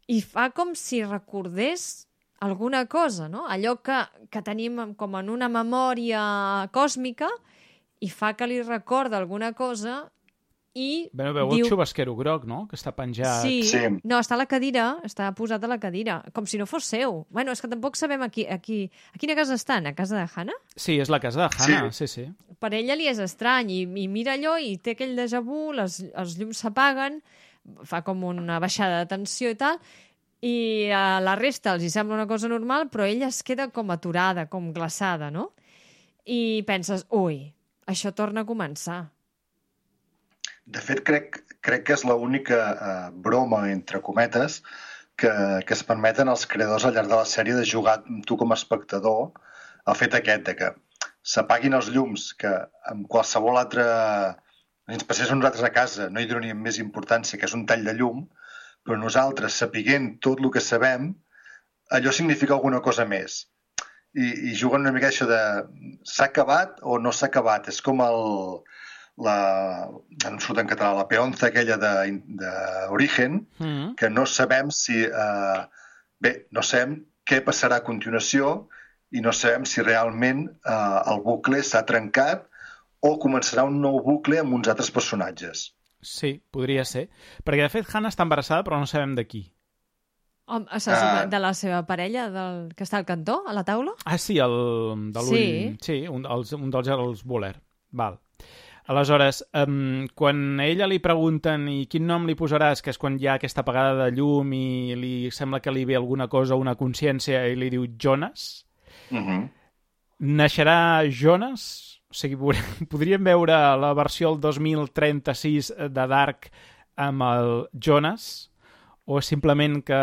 E: i fa com si recordés alguna cosa, no? Allò que tenim com en una memòria còsmica i fa que li recorda alguna cosa i
C: Veu el xubasquero groc, no?, que està penjat.
E: Sí.
D: Sí.
E: No, està a la cadira, està posat a la cadira, com si no fos seu. Bueno, és que tampoc sabem a quina casa estan, a casa de Hannah?
C: Sí, és la casa de Hannah, sí.
E: Per ella li és estrany, i mira allò i té aquell déjà vu, els llums s'apaguen, fa com una baixada de tensió i tal, i a la resta els hi sembla una cosa normal, però ella es queda com aturada, com glaçada, no? I penses, ui, això torna a començar.
D: De fet, crec que és l'única broma, entre cometes, que es permeten els creadors al llarg de la sèrie de jugar amb tu com a espectador el fet aquest de que s'apaguin els llums, que amb qualsevol altre... ens passés a nosaltres a casa, no hi donaríem més importància, que és un tall de llum, però nosaltres, sapiguent tot el que sabem, allò significa alguna cosa més. I juguen una mica això de s'ha acabat o no s'ha acabat. És com no surt en català, la peonza aquella d'Origen, que no sabem si... no sabem què passarà a continuació i no sabem si realment el bucle s'ha trencat o començarà un nou bucle amb uns altres personatges.
C: Sí, podria ser. Perquè, de fet, Hannah està embarassada, però no sabem de qui.
E: De la seva parella, que està al cantó, a la taula?
C: Ah, sí, de l'ull... Sí, un dels els Buller. Val. Aleshores, quan a ella li pregunten i quin nom li posaràs, que és quan hi ha aquesta apagada de llum i li sembla que li ve alguna cosa, una consciència, i li diu Jonas, naixerà Jonas? O sigui, podríem veure la versió del 2036 de Dark amb el Jonas? O simplement que...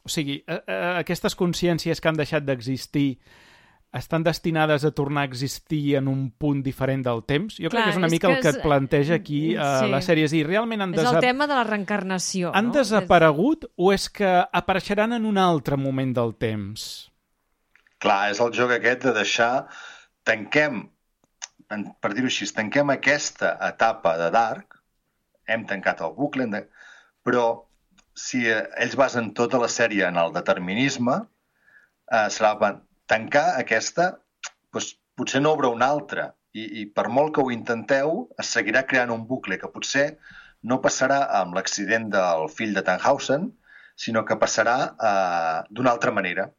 C: O sigui, aquestes consciències que han deixat d'existir estan destinades a tornar a existir en un punt diferent del temps? Jo crec que és una mica el que et planteja aquí la sèrie. És dir, realment
E: és el tema de la reencarnació.
C: Han desaparegut o és que apareixeran en un altre moment del temps?
D: Clar, és el joc aquest de deixar... Tanquem, per dir-ho així, tanquem aquesta etapa de Dark, hem tancat el bucle, però si ells basen tota la sèrie en el determinisme, serà tancar aquesta, doncs, potser no obre una altra, i per molt que ho intenteu, es seguirà creant un bucle que potser no passarà amb l'accident del fill de Tannhausen, sinó que passarà d'una altra manera.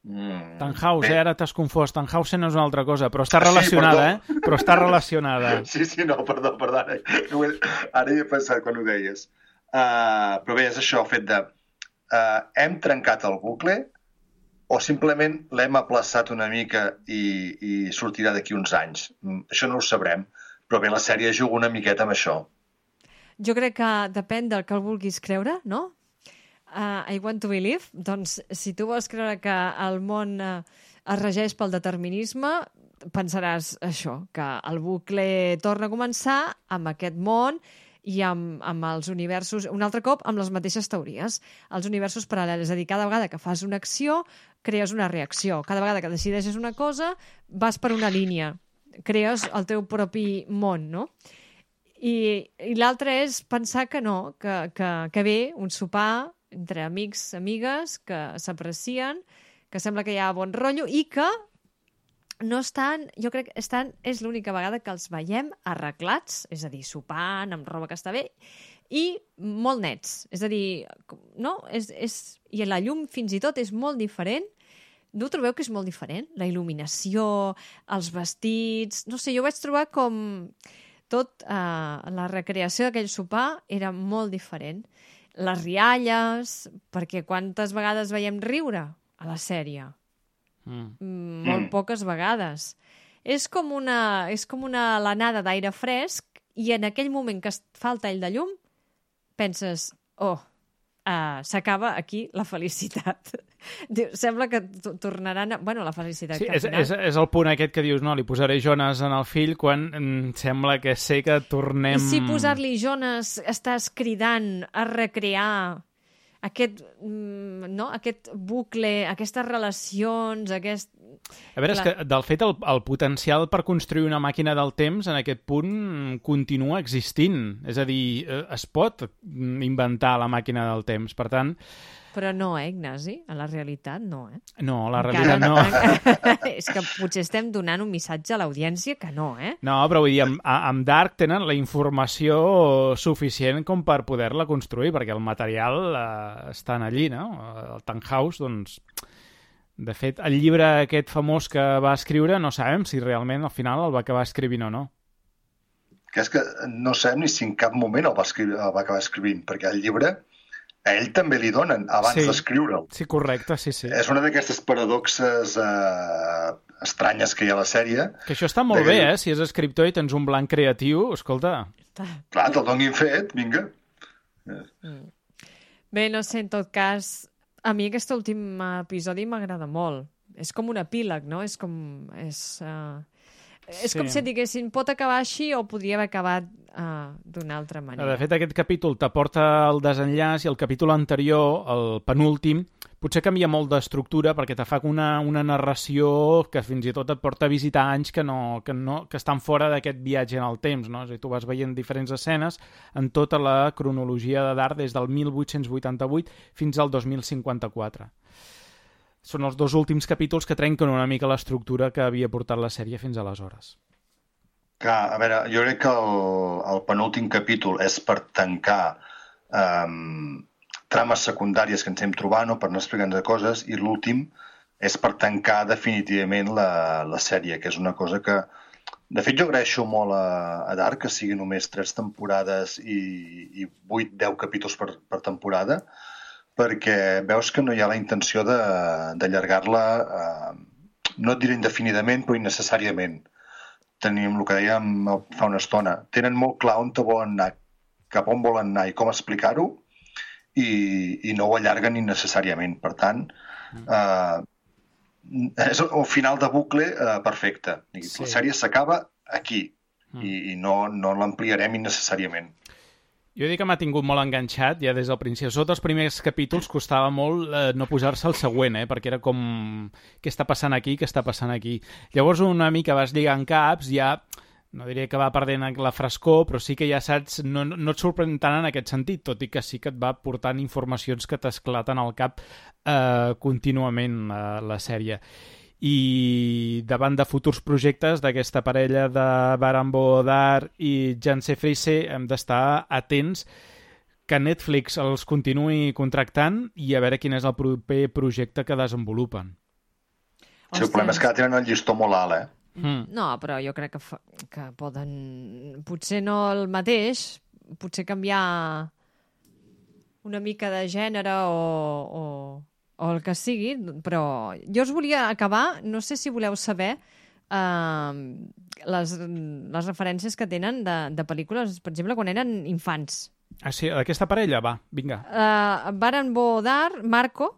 C: Tannhausen, ara t'has confós. Tannhausen és una altra cosa, però està relacionada, Però està relacionada.
D: Sí, no, perdó. Ara hi he pensat quan ho deies. Però bé, és això, el fet de... hem trencat el bucle o simplement l'hem aplaçat una mica i sortirà d'aquí uns anys. Això no ho sabrem, però bé, la sèrie juga una miqueta amb això.
E: Jo crec que depèn del que el vulguis creure, no? I want to believe. Doncs, si tu vols creure que el món es regeix pel determinisme, pensaràs això, que el bucle torna a començar amb aquest món i amb els universos, un altre cop, amb les mateixes teories, els universos paral·lels. És a dir, cada vegada que fas una acció, crees una reacció. Cada vegada que decideixes una cosa, vas per una línia. Crees el teu propi món, no? I l'altre és pensar que no, que ve un sopar entre amics, amigues, que s'aprecien, que sembla que hi ha bon rotllo i que no estan, jo crec que és l'única vegada que els veiem arreglats, és a dir, sopant, amb roba que està bé, i molt nets. És a dir, no? I la llum fins i tot és molt diferent. No ho trobeu que és molt diferent? La il·luminació, els vestits... No sé, jo ho vaig trobar com... la recreació d'aquell sopar era molt diferent. Les rialles, perquè quantes vegades veiem riure a la sèrie? Molt poques vegades. És com una alenada d'aire fresc i en aquell moment que es fa el tall de llum penses, s'acaba aquí la felicitat. Sembla que tornaran... Bueno, la felicitat
C: sí,
E: que al final...
C: és el punt aquest que dius, no, li posaré Jonas en el fill quan sembla que sé que tornem...
E: I si posar-li Jonas estàs cridant a recrear aquest bucle, aquestes relacions,
C: A veure, és que, del fet, el potencial per construir una màquina del temps en aquest punt continua existint. És a dir, es pot inventar la màquina del temps. Per tant,
E: Però no, Ignasi? A la realitat no,
C: No, a la realitat no.
E: És que potser estem donant un missatge a l'audiència que no,
C: No, però vull dir, amb Dark tenen la informació suficient com per poder-la construir, perquè el material està allí, no? El Tannhaus, doncs... De fet, el llibre aquest famós que va escriure no sabem si realment al final el va acabar escrivint o no.
D: Que és que no sabem ni si en cap moment el va acabar escrivint, perquè el llibre a ell també li donen abans d'escriure'l.
C: Sí, correcte, sí.
D: És una d'aquestes paradoxes estranyes que hi ha a la sèrie.
C: Que això està molt bé, si és escriptor i tens un blanc creatiu, escolta...
D: Clar, te'l donin fet, vinga.
E: Bé, no sé, en tot cas... A mi aquest últim episodi m'agrada molt. És com un epíleg, no? És com si diguessin, pot acabar així o podria haver acabat d'una altra manera.
C: De fet, aquest capítol t'aporta el desenllaç i el capítol anterior, el penúltim, potser canvia molt d'estructura perquè te fa una narració que fins i tot et porta a visitar anys que estan fora d'aquest viatge en el temps, no? És a dir, tu vas veient diferents escenes en tota la cronologia de Dark des del 1888 fins al 2054. Són els dos últims capítols que trenquen una mica l'estructura que havia portat la sèrie fins aleshores.
D: Clar, a veure, jo crec que el penúltim capítol és per tancar trames secundàries que ens hem trobat, no? Per anar explicant de coses, i l'últim és per tancar definitivament la sèrie, que és una cosa que... De fet, jo agraeixo molt a Dark que sigui només 3 temporades i 8-10 capítols per temporada, perquè veus que no hi ha la intenció d'allargar-la, no et diré indefinidament, però innecessàriament. Tenim el que dèiem fa una estona. Tenen molt clar on volen anar, cap on volen anar i com explicar-ho, i no ho allarguen innecessàriament. Per tant, és un final de bucle perfecte. La sèrie s'acaba aquí i no l'ampliarem innecessàriament.
C: Jo dic que m'ha tingut molt enganxat ja des del principi. Sota els primers capítols costava molt no posar-se al següent, perquè era com... Què està passant aquí? Què està passant aquí? Llavors una mica vas lligant caps, ja... No diria que va perdent la frescor, però sí que ja saps... No et sorprèn tant en aquest sentit, tot i que sí que et va portant informacions que t'esclaten al cap contínuament la sèrie. I davant de futurs projectes d'aquesta parella de Baran bo Odar i Janse Friese hem d'estar atents que Netflix els continuï contractant i a veure quin és el proper projecte que desenvolupen.
D: Sí, el problema és que tenen el llistó molt alt,
E: No, però jo crec que poden... Potser no el mateix, potser canviar una mica de gènere o el que sigui, però jo us volia acabar, no sé si voleu saber les referències que tenen de pel·lícules, per exemple, quan eren infants.
C: Ah, sí? Aquesta parella? Va, vinga.
E: Baran bo Odar, Marco,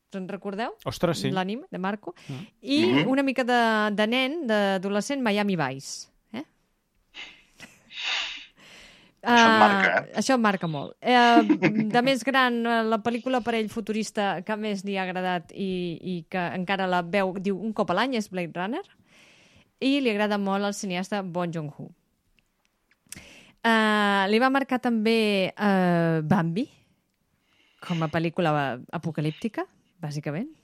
E: us en recordeu?
C: Ostres, sí.
E: L'anime de Marco. I una mica de nen, d'adolescent, Miami Vice.
D: Això et marca,
E: Això em marca molt. De més gran, la pel·lícula per ell futurista que més li ha agradat i que encara la veu, diu, un cop a l'any és Blade Runner, i li agrada molt el cineasta Bong Joon-ho. Li va marcar també Bambi, com a pel·lícula apocalíptica, bàsicament.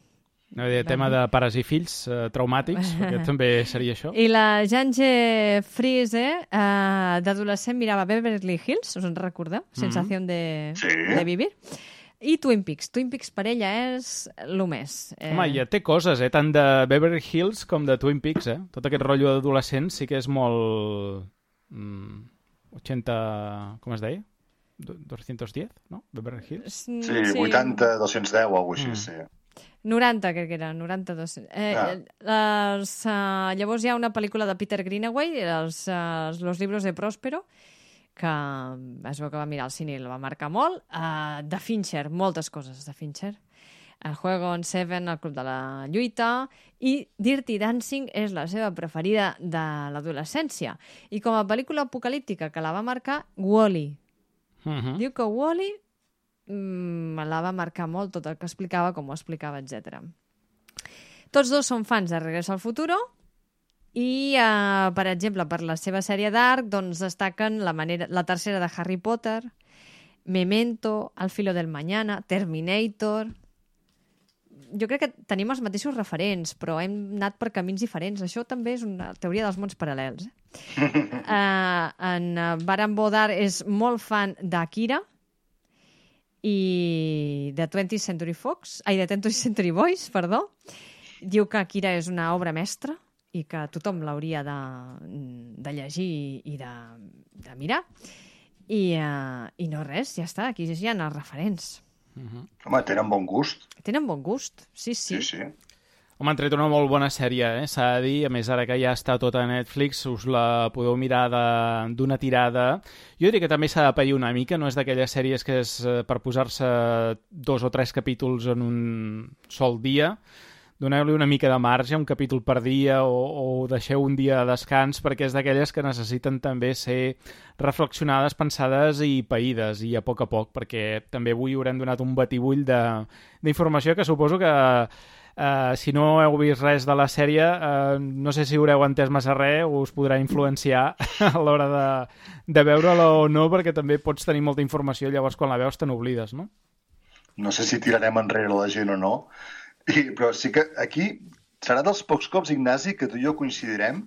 C: No, tema de pares i fills traumàtics, perquè també seria això.
E: I la Janse Friese, d'adolescent, mirava Beverly Hills, us en recordeu? Sensación de vivir. I Twin Peaks. Twin Peaks per ella és el més.
C: Home, ja té coses, tant de Beverly Hills com de Twin Peaks, Tot aquest rotllo d'adolescent sí que és molt... 80... com es deia? 210, no? Beverly Hills?
D: Sí, 80, 210 o alguna cosa així, sí.
E: 90, crec que era, 92. Llavors hi ha una pel·lícula de Peter Greenaway, Los libros de Próspero, que es veu que va mirar al cine i la va marcar molt. De Fincher, moltes coses de Fincher. El Juego en Seven, El club de la lluita, i Dirty Dancing és la seva preferida de l'adolescència. I com a pel·lícula apocalíptica que la va marcar, Wall-E. Diu que Wall-E la va marcar molt, tot el que explicava, com ho explicava, etc. Tots dos són fans de Regreso al Futuro i, per exemple, per la seva sèrie Dark, doncs destaquen la tercera de Harry Potter, Memento, Al filo del mañana, Terminator... Jo crec que tenim els mateixos referents, però hem anat per camins diferents. Això també és una teoria dels mons paral·lels. En Baran Bodar és molt fan d'Akira i de 20th Century de 20th Century Boys, perdó. Diu que Akira és una obra mestra i que tothom l'hauria de llegir i de mirar. I no res, ja està, aquí hi ha els referents.
D: Home, tenen bon gust.
E: Tenen bon gust, sí.
C: Home, han tret una molt bona sèrie, s'ha de dir. A més, ara que ja està tota a Netflix, us la podeu mirar d'una tirada. Jo diria que també s'ha de pair una mica, no és d'aquelles sèries que és per posar-se 2 o 3 capítols en un sol dia. Doneu-li una mica de marge, un capítol per dia, o deixeu un dia de descans, perquè és d'aquelles que necessiten també ser reflexionades, pensades i païdes, i a poc, perquè també avui haurem donat un batibull d'informació que suposo que si no heu vist res de la sèrie, no sé si haureu entès massa res o us podrà influenciar a l'hora de veure-la o no, perquè també pots tenir molta informació, llavors quan la veus te n'oblides, no?
D: No sé si tirarem enrere la gent o no, però sí que aquí serà dels pocs cops, Ignasi, que tu i jo coincidirem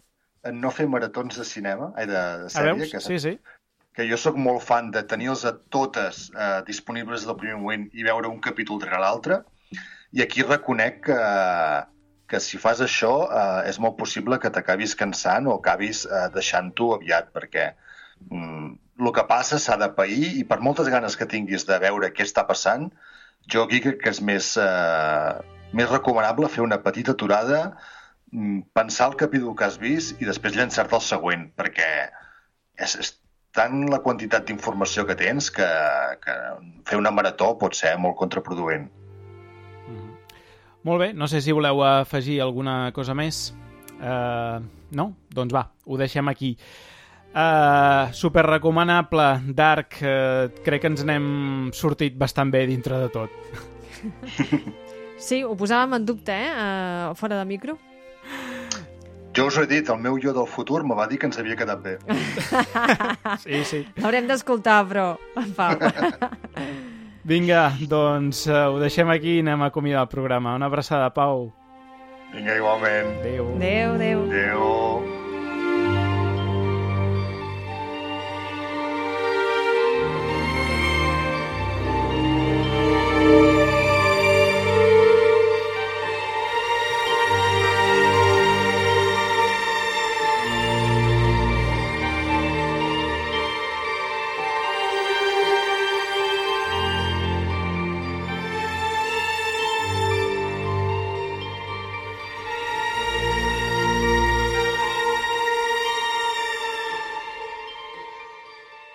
D: en no fer maratons de cinema, de sèrie.
C: Sí.
D: Que jo sóc molt fan de tenir-les a totes disponibles del primer moment i veure un capítol darrere l'altre, i aquí reconec que si fas això és molt possible que t'acabis cansant o acabis deixant-ho aviat, perquè el que passa s'ha de pair, i per moltes ganes que tinguis de veure què està passant, jo aquí crec que és més recomanable fer una petita aturada, pensar el capítol que has vist i després llançar-te el següent, perquè és tant la quantitat d'informació que tens que fer una marató pot ser molt contraproduent.
C: Molt bé, no sé si voleu afegir alguna cosa més. No? Doncs va, ho deixem aquí. Super recomanable, Dark, crec que ens n'hem sortit bastant bé dintre de tot.
E: Sí, ho posàvem en dubte, fora de micro.
D: Jo us ho he dit, el meu jo del futur me va dir que ens havia quedat bé.
C: Sí.
E: L'haurem d'escoltar, però, en Pau.
C: Vinga, doncs ho deixem aquí i anem a acomiadar el programa. Una abraçada, Pau.
D: Vinga, igualment.
C: Adéu.
D: Adéu.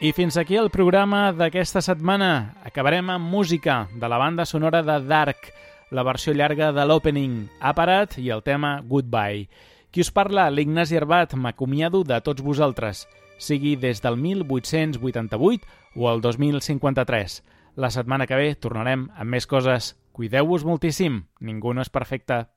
C: I fins aquí el programa d'aquesta setmana. Acabarem amb música de la banda sonora de Dark, la versió llarga de l'opening, Aparat i el tema Goodbye. Qui us parla? L'Ignasi Arbat. M'acomiado de tots vosaltres, sigui des del 1888 o el 2053. La setmana que ve tornarem amb més coses. Cuideu-vos moltíssim. Ningú no és perfecte.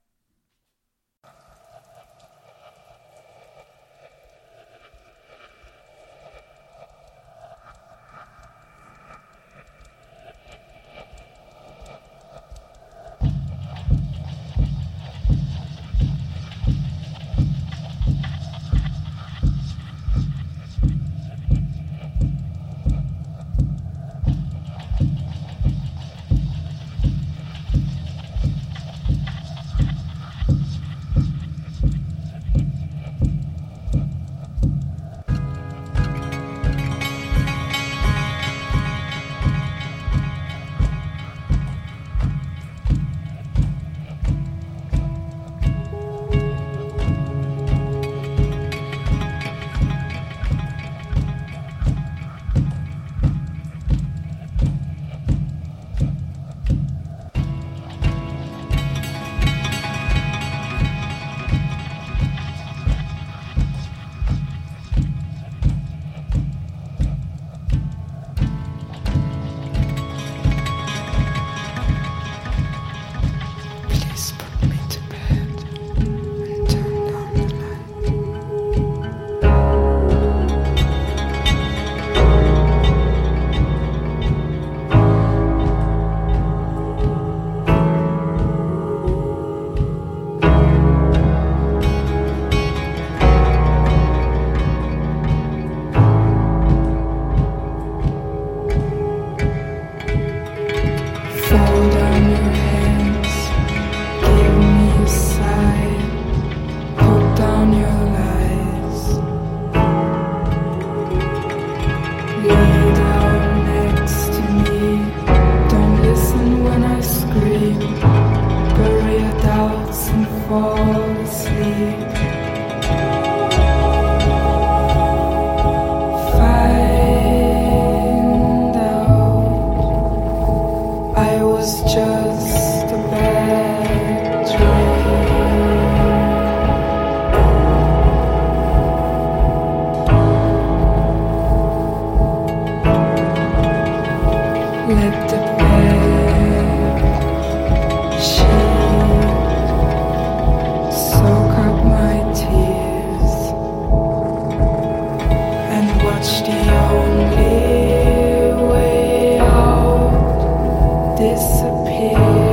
F: was just a bad dream. Let the bed sheet soak up my tears and watch the only way out disappear.